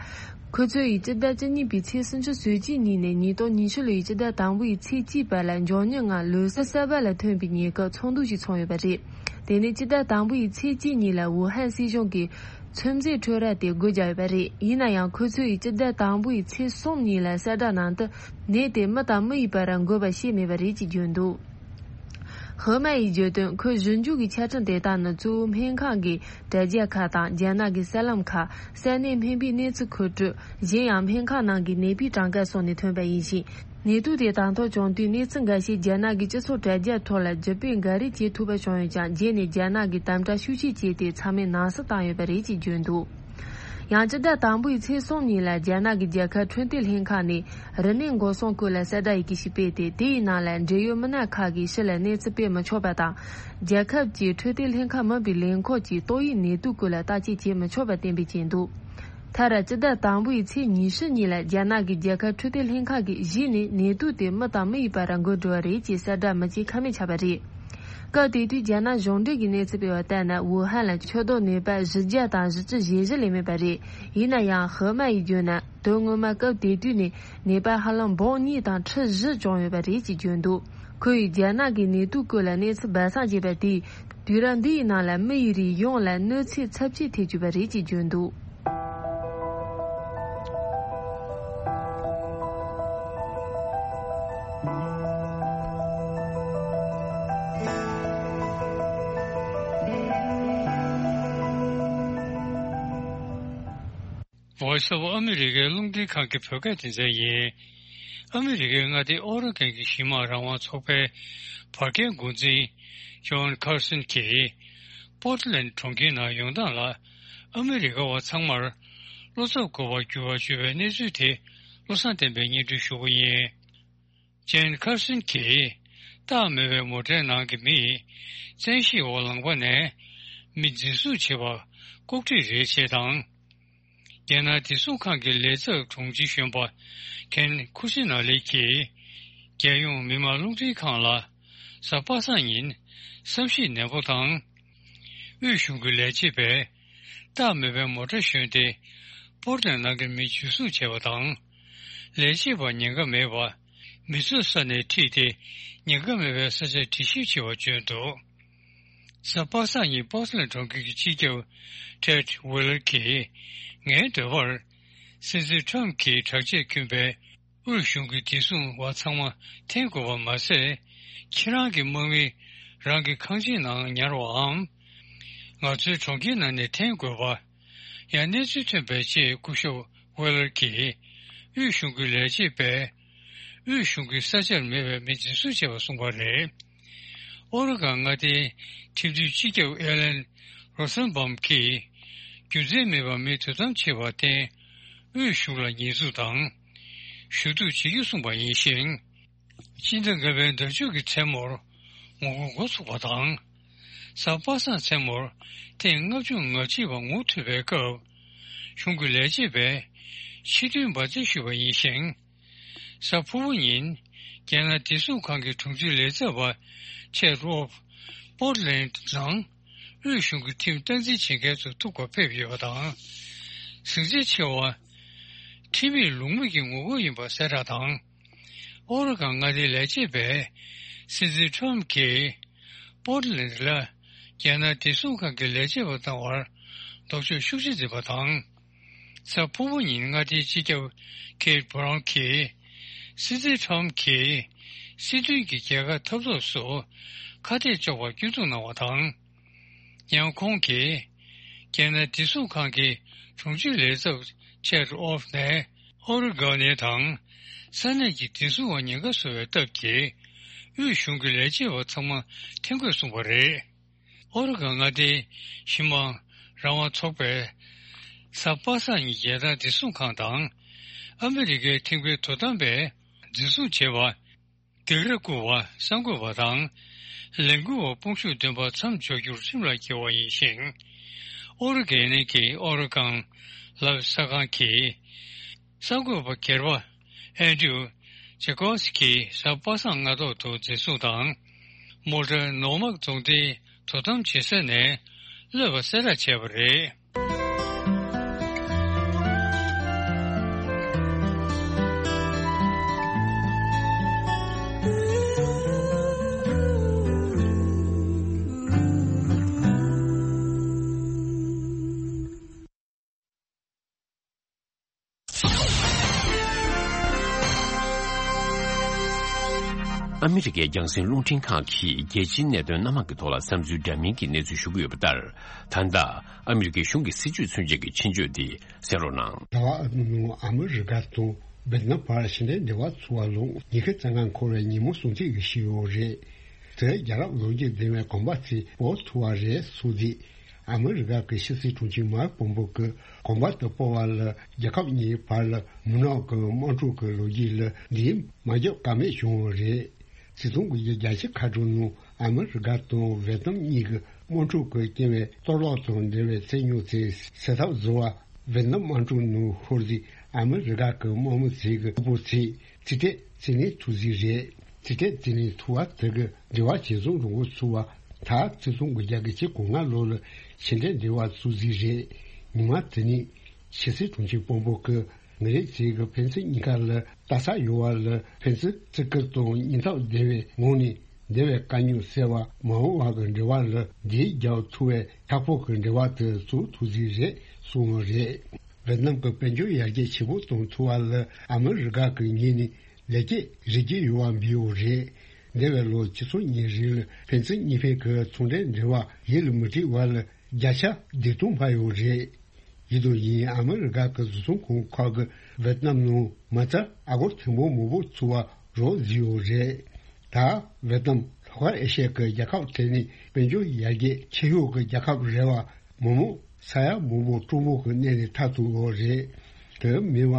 ཁོ་ཚོ་ཡིས་སྤྱི་ཟླ་བཅུ་གཉིས་པའི་ཚེས་སུམ་ཅུ་སོ་གཅིག་ཉིན་ནས་ཉིས་སྟོང་ཉི་ཤུ་ལོ་ཡི་སྤྱི་ཟླ་དང་པོ་ཡི་ཚེས་གཅིག་བར་ལ་མགྱོགས་མྱུར་ངང་ལོ་གསར་གསར་པ་ལ་ཐོན་པའི་ཉེན་ཁ་ཚོགས་འདུ་ཞིག་ཚོགས་ཡོད་པ་རེད། དེ་ནས་སྤྱི་ཟླ་དང་པོ་ཡི་ཚེས་གཅིག་ཉིན་ལ་ཝུ་ཧན་སྲིད་གཞུང་གིས་ཚོད་འཛིན་འཕྲུལ་ར་དེ་སྒོ་བརྒྱབ་ཡོད་པ་རེད། ཡིན་ན་ཡང་ཁོ་ཚོ་ཡིས་སྤྱི་ཟླ་དང་པོ་ཡི་ཚེས་གསུམ་ཉིན་ལ་གསལ་བསྒྲགས་ནང་དུ་ནད་དེ་མི་དང་མི་ཡི་བར་འགོས་པ་ཤེས་མེད་པ་རེད་ཅེས་བརྗོད་འདུག་ཧི་མ་ཡིས་བརྗོད་དོན། ཁོས་ཞིབ་འཇུག་གི་ཆ་འཕྲིན་དེ་དག་ནི་གཙོ་བོ་སྨན་ཁང་གི་དྲ་རྒྱ་ཁག་དང་། རྒྱ་ནག་གི་གསར་ལམ་ཁག་ས་གནས་སྨན་པའི་གནས་ཚུལ་མཁོ་སྤྲོད། གཞན་ཡང་སྨན་ཁང་ནང་གི་ནད་པའི་གྲངས་ཀ་སོགས་ནས་ཐོན་པ་ཡིན་ཞིང་། ནད་དུག་དེ་དང་ཐོག་བྱུང་དུས་གནས་ཚུལ་འགའ་ཤས་རྒྱ་ནག་གི་སྤྱི་ཚོགས་དྲ་རྒྱ་ཐོག་ལ་བརྒྱུད་སྤེལ་འགའ་རེ་བྱེད་ཐུབ་པ་བྱུང་ཡོད་ཀྱང་། རྗེས་ནས་རྒྱ་ནག་གིས་དམ་དྲག་ཤུགས་ཆེ་བྱས་ཏེ་ཚང་མས་ནང་གསེས་བཏང་ཡོད་པ་རེད་ཅེས་བརྗོད་འདུག་ཡང་སྤྱི་ཟླ་དང་པོའི་ཚེས་གསུམ་ཉིན་ལ་རྒྱ་ནག་གི་རྒྱལ་ཁབ་འཕྲོད་བསྟེན་ལྷན་ཁང་ནས་རིམས་ནད་འགོག་སྲུང་སྐོར་ལ་གསལ་བསྒྲགས་ཡི་གེ་ཞིག་སྤེལ་ཏེ། དེའི་ནང་ལ་འབྲེལ་ཡོད་མི་སྣ་ཁག་གིས་ཕྱི་ལ་གནས་ཚུལ་སྤེལ་མི་ཆོག་པ་དང་། རྒྱལ་ཁབ་ཀྱི་འཕྲོད་བསྟེན་ལྷན་ཁང་མིན་པའི་ལས་ཁུངས་ཀྱིས་ཏོག་དབྱིབས་ནད་དུག་སྐོར་ལ་བརྟག་དཔྱད་བྱེད་མི་ཆོག་པ་གཏན་འབེབས་བྱས་འདུག་མཐར་སྤྱི་ཟླ་དང་པོའི་ཚེས་ཉི་ཤུ་ཉིན་ལ་རྒྱ་ནག་གི་རྒྱལ་ཁབ་འཕྲོད་བསྟེན་ལྷན་ཁང་གིས་གཞི་ནས་ནད་དུག་དེ་མི་དང་མི་ཡི་བར་འགོས་འགྲོ་བ་རེད་ཅེས་གསལ་བསྒྲགས་མི་བྱེད་ཁ་མེད་ཆགས་པ་རེད། སྐབས་དེ་དུས་རྒྱ་ནག་གཞུང་འབྲེལ་གྱི་གནས་ཚུལ་སྤེལ་བ་ལྟར་ན། ཝུ་ཧན་ལ་ཆུ་ལྡོག་ནད་པ་བཞི་བརྒྱ་དང་བཞི་བཅུ་ཞེ་བཞི་ལས་མེད་པ་རེད། ཡིན་ན་ཡང་ཧི་མ་ཡིས་བརྗོད་ན། དོན་ངོ་མ་སྐབས་དེ་དུས་ནས་ནད་པ་ཧ་ལམ་འབུམ་གཉིས་དང་ཁྲི་བཞི་བྱུང་ཡོད་པ་རེད་ཅེས་བརྗོད་འདུག་ཁོས་རྒྱ་ནག་གི་ནད་དུག་སྐོར་ལ་གནས་ཚུལ་སྦས་གསང་བྱས་པ་དེས། དུས་རབས་འདིའི་ནང་ལ་མི་ཡི་རིགས་ཡོངས་ལ་གནོད་འཚེ་ཚབས་ཆེ་ཐེབས་བཅུག་པ་རེད་ཅེས་བརྗོད་འདུག Voice of America རླུང་འཕྲིན་ཁང་གི་བོད་སྐད་སྡེ་ཚན་ཡིན། ཨ་མི་རི་ཀའི་མངའ་སྡེ་ཨོ་རེ་གྷོན་གྱི་གཞི་མ་རང་དབང་ཚོགས་པའི་བར་བརྒལ་འགོ་འཛིན་ཇོན་ཁར་སོན་གྱིས་པོར་ཊི་ལེན་ཌི་གྲོང་ཁྱེར་ནང་ཡོང་སྟངས་ལ་ཨ་མི་རི་ཀ་བ་ཚང་མར་བློ་འཚབ་དགོས་པར་འགྱུར་བ་བྱུང་བའི་གནས་ཚུལ་དེ་བློ་བཟང་བསྟན་པས་སྙན་སྒྲོན་ཞུ་གི་ཡིན། ཇོན་ཁར་སོན་གྱིས་རྟགས་མེད་པའི་མོ་ཊའི་ནང་གི་མི་ཡིས་བཙན་ཤེད་འོག་ལངས་པ་ནས་མི་འཛིན་བཟུང་བྱས་པ་ལྐོག་འཁྲིད་རེད་ཅེས་དང་། རྒྱལ་ནང་བདེ་སྲུང་ཁང་གི་ལས་ཚབ་དྲུང་ཆེ་གཞོན་པ་ཁེན་ཁུ་སི་ན་ལི་གིས་རྒྱལ་ཡོངས་མི་དམངས་རླུང་འཕྲིན་ཁང་ལ་གཟའ་པ་སངས་ཉིན་བསམ་གཞིགས་ནན་པོ་དང་། དབུས་གཞུང་གི་ལས་བྱེད་པས་རྟགས་མེད་པའི་མོ་ཊ་ཞོན་ཏེ་པོར་ཊི་ལེན་ནང་གི་མི་འཛིན་བཟུང་བྱས་པ་དང་། ལས་བྱེད་པ་ཉེན་ཁ་མེད་པ་མི་ཚོགས་ས་ནས་ཁྲིད་དེ་ཉེན་ཁ་མེད་པའི་ས་ཆར་དྲི་ཞིབ་བྱས་པ་བརྗོད་འདུག་གཟའ་པ་སངས་ཉིན་པོར་ཊི་ལེན་ཌི་གྲོང་ཁྱེར་གྱི་སྤྱི་ཁྱབ་ཊེཌ་ཝི་ལར་གྱིས་ངའི་འདོད་པར་སྲིད་འཛིན་ཊམ་གྱིས་དྲག་ཆས་བསྐྱོན་པའི་དབུས་གཞུང་གི་བདེ་སྲུང་བ་ཚང་མ་འཐེན་དགོས་པ་མ་ཟད། ཁྱེད་རང་གི་དམག་མི་རང་གི་ཁང་ཆེན་ནང་ཉར་བའམ། ང་ཚོའི་གྲོང་ཁྱེར་ནང་ནས་འཐེན་དགོས་པ། ཡང་གནས་ཚུལ་ཐོན་པའི་རྗེས་སྐུ་ཞབས་ཝེ་ལར་གྱིས་དབུས་གཞུང་གི་ལས་བྱེད་པས་དབུས་གཞུང་གི་ས་ཆར་མེད་པའི་མི་འཛིན་བཟུང་བྱས་པ་གསུངས་པ་རེད། ཨོ་རེ་གྷོན་མངའ་སྡེའི་ཁྲིམས་རྩོད་སྤྱི་ཁྱབ་ཨེ་ལན་རོ་སན་བྷམ་གྱིས་རྒྱུ་མཚན་མེད་པར་མི་དོ་དམ་བྱས་པར་བརྟེན་དབུས་གཞུང་ལ་ཉེས་འཛུགས་དང་ཞུ་གཏུག་བྱེད་རྒྱུ་གསུངས་པ་ཡིན་ཞིང་། སྤྱི་ཟླ་ལྔ་པའི་ཟླ་མཇུག་གི་མཚན་མོར་ངོ་རྒོལ་འགོ་ཚུགས་པ་དང་། གཟའ་པ་སངས་མཚན་མོར་ཐེངས་ལྔ་བཅུ་ང་གཅིག་པ་ངོ་ཐུག་པའི་སྐབས། གཞུང་གི་ལས་བྱེད་པས་ཕྱི་དོན་འབར་རྩེད་ཞུས་པ་ཡིན་ཞིང་། གཟའ་ཕུར་བུ་ཉིན། རྒྱལ་ནང་བདེ་སྲུང་ཁང་གི་དྲུང་ཆེ་ལས་ཚབ་པ་ཆེད་རོབ་པོར་ཊི་ལེན་ཌི་ནང་དབུས་གཞུང་གི་ཁྲིམས་སྟངས་འཛིན་བྱེད་མཁན་ཚོ་ཐུག་པར་ཕེབས་ཡོད་པ་དང་། གཟིགས་ཚད་ཆེ་བ། ཁྲིམས་མེད་ལུགས་མེད་ཀྱི་ངོ་རྒོལ་ཡིན་པ་གསལ་བསྒྲགས་དང་། ཨོ་རེ་གྷོན་མངའ་སྡེའི་ལས་བྱེད་པས་སྲིད་འཛིན་ཊམ་གྱིས་པོར་ཊི་ལེན་ཌི་ལ་རྒྱལ་ནང་བདེ་སྲུང་ཁང་གི་ལས་བྱེད་པ་བཏང་བར་ལྡོག་ཕྱོགས་ཤུགས་ཆེ་འཛིན་པ་དང་། གཟའ་ཕུར་བུ་ཉིན་མངའ་སྡེའི་སྤྱི་ཁྱབ་ཁེ་ཊི་བྷ་རོན་གྱིས་སྲིད་འཛིན་ཊམ་གྱིས་སྲིད་དོན་གྱི་རྒྱལ་ཁ་ཐོབ་ཐབས་སུ་ཁ་གཏད་གཅོག་པར་སྐྱོན་འཛུགས་གནང་བ་དང་། ཡང་ཁོང་གིས་རྒྱལ་ནང་བདེ་སྲུང་ཁང་གི་དྲུང་ཆེ་ལས་ཚབ་ཆེད་ཨོབ་ནས་ཨོ་རེ་གྷོན་ནས་དང་ས་གནས་ཀྱི་བདེ་སྲུང་བ་ཉེན་ཁ་བཟོ་བའི་སྟབས་ཀྱིས་དབུས་གཞུང་གི་ལས་བྱེད་པ་ཚང་མ་འཐེན་དགོས་གསུངས་པ་རེད། ཨོ་རེ་གྷོན་མངའ་སྡེའི་ཞི་མ་རང་དབང་ཚོགས་པས་གཟའ་པ་སངས་ཉིན་རྒྱལ་ནང་བདེ་སྲུང་ཁང་དང་ཨ་མི་རི་ཀའི་ཐིམ་ཕུའི་དོ་དམ་པས་འཛིན་བཟུང་བྱས་པ། སྡིགས་ར་བསྐུལ་བ། གསར་འགོད་པ་དང་། ལས་འགུལ་བ་དཔུང་ཤུགས་ལྡན་པ་མཚམས་འཇོག་རྒྱུར་ཁྲིམས་ལ་འགལ་བ་ཡིན་ཞིང་། ཨོ་རེ་གྷོན་གྱི་ཨོ་རེ་གྷོན་ལབ་གསར་ཁང་གིས། གསར་འགོད་པ་སྒེར་པ་ཨན་ཌྲུ་ཇེ་ཀོབ་སི་ཀིས་གཟའ་པ་སངས་སྔ་ཐོག་ཏུ་འཛིན་བཟུང་དང་། མོལ་ཊ་ནོ་མག་རྫོང་སྡེའི་དོ་དམ་བྱེད་ས་ནས་གློད་པ་གསལ་བསྒྲགས་བྱས་པ་རེད། ཨ་མི་རི་ཀའི་རྒྱང་སྲིང་རླུང་འཕྲིན་ཁང་གིས་རྒྱལ་སྤྱིའི་གནད་དོན་སྣ་མང་གི་ཐོག་ལ་བསམ་ཚུལ་འདྲ་མིན་གྱི་གནས་ཚུལ་ཞུ་གི་ཡོད་པ་ལྟར། ད་ལྟ་ཨ་མི་རི་ཀའི་གཞུང་གི་སྲིད་བྱུས་མཚོན་བྱེད་ཀྱི་ཆེད་བརྗོད་འདི་གསན་རོགས་གནང་། ཟླ་བ་ཨ་ནུ་ནང་ཨ་མི་རི་ཀ་དང་ཝེ་ཏི་ནམ་བར་ཕྱི་འབྲེལ་འབྲེལ་བ་ཚུགས་པ་ལ་ཉི་ཤུ་རྩ་ལྔ་འཁོར་བའི་ཉིན་མོ་སྲུང་བརྩི་ཞུས་ཡོད་རེད། དེ་རྒྱལ་རབས་ལོ་རྒྱུས་ལྡན་པའི་གོམ་པ་ཚོས་སྤོ་ཐུབ་པ་རེད་གསུངས་ཏེ། ཨ་མི་རི་ཀ་གི་ཕྱི་སྲིད་དྲུང་ཆེ་མཱིག་པོམ་པེ་ཡོ་གིས་གོམ་པ་དེ་སྤོ་བ་ལ་རྒྱལ་ཁབ་གཉིས་བར་ལ་མུན་ནག་གི་དམག་འཁྲུག་གི་ལོ་རྒྱུས་ལ་འདིས་མ་བརྒྱབ་ཀ་མེད་བྱུང་བ་རེད། སྲིད་ཚོང་གི་རྒྱལ་སྤྱི་ཁ་བྲལ་ནང་ཨ་མི་རི་ཀ་དང་ཝེ་ཏི་ནམ་གཉིས་ཀྱི་དམག་འཁྲུག་གི་རྐྱེན་པས་གཏོར་བརླག་དང་འབྲེལ་བའི་ཚེ་སྨྱོ་ཚོའི་སེལ་ཐབས་བཟོ་བ། ཝེ་ཏི་ནམ་དམག་འཁྲུག་ནང་ཤོར་རྗེས་ཨ་མི་རི་ཀ་གི་དམག་མི་ཚོས་ཀྱི་ཕུ་བོ་ཚོས་རྩིས་སྤྲོད་བཙུགས་ནས་ཐུག་རྩིས་རེད། རྩིས་སྤྲོད་བཙུགས་ནས་ཐུག་པ་དེ་གི་འབྲེལ་བ་ཇེ་བཟང་འགྲོ་འགོ་ཚུགས་པ། ད་ཆིག་སྟོང་དགུ་བརྒྱ་གི་ཆེད་གོང་ལྔ་ལོ་ལ་ཕྱི་འབྲེལ་འབྲེལ་བ་བཙུགས་རྩིས་རེད། ཉི་མ་དེ་ནས་ཕྱི་སྲིད་དྲུང་ཆེ་དཔོན་པོ་གི་ངེད་རེ་ཚོས་ཀྱི་ཕན་ཚུན་གཉིས་ཀ་ལ་ལྟ་ས་ཡོད་པ་ལ་ཕན་ཚུན་བརྩི་བཀུར་དང་སྙིང་སྟོབས་ལྡན་པའི་ངང་ནས་འདས་པའི་དཀའ་རྙོག་སེལ་བ། མ་འོངས་པ་གི་འབྲེལ་བ་ལ་འདིའི་རྒྱབ་ཐུག་པའི་ཁག་པོ་གི་འབྲེལ་བ་དེ་བཙུགས་ཐུབ་རྩིས་རེད་གསུངས་པ་རེད། ཝེ་ཏི་ནམ་གྱི་དཔལ་འབྱོར་ཡར་རྒྱས་ཆེ་པོ་གཏོང་ཐུབ་པ་ལ་ཨ་མི་རི་ཀ་གི་ངོས་ནས་ལེགས་སྐྱེས་རེ་སྐྱེས་ཡོད་པ་འབུལ་ཡོད་རེད། འདས་པའི་ལོ་ཆིག་སྟོང་གཉིས་རིང་ལ་ཕན་ཚུན་གཉིས་ཕན་གྱི་ཚོང་འབྲེལ་འབྲེལ་བ་ཡིད་ལ་མི་འགྲིག་པ་ལ་བརྒྱ་ཆ་བདུན་སྟོང་འཕར་ཡོད་རེད། ཡིན་དང་ཡིན་ཨ་མི་རི་ཀ་གི་བཟོ་ཚོང་ཁང་ཁག་གིས་ཝེ་ཏི་ནམ་ནང་མ་རྩ་ཨ་སྒོར་ཐེར་འབུམ་མང་པོ་བཙུགས་པ་རོགས་བཟོས་ཡོད་རེད། ད་ཝེ་ཏི་ནམ་ལྷོ་ཤར་ཨེ་ཤི་ཡ་གི་རྒྱལ་ཁབ་གྲས་ནས་དཔལ་འབྱོར་ཡར་རྒྱས་ཆེ་ཤོས་ཀྱི་རྒྱལ་ཁབ་རེད་པ། མི་མང་ས་ཡ་མང་པོ་གྲངས་འབོར་གྱི་གནས་ནས་ཐར་ཐུབ་ཡོད་རེད། དེ་མིན་པ།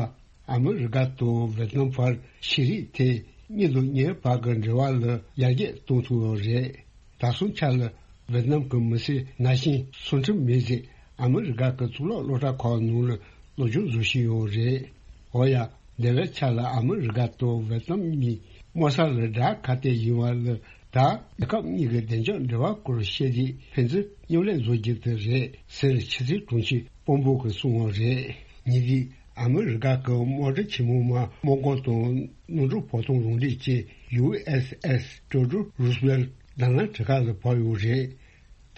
ཨ་མི་རི་ཀ་དང་ཝེ་ཏི་ནམ་བར་ཤེས་རིག་ཐད་གཉེན་དང་གཉེན་བར་གྱི་འབྲེལ་བ་ལ་ཡར་རྒྱས་གཏོང་ཐུབ་ཡོད་རེད། ད་སོང་ཆ་ལ་ཝེ་ཏི་ནམ་གྱི་མི་སེར་ན་གཞོན་སུམ་ཁྲི་མེད་ཚད་ཨ་མི་རི་ཀ་གི་གཙུག་ལག་སློབ་གྲྭ་ཁག་ནང་ལ་སློབ་སྦྱོང་བཟོ་བཞིན་ཡོད་རེད། འོ་ཡ། འདས་པའི་ཆ་ལ་ཨ་མི་རི་ཀ་དང་ཝེ་ཏི་ནམ་གཉིས་དམག་ས་ལ་དགྲ་ཁ་གཏད་ཡིན་པ་ལ། ད་རྒྱལ་ཁབ་གཉིས་ཀྱི་བདེ་འཇགས་འབྲེལ་བ་སྐོར་བཤད་རྗེས་ཕན་ཚུན་མཉམ་ལས་བཟོ་རྒྱུ་དེ་རེད་ཟེར་ཕྱི་སྲིད་དྲུང་ཆེ་དཔོན་པོ་གིས་གསུངས་པ་རེད། ཉེ་དུས་ཨ་མི་རི་ཀ་གི་དམག་གྲུ་ཆེན་མོ་མ་དམག་སྒར་དང་གནམ་གྲུ་བབ་ཐང་རང་འགྲེལ་ཅན་ཡུ་ཨེས་ཨེས་ཐི་ཡོ་ཌོར་རུ་སི་ཝེལ་ཏི་ནཱ་ལེནྡྲ་ཁ་ལ་བབས་ཡོད་རེད།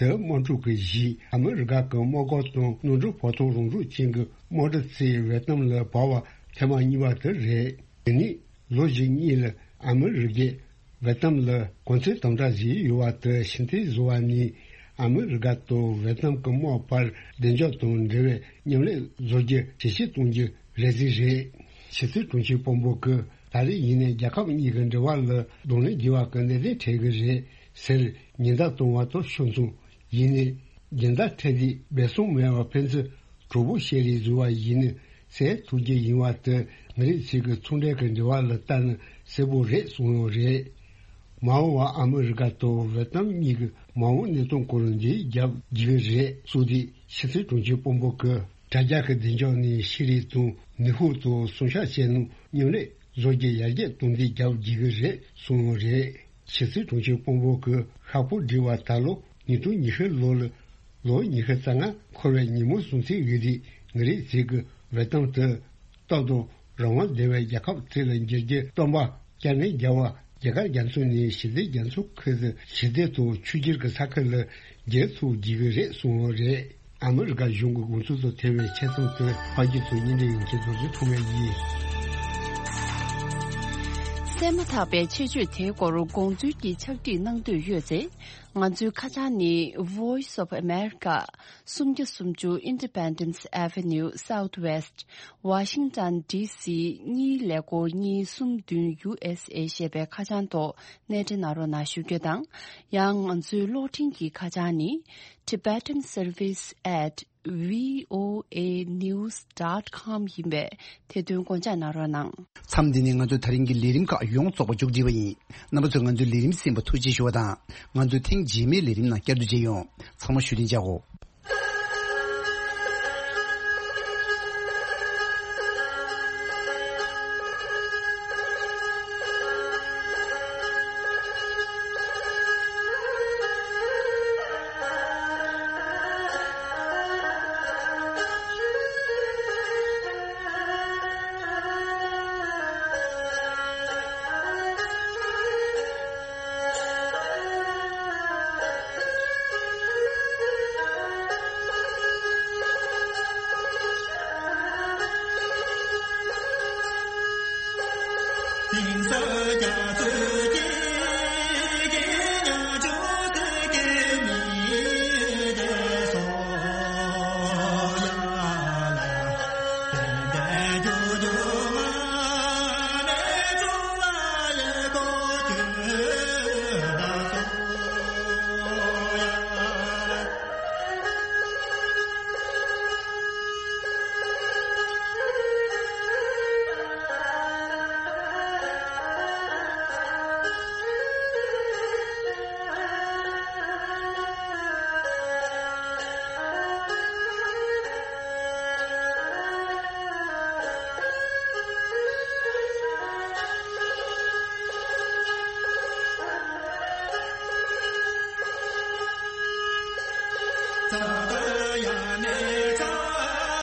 དེ་དམག་འཁྲུག་གི་གཞི་ཨ་མི་རི་ཀ་གི་དམག་སྒར་དང་གནམ་གྲུ་བབ་ཐང་རང་འགྲེལ་ཅན་གྱི་དམག་གྲུ་ཚོས་ཝེ་ཏི་ནམ་ལ་བབས་པ་ཐེངས་མ་གཉིས་པ་དེ་རེད། དེ་ནི་ལོ་གཅིག་གཉིས་ལ་ཨ་མི་རི་ཀས་ཝེ་ཏི་ནམ་ལ་གོ་མཚོན་དམ་དྲག་བཟོས་ཡོད་པ་དེ་ཕྱིར་འཐེན་བཟོ་བ་ནི་ཨ་མི་རི་ཀ་དང་ཝེ་ཏི་ནམ་གྱི་དམག་བར་བདེ་འཇགས་དང་འབྲེལ་བའི་མཉམ་ལས་བཟོ་རྒྱུ་ཇེ་ཆེར་གཏོང་རྒྱུ་རེད་རྩིས་རེད། ཕྱི་སྲིད་དྲུང་ཆེ་དཔོན་པོ་གིས་ད་རེས་ཡིན་ནའི་རྒྱལ་ཁབ་གཉིས་ཀྱི་འབྲེལ་བ་ལ་གདོང་ལེན་བགྱི་བ་གི་གནད་དོན་འཕྲད་ཀྱི་རེད་ཟེར་ཉེན་བརྡ་བཏང་བ་དང་ཕྱོགས་མཚུངས། ཡིན་ནའི་རྒྱུན་ལྡན་འཕྲད་དུས་སྦས་གསང་མེད་པར་ཕན་ཚུན་གྲོགས་པོ་བྱས་རེས་བཟོས་པ་ཡིན་ན་གསལ་ཐུབ་རྒྱུ་ཡིན་པ་དེ་མི་རིགས་གཅིག་གི་ཚོང་འབྲེལ་གྱི་འབྲེལ་བ་ལ་ལྟ་ན་གསལ་པོ་རེད་གསུངས་ཡོད་རེད། མ་འོངས་པར་ཨ་མི་རི་ཀ་དང་ཝེ་ཏི་ནམ་གཉིས་ཀྱི་མ་འོངས་གནས་སྟངས་སྐོར་འགྲེལ་བརྒྱབ་རྒྱུ་རེད་གསུངས་དུས་ཕྱི་སྲིད་དྲུང་ཆེ་དཔོན་པོ་གིས་དྲ་རྒྱ་གི་བདེ་འཇགས་ནས་ཤེས་རིག་དང་ནུས་ཤུགས་ཐོག་སྲུང་སྐྱོབ་བྱས་ནས་མཉམ་ལས་བཟོ་རྒྱུ་ཡར་རྒྱས་གཏོང་འདེད་རྒྱག་རྒྱུ་རེད་གསུངས་ཡོད་རེད། ཕྱི་སྲིད་དྲུང་ཆེ་དཔོན་པོ་གིས་ཤག་པོ་བསྒྲིགས་པ་ད་ལོ་ཉིས་སྟོང་ཉི་ཤུ་ལོ་ལ་ལོ་ཉི་ཤུ་རྩ་ལྔ་འཁོར་བའི་ཉིན་མོ་སྲུང་བརྩི་ཡོད་དུས་མི་རིགས་གཅིག་གི་ཝེ་ཏི་ནམ་དེ་སྟོབས་དང་རང་དབང་ལྡན་པའི་རྒྱལ་ཁབ་གཅིག་ལ་འགྱུར་རྒྱུ་སྟོན་པ་བསྐྱར་ནན་རྒྱག་པ་རྒྱ་གར་རྒྱ་མཚོ་ནས་ཞི་བདེ་རྒྱ་མཚོ་ཁུལ་དུ་ཞི་བདེ་དང་ཆོས་བརྒྱུད་ཀྱི་ས་ཁུལ་ལ་འགྱུར་ཐུབ་རྒྱུ་རེད་གསུངས་ཡོད་རེད། ཨ་མི་རི་ཀ་གཞུང་གི་དགོངས་ཚུལ་དང་འཐད་པའི་ཆེད་རྩོམ་དེ་ཕ་གི་ཚོ་གཉིས་འདྲ་ཡིན་གྱི་རྡོ་རྗེ་ཐོགས་མེད་ཡིན། གསན་མ་ཐག་པའི་ཆེད་བརྗོད་དེའི་སྐོར་དགོངས་ཚུལ་གྱི་ཕྱག་བྲིས་གནང་འདོད་ཡོད་ཚེ། ང་ཚོའི་ཁ་བྱང་ནི་Voice of America། སུམ་བརྒྱ་སུམ་ཅུ་Independence Avenue Southwest Washington D C གཉིས་ཀླད་ཀོར་གཉིས་གསུམ་བདུན་U S A ཞེས་པའི་ཁ་བྱང་ཐོག་གནས་འདྲེན་གནང་རོགས་གནང་ཞུ་རྒྱུ་དང་། ཡང་ང་ཚོའི་གློག་འཕྲིན་གྱི་ཁ་བྱང་ནི། Tibetan Service at V O A news dot com ཡིན་པས་དེ་དོན་དགོངས་འཇགས་གནང་རོགས་གནང་། མཚམས་འདི་ནས་ང་ཚོའི་ད་རིང་གི་ལས་རིམ་ཁག་ཡོངས་རྫོགས་པ་མཇུག་སྒྲིལ་བ་ཡིན། རྣམ་པ་ཚོས་ང་ཚོའི་ལས་རིམ་གསན་པར་ཐུགས་རྗེ་ཞུ་བ་དང་། ང་ཚོའི་ཐེངས་རྗེས་མའི་ལས་རིམ་ནང་བསྐྱར་དུ་མཇལ་ཡོང་། ཚང་མ་བཞུགས་གདན་འཇགས་གོ།